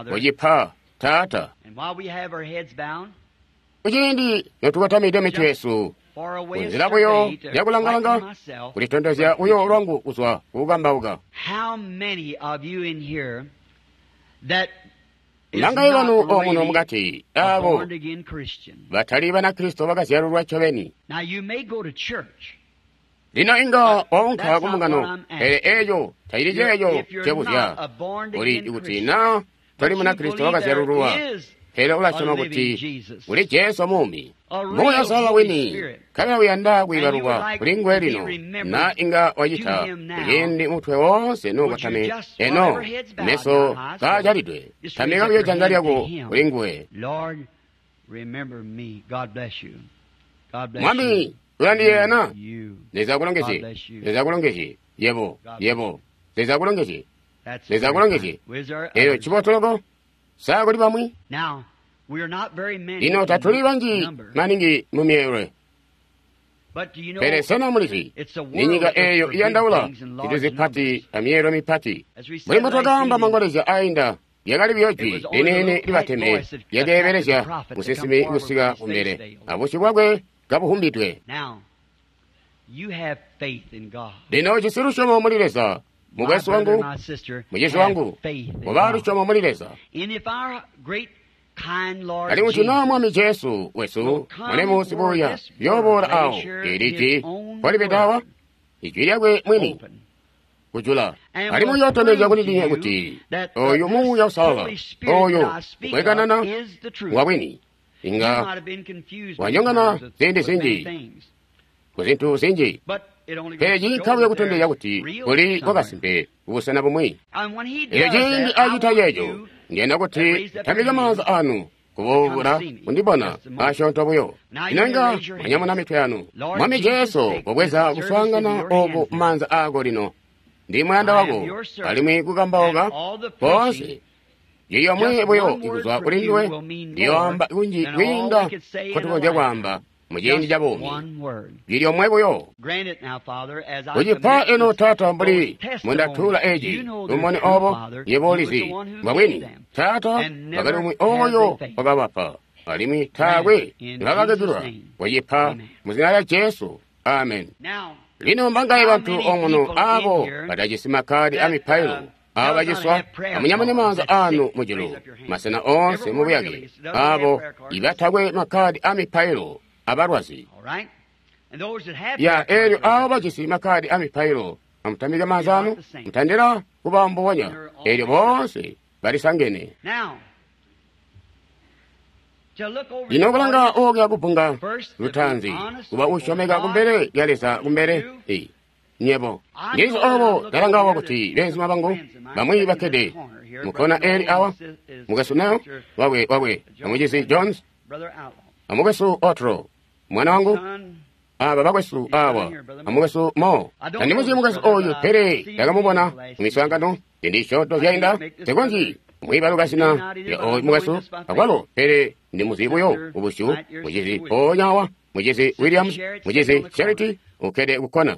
Kucipa, Taata. Kuciindi notukotamide mitwe yesu, kunzila buyo yakulangalanga kulitondezya buyo lwangu kuzwa kukukambauka. Nangaye banu omuno mukati abo batali Banakristo bakazyalulwa ncobeni. Lino inga waunka kumbungano, pele eco tacili ceeco cebuzya. Uli kuti na toli Munakristo wakazyalululwa, pele ulasyoma kuti kuli Jesu muumi, Muuya Uusalala wini, nkabela uyanda kwiibalukwa kuli nguwe lino, na inga wacita kuciindi mutwe woonse nuukotame eno meso kaajalidwe. Tamika buyo janza lyako kuli nguwe. Mwami, ulandiyeeya na? Leza akulongezye. Leza akulongezye. Yebo, yebo. Leza akulongezye. Leza akulongezye. Eyo cibotoloko? Sa kuli bamwi? Lino tatuli banji maningi mu myeelwe. Pele sena mulizi, ni nyika eyo iyandaula zintu zipati amyeelwe mipati. Mbuli mbotwakaamba mangolezya ainda, lyakali buyo jwi liniini libateme lyakeebelezya musinsimi kusika kumbele, abusyu bwakwe kabuhumbidwe. Lino ujisi lusyomo muli Leza, mukwesu wangu, mucizi wangu, kuba lusyomo muli Leza. Alimwi kuti naa Mwami Jesu wesu mulemu sibuya yooboola awo, eli jwi mpolibede awa, ijwi lyakwe mwini kujula. Alimwi uyootondezya kuli ndinywe kuti oyu Muuya Uusalala oyu ukwekanana ngwabwini. Inga wanyongana ziindi zinji kuzintu zinji, pele ciinka buyo kutondezya kuti kuli kwakasimpe kubusena bumwi. Elyo ciindi acita ceeco, ndiyanda kuti tambike maanza anu kuboola kundibona asyoonto buyo. Lino inga mwanyamuna mitwe yanu. Mwami Jesu, kobweza kuswaangana oku maanza aako lino. Ndi muyanda wako, alimwi kukambauka koonse jwi lyomwe buyo ikuzwa kuli nduwe liyoamba kunji kwiinda nkotukonzya kwaamba muciindi ca buumi. Jwi lyomwe buyo. Kucipa eno, Taata, mbuli mundatuula eci lumone obo, yebo ulizi mbwabwini. Taata, wakali umwi oyo wakabapa, alimwi taakwe nibakakakilwa. Kucipa muzina lya Jesu. Amen. Lino mbangaye bantu omuno abo batajisi makkadi amipailo, abo baciswa, amunyamune maanza anu mujulu, masena oonse mubuyake, abo ibatakwe makkadi amipailo abalwazi. Ya elyo abo bajisi makkadi amipailo, amutambike maanza anu, mutandila kuba mbubonya. Elyo boonse balisangene. Lino kulanga okuya kubunga lutaanzi, kuba usyomeka kumbele lya Leza kumbele nyebo. Ndizi obo ndalangawa kuti beenzuma bangu bamwi bakkede mukkona eli awa, mukwesu Nel wakwe wakwe amucizi Jones, amukwesu Otro mwana wangu, aba bakwesu awa, amukwesu Mo. Tandimuzi mukwesu oyu, pele ndakamubona mumiswaangano ciindi cisyoonto zyainda. Nsikonzyi mwiibaluka zina lya oyu mukwesu akwalo, pele ndimuzi buyo kubusyu. Mucizi mpoonya awa, mucizi Williams, mucizi Charity ukkede kukkona.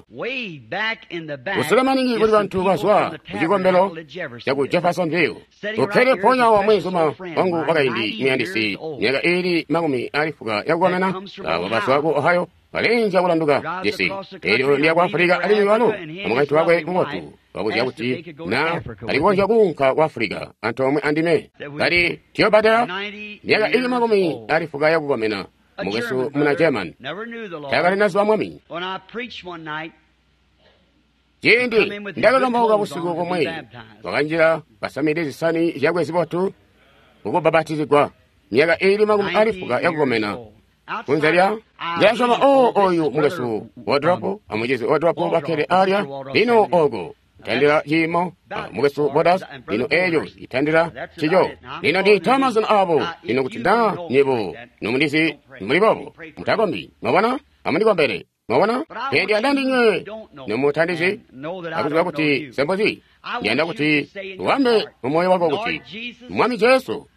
Kusule maningi kuli bantu bazwa kucikombelo caku Jeffersonville. Ukkede mpoonya awa mweenzuma wangu wakaindi muyandisi, myaka iili makumi aali fuka yakukomena, abo bazwa ku Ohio, balenja kulanduka cisi. Elyo ndiya ku Afulika, alimwi walo amukaintu wakwe mubotu wabuzya kuti na alikonzya kuunka ku Afulika antoomwe andime. Kali tuyobadela myaka ili makumi aali fuka yakukomena, mukwesu muna German, taakali zuba Mwami. Ciindi ndakakambauka busiku kumwi, wakanjila kasamide zisani zyakwe zibotu kukubapatizigwa, myaka iili makumi aali fuka yakukomena. Kunze lya ndilasyoma oo oyu mukwesu Wardrop amucizi Wardrop bakkede alya lino oko Itandila ciimo mukwesu Bodas lino eeco itandila cico. Lino ndiita mazina abo lino kuti na nyebo nomundizi muli boobo mutakombi. Mwabona? Amundikombele. Mwabona? Pele ndiyanda ndinywe nomutandizi akuziba kuti sembozi. Ndiyanda kuti uambe mumoyo wako kuti Mwami Jesu,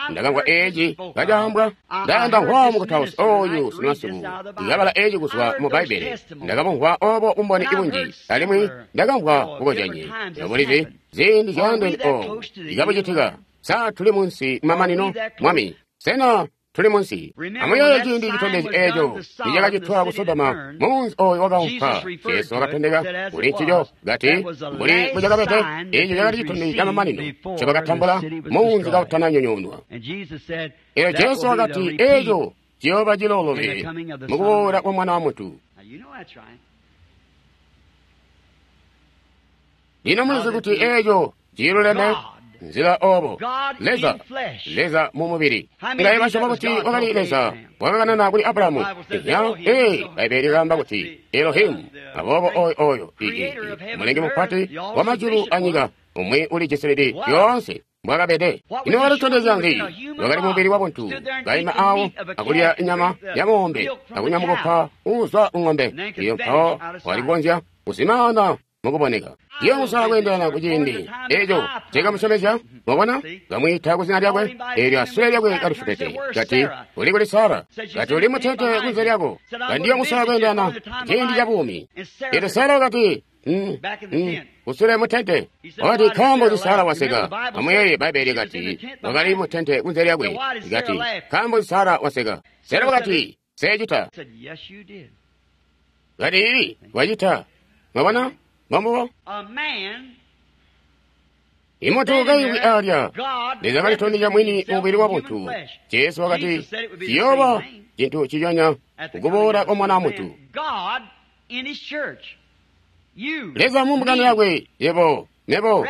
ndakamvwa eeci kacaambwa. Ndayanda mvwa mukutausi oyu sunumasiku ndikabala eeci kuzwa mu Bbaibbele. Ndakamvwa obo bumboni ibunji alimwi ndakamvwa bukozyanye nobulizi ziindi zyaandeene obu ikabucitika. Sa tuli munsi mamanino, Mwami? Sena tuli munsi? Amuyeeye ciindi citondezyo eeco nicakacitwa ku Sodoma, munzi oyo wakaumpa. Jesu wakatondeka kuli ncico kati mbuli mbucakabede, eeco cakali citondezyo camamanino ncobakatambula munzi kautananyonyoonwa. Eelyo Jesu wakati eeco ciyooba ciloolole mukuboola kwa Mwana wa Muntu. Lino mulizi kuti eeco ciluleme nzila obo Leza, Leza mu mubili. Ngaye basyoma kuti wakali Leza wakakanana kuli Abrahamu. Iya, ee, Bbaibbele lyaamba kuti Elohimu. Aboobo oyo oyo mulengi mupati wa majulu anyika, umwi ulijisilidi yoonse mbwakabede. Ino wakalitondezya nzi? Wakali mubili wa buntu, kaima awo akulya inyama ya ng'ombe akunywa mukopa uuzwa ku ng'ombe. Iyo mpawo walikonzya kuzimaana mukuboneka. Iyo kusala kweendelana kuciindi eco cekamusyomezya. Mwabona, kamwiita kuzina lyakwe, eelyo asule lyakwe kalifutete. Kati uli kuli Sara, kati uli mutete kunze lyako. Kandiyo kusala kweendelana ciindi ca buumi. Eelyo Sara wakati mm, mm, kusule mutente. Wakati nkaambo nzi Sara waseka? Amuyeeye Bbaibbele kati wakali mutente kunze lyakwe. Kati nkaambo nzi Sara waseka? Sara wakati seecita. Kati ili wacita. Mwabona? Mwambo? Imuntu kaimvwi alya, Leza kalitondezya mwini mubili wa buntu. Jesu wakati ciyooba cintu ciconya kukuboola kwa Mwana wa Muntu. Leza mu mbungano yakwe, yebo, nebo,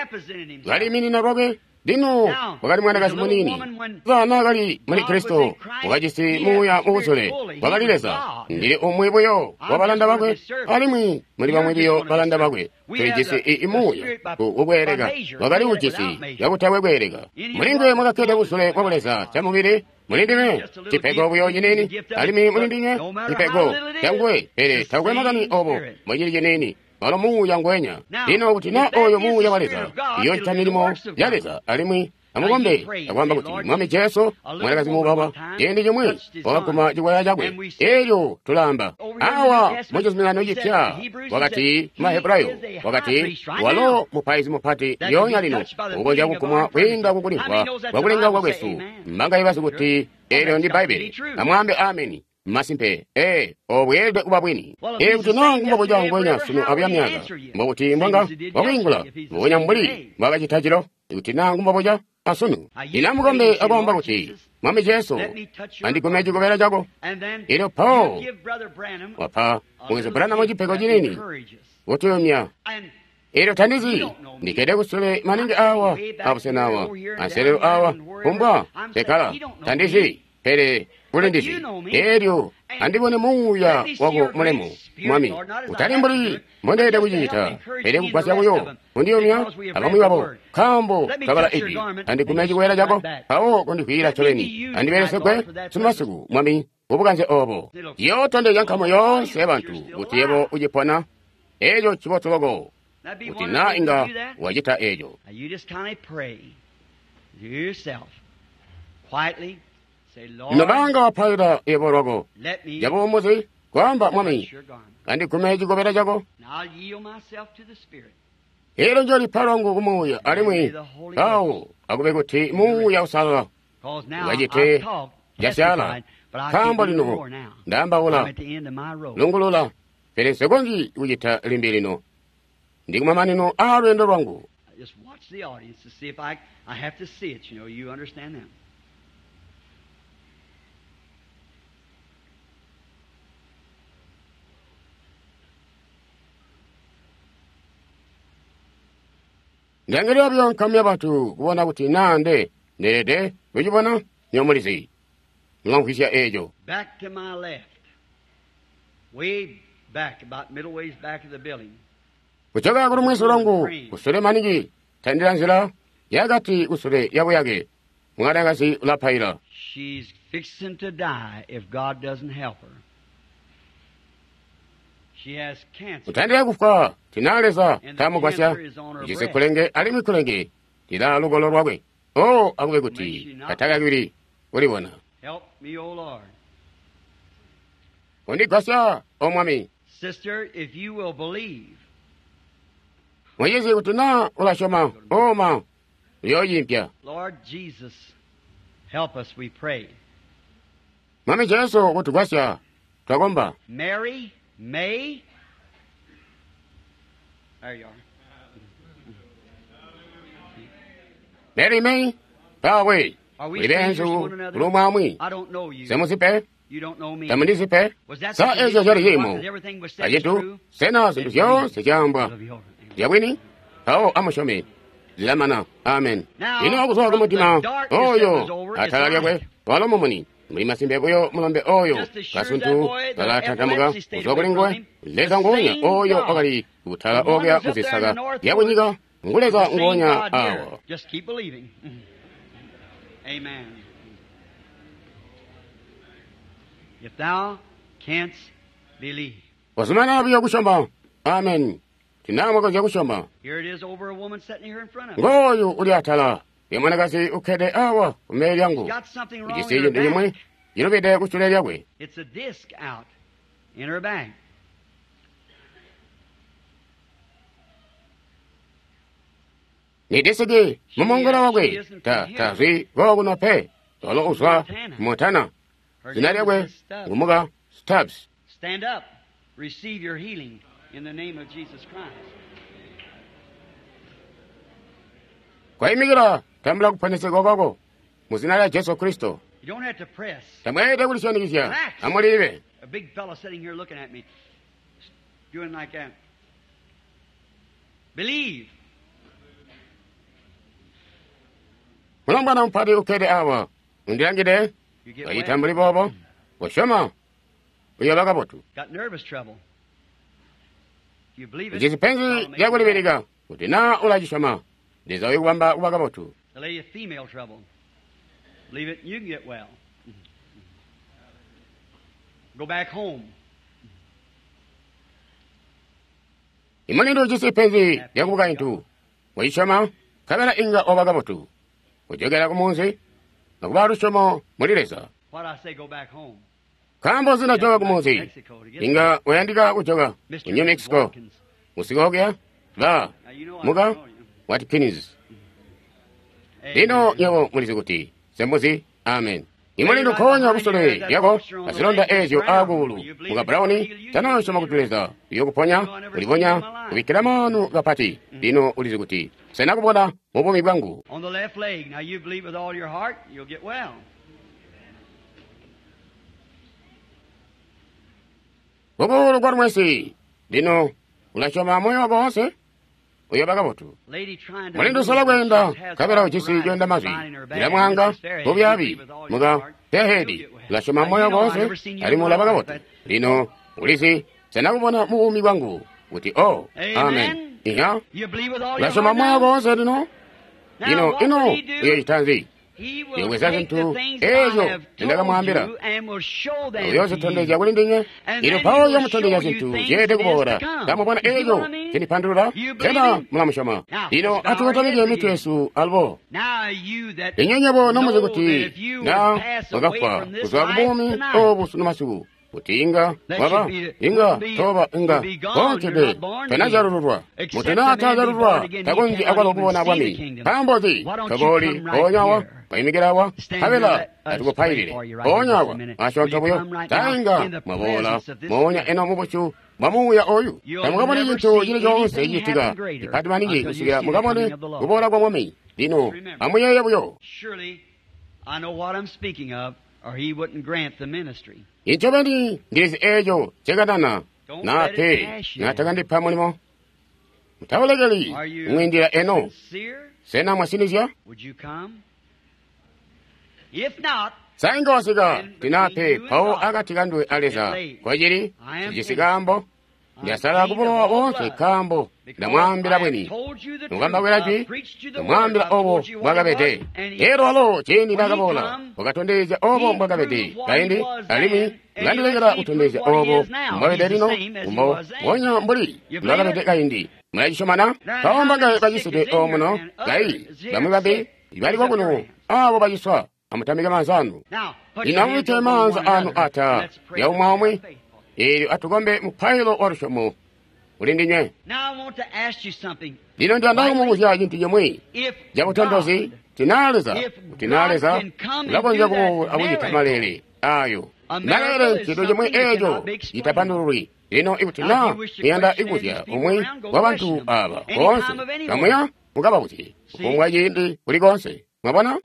kaliiminina lwakwe. Lino wakali mwanakazi muniini. Leza kali muli Kristo, wakajisi muuya mubuzule, wakali Leza. Ndili umwi buyo wa balanda bakwe, alimwi muli bamwi buyo balanda bakwe. Tulijisi i muuya kukweeleka, wakali ujisi cakutakwe kweeleka. Muli nguwe mwakakkede buzule bwa Buleza camubili. Muli ndime cipego buyo ciniini, alimwi muli ndinywe cipego canguwe, pele takwe makani obo mbocili ciniini. Walo muuya ngwenya. Lino kuti na oyo muuya wa Leza iyocita milimo ya Leza, alimwi amukombe akwaamba kuti Mwami Jesu, mwanakazi mubaba ciindi cimwi wakaguma cikwaya cakwe. Eelyo tulaamba awa mucizuminano cipya wakati Mahebrayo wakati walo mupaizi mupati lyoonya lino ukonzya kugumwa kwiinda kukulimvwa kwakulengauka kwesu. Mbangaye bazi kuti eelyo ndi Bbaibbele? Amwaambe ameni. Masimpe, ee, obweelede kuba bwini. Ee, kuti naa ngumbobuca ngwenya sunu abuya myaka, mbokuti mbwanga wakwiingula mbubonya mbuli mbwakacita cilo. Kuti naa ngumbobuca asunu. Lino amukombe akwaamba kuti Mwami Jesu, andigume cikobela cako. Elyo Paul wapa mukwesu Branham cipego ciniini kutuyumya. Elyo tandizi ndikkede kusule maningi awa abusena awa anselelo awa kumbwa sekala tandizi, pele ulindizi. Elyo andibone muuya wako mulemu, Mwami, utali mbuli mbondeelede kucita, pele kugwasya buyo kundiyumya abamwi babo, nkaambo kabala ijwi. Andigume cikwela cako, mpawo kundivwiila ncobeni. Andibelesegwe sunu masiku, Mwami, kubukanze obo. Ciyootondezya nkamu yoonse yabantu kuti yebo ucipona. Eeco ncibotu loko kuti naa inga wacita eeco. Nobanga wapaila yebo lwako cabuumuzi, kwaamba Mwami, andigume cikobela cako. Elyo njolipa lwangu kumuuya, alimwi awo akube kuti muuya usalala ukacite casyala. Nkaambo lino ndaambaula lungulula, pele nsikonzyi kucita limbi lino. Ndi kumamanino aa lweendo lwangu. Ndangilila buyo nkamu yabantu kubona kuti naa nde ndeelede kucibona. Nyomulizi mulamvwisya eeco. Back to my left, way back, about middle ways back of the building. Kuchoka kuli mwezi lwangu kusule maningi tandila nzila yakati kusule yabuyake mwanakazi ulapaila. She's fixing to die if God doesn't help her. She has cancer. Kutandila kufwa tinaleza tamugwasya ijise kulenge alimwi kulenge tila lugolo lwakwe. O akube kuti atakakili kulibona. Help me, O Lord. Undigwasya o Mwami. Sister, if you will believe. Mwenyezi kuti na ulasyoma oma uyoyimpya. Lord Jesus, help us, we pray. Mwami Jesu kutugwasya twakomba. Mary May. There you are. Mary May pawe Are we uli strangers to benzu one another? kulumwamwi I don't know you. semuzipe You don't know me. tamundizipe Was that sa the ezyo condition zyali of chimo what? Everything was said acitu true? sena zinthu zyonse zyambwa It'll be over. zyabwini pawo amusyome zilamana amen. Now, Ino kuzwa from kumutima the darkness oyo that was over is atala lyakwe light. walo mumuni muli masimbe buyo mulombe oyo Just as sure kasuntu that boy, the kalatantamuka epilepsy stayed kuzwa kuli away nguwe from him, leza the nguonya same oyo God, wakali kutala the one okuya who's up there in muzisaka the north yakunyika nguleza the same nguonya God here. awo. Just keep believing. Amen. If thou canst believe. Wazumana buyo kusyoma amen. Tinamwakonzya kusyoma. Here it is over a woman sitting here in front of me. Ngoyu uli atala ya mwanakazi ukkede awa kumbele lyangu Got something wrong ujisi in her cintu chimwe back. chilubide kusule lyakwe. It's a disc out in her back. Ni disiki mumongola wakwe ta tazwi kokuno pe tolo uzwa Montana. Her Zina name lyakwe is Stubbs. ngumuka Stubbs. Stand up. Receive your healing in the name of Jesus Christ. Kwayimikira tambula kuponeseka kwako mu zina lya Jesu Kristo. You don't have to press. Tamwete kulisyanikizya amulibe. A big fellow sitting here looking at me, doing like that. Believe. Mulombwana mupati ukkede awa undilangide You get kacita well. mbuli boobo kusyoma uyoba kabotu. Got nervous trouble. If you believe it, Ujisi penzi God will make you well. lyakulibilika kuti na ulacisyoma Leza uyokubamba kuba kabotu. The lady of female trouble. Believe it, you can get well. Go back home. Imulindu ujisi penzi lyakubukaintu wacisyoma nkabela inga oba kabotu kujokera kumunzi nokuba lusyomo muli Leza. Why'd I say go back home? Nkaambo zinajoka kumunzi inga uyandika kujoka Mister ku New Mexico Watkins. musikookya ba Now you know I muka don't know you. Watkins. Lino Amen. nywebo mulizi kuti sembuzi amen. Imulindu nkoonya kusule lyako azilonda ezyo aakuulu muka Brown tanosyoma kuti Leza uyokuponya uliponya kubikkila maanu kapati. Lino ulizi kuti sena kubona mu buumi bwangu. On the left leg. Now you believe with all your heart, you'll get well. Kukuulu kwa lumwesi lino ulasyoma moyo wako wonse uyoba kabotu. Lady trying to Mulindu move, usola kweenda she has nkabela ujisi arthritis coyenda mazwi in her back. ilamwanga Missus Fairhead, you bubyabi believe with all your muka heart, Fairhead you'll get well. ulasyoma Now, moyo you know, wako I've never wonse seen you in alimwi my ulaba life, kabotu. but Lino ulizi sena kubona mu buumi bwangu kuti o amen. Amen. Iya You believe with all your ulasyoma heart moyo wako now? wonse lino Now, lino what ino will he do? uyochita nzi? He will Uyobweza take the zinthu things I ezo have told zindakamwambira you and will show them to uyozitondezya you. kuli ndinywe. And Ino then pawo he will uyomutondezya show you zinthu things zyeelede that is kuboola. to come. Kamubona You see eco what I mean? cindipandulula You believe sena him? mulamusyoma. Now, Lino let's bow our atukotamike heads mitwe again. yesu alubo. Now you that Inywe nyebo nomuzi know that kuti if you na would pass away mwakafwa from this kuzwa ku life buumi tonight, obu sunu masiku kuti inga that waba you'd be, inga wouldn't be, toba inga you'd be gone. konse You're pe not born again. tenazyalululwa Except mutu a man be born naatazyalululwa again, he takonzyi cannot akwalo even kubona see the bwami. kingdom. Nkaambo nzi Why don't you tobooli come right mpoonya awa here? wayimikira awa Stand here, nkabela let us pray atukupailile for you right here mpoonya just a awa minute. Will asyoonto you buyo come right now tainga in the mwaboola presence of this moonya Spirit? eno mubucu bwa muuya oyu. You'll Tamukabone never cintu see chili chonse anything cicitika happen greater chipati maningi until you kusikila see the mukabone coming of the Lord. kuboola kwa Mwami. Lino Remember. amuyeeye buyo. Surely I know what I'm speaking of, or he wouldn't grant the ministry. Incobeni ndilizi eco cekanana Don't na let it pe pass you. natakandipa mulimo. Mutawulekeli Are you mwindila eno sincere? sena mwasinizya Would you come? If not, sainga wasika then tinape between you and pawo God, akati kandwe a Leza it lay. kwacili I am cijisi kaambo I Ndasala kubulowa boonse nkaambo ndamwaambila bwini. Mukambawira jwi, ndamwaambila obo mbwakabede. Elyo walo ciindi nakaboola, wakatondezya obo mbwakabede kaindi, alimwi ulandilekela kutondezya obo mbwabede lino, kumbo mbonya mbuli mbwakabede kaindi. Mulacisyomana? Mpawo mbangaye bacisidwe omuno, kayi bamwi bambi bali kokuno abo baciswa, amutamike maanza anu. Lino amubikke maanza anu ata lyaumwaumwi, eelyo atukombe mupailo wa lusyomo kuli ndinywe. Lino ndiyanda kumubuzya cintu cimwi cabutontozi. Tina Leza, kuti naa Leza ulakonzya kuboola akucita maleele ayo. Maleele ncintu cimwi eeco citapandululwi. Lino ikuti naa muyanda ikuzya umwi wa bantu aba boonse, kamuya mukababuzye kufumbwa ciindi kuli koonse. Mwabona?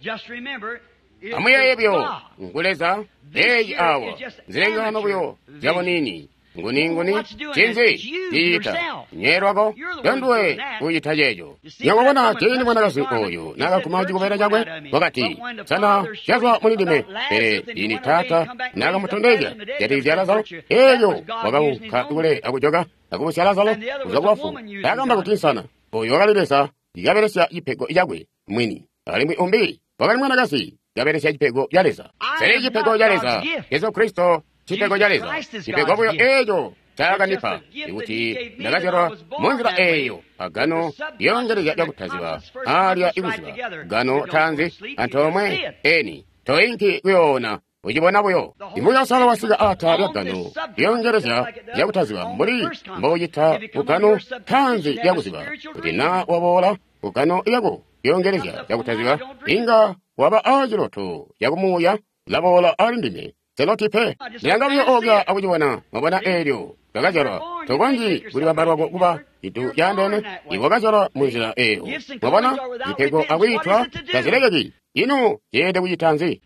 Amuyeeye buyo, ngu Leza. Eeci awa nzilengano buyo zyabuniini. Nguni nguni ncinzi cicita nye lwako ndonduwe kucita ceeco. Nyakubona ciindi mwanakazi oyu nakaguma cikobela cakwe, wakati, sana cazwa muli ndime. Pele ciindi taata nakamutondezya jatikizya Lazaro, eelyo wakaunka kule akujoka akubusya Lazaro kuzwa kubafu. Taakamba kuti nsana oyu wakali Leza kabelesya cipego cakwe mwini, alimwi umbi wakali mwanakazi kabelesya cipego ca Leza. Pele cipego ca Leza, Yesu Kristo, cipego ca Leza, cipego buyo eeco caakandipa ikuti ndakazyalwa munzila eeyo agano lyongelezya lyakutaziba alya ikuziba gano tanzi antoomwe eni toinki kuyoona ucibona buyo. Imuuya Uusalala wasika ata lya gano lyongelezya lyakutaziba mbuli mboucita kugano tanzi lyakuziba. Kuti naa waboola kugano lyako lyongelezya lyakutaziba, inga waba aaciloto cakumuuya laboola ali ndime. Seloti pe ndilanga buyo oobya akucibona. Mwabona, eelyo twakazyalwa tokonzyi kulibamba lwako kuba cintu caandeene. Iwe wakazyalwa munzila eeyo. Mwabona, zipego akwiitwa tazilekeki. Ino zyeelede kucita nzi?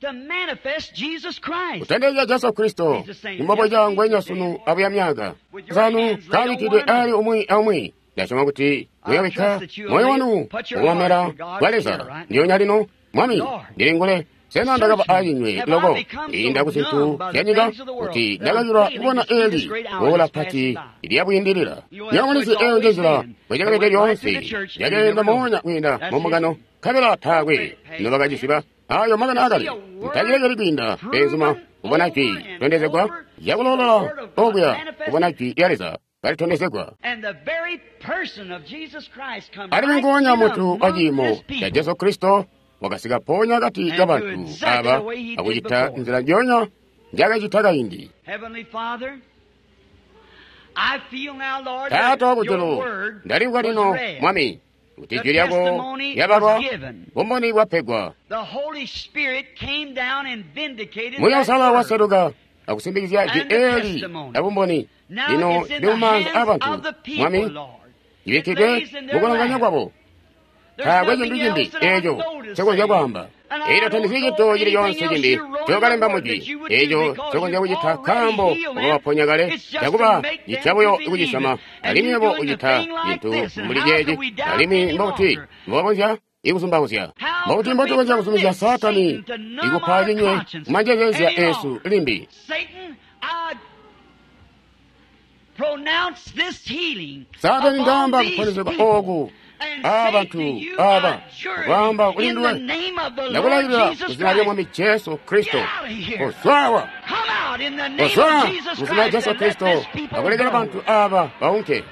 Kutondezya Jesu Kristo imboboca ngwenya sunu abuya myaka zanu kabikkidwe ali umwi aumwi. Ndasyoma kuti muyobikka moyo wanu mukomera kwa Leza ndyonya lino. Mwami, ndilingule. Sena ndakaba acinywe loko inda ku zintu zyanyika kuti ndakacilwa kubona eli boola pati lyabwiindilila. Nyamulizi eyo njenzila bwecakabede lyoonse, lyakeenda moonya kwiinda mumbungano, nkabela taakwe nobakacisiba ayo makani akali. Ntacilekeli kwiinda beenzuma kubona jwi tondezegwa lyakuloolola okuya, kubona jwi lya Leza kalitondezegwa. Alimwi nguonya muntu wa ciimo ca Jesu Kristo wakasika ponya akati kabantu aba akucita nzila njonya njakacita kaindi. Taata wakujulu, ndalimvwa lino, Mwami, kuti jwi lyako lyabalwa, bumboni bwapegwa. Muuya Uusalala waseluka akusimbikizya jwi eeli la bumboni. Lino lili mumaanza aabantu, Mwami, libikkidwe mukulanganya kwabo. Taakwe cintu cimbi eeco ncekonzya kwaamba. Eelyo tandizyi cintu cili coonse cimbi ncokalemba mujwi eeco ncokonzya kucita nkaambo wakabaponya kale, cakuba citya buyo kucisyoma. Alimwi yebo ucita cintu mbuli ceeci, alimwi mbokuti mbokonzya ikuzumbauzya, mbokuti mbotukonzya kuzumizya Saatani ikupa cinywe kumanjezezya eesu limbi. Saatani, ndaamba kuponezegwa ooku aabantu aba kwaamba kuli nduwe, ndakulailila muzina lya Mwami Jesu Kristo, kozwawa, kozwa muzina lya Jesu Kristo, akulekela bantu aba baunke.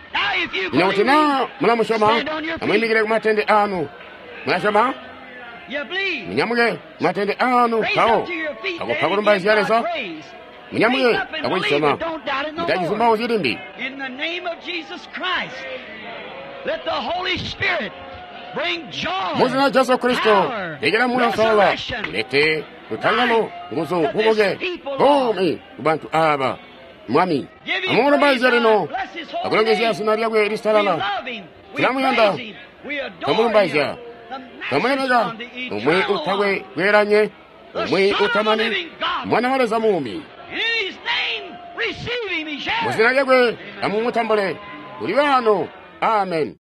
Lino kuti naa mulamusyoma, amwiimikile kumatende anu. Mulasyoma? Munyamuke kumatende anu mpawo akupa kulumbaizya Leza. Munyamuke akucisyoma, mutacizumbauzyi limbi. Muzina Jesu Kristo, lekela Muuya Uusalala ulete lutangalo, nguzu, bubuke, buumi kubantu aba. Mwami, amumulumbaizye lino akulongezya zina lyakwe lisalala. Tulamuyanda, twamulumbaizya, twamulemeka, umwi utakwe kweelanye, umwi utamani, Mwana wa Leza muumi. Muzina lyakwe amumutambule, uli waano. Amen.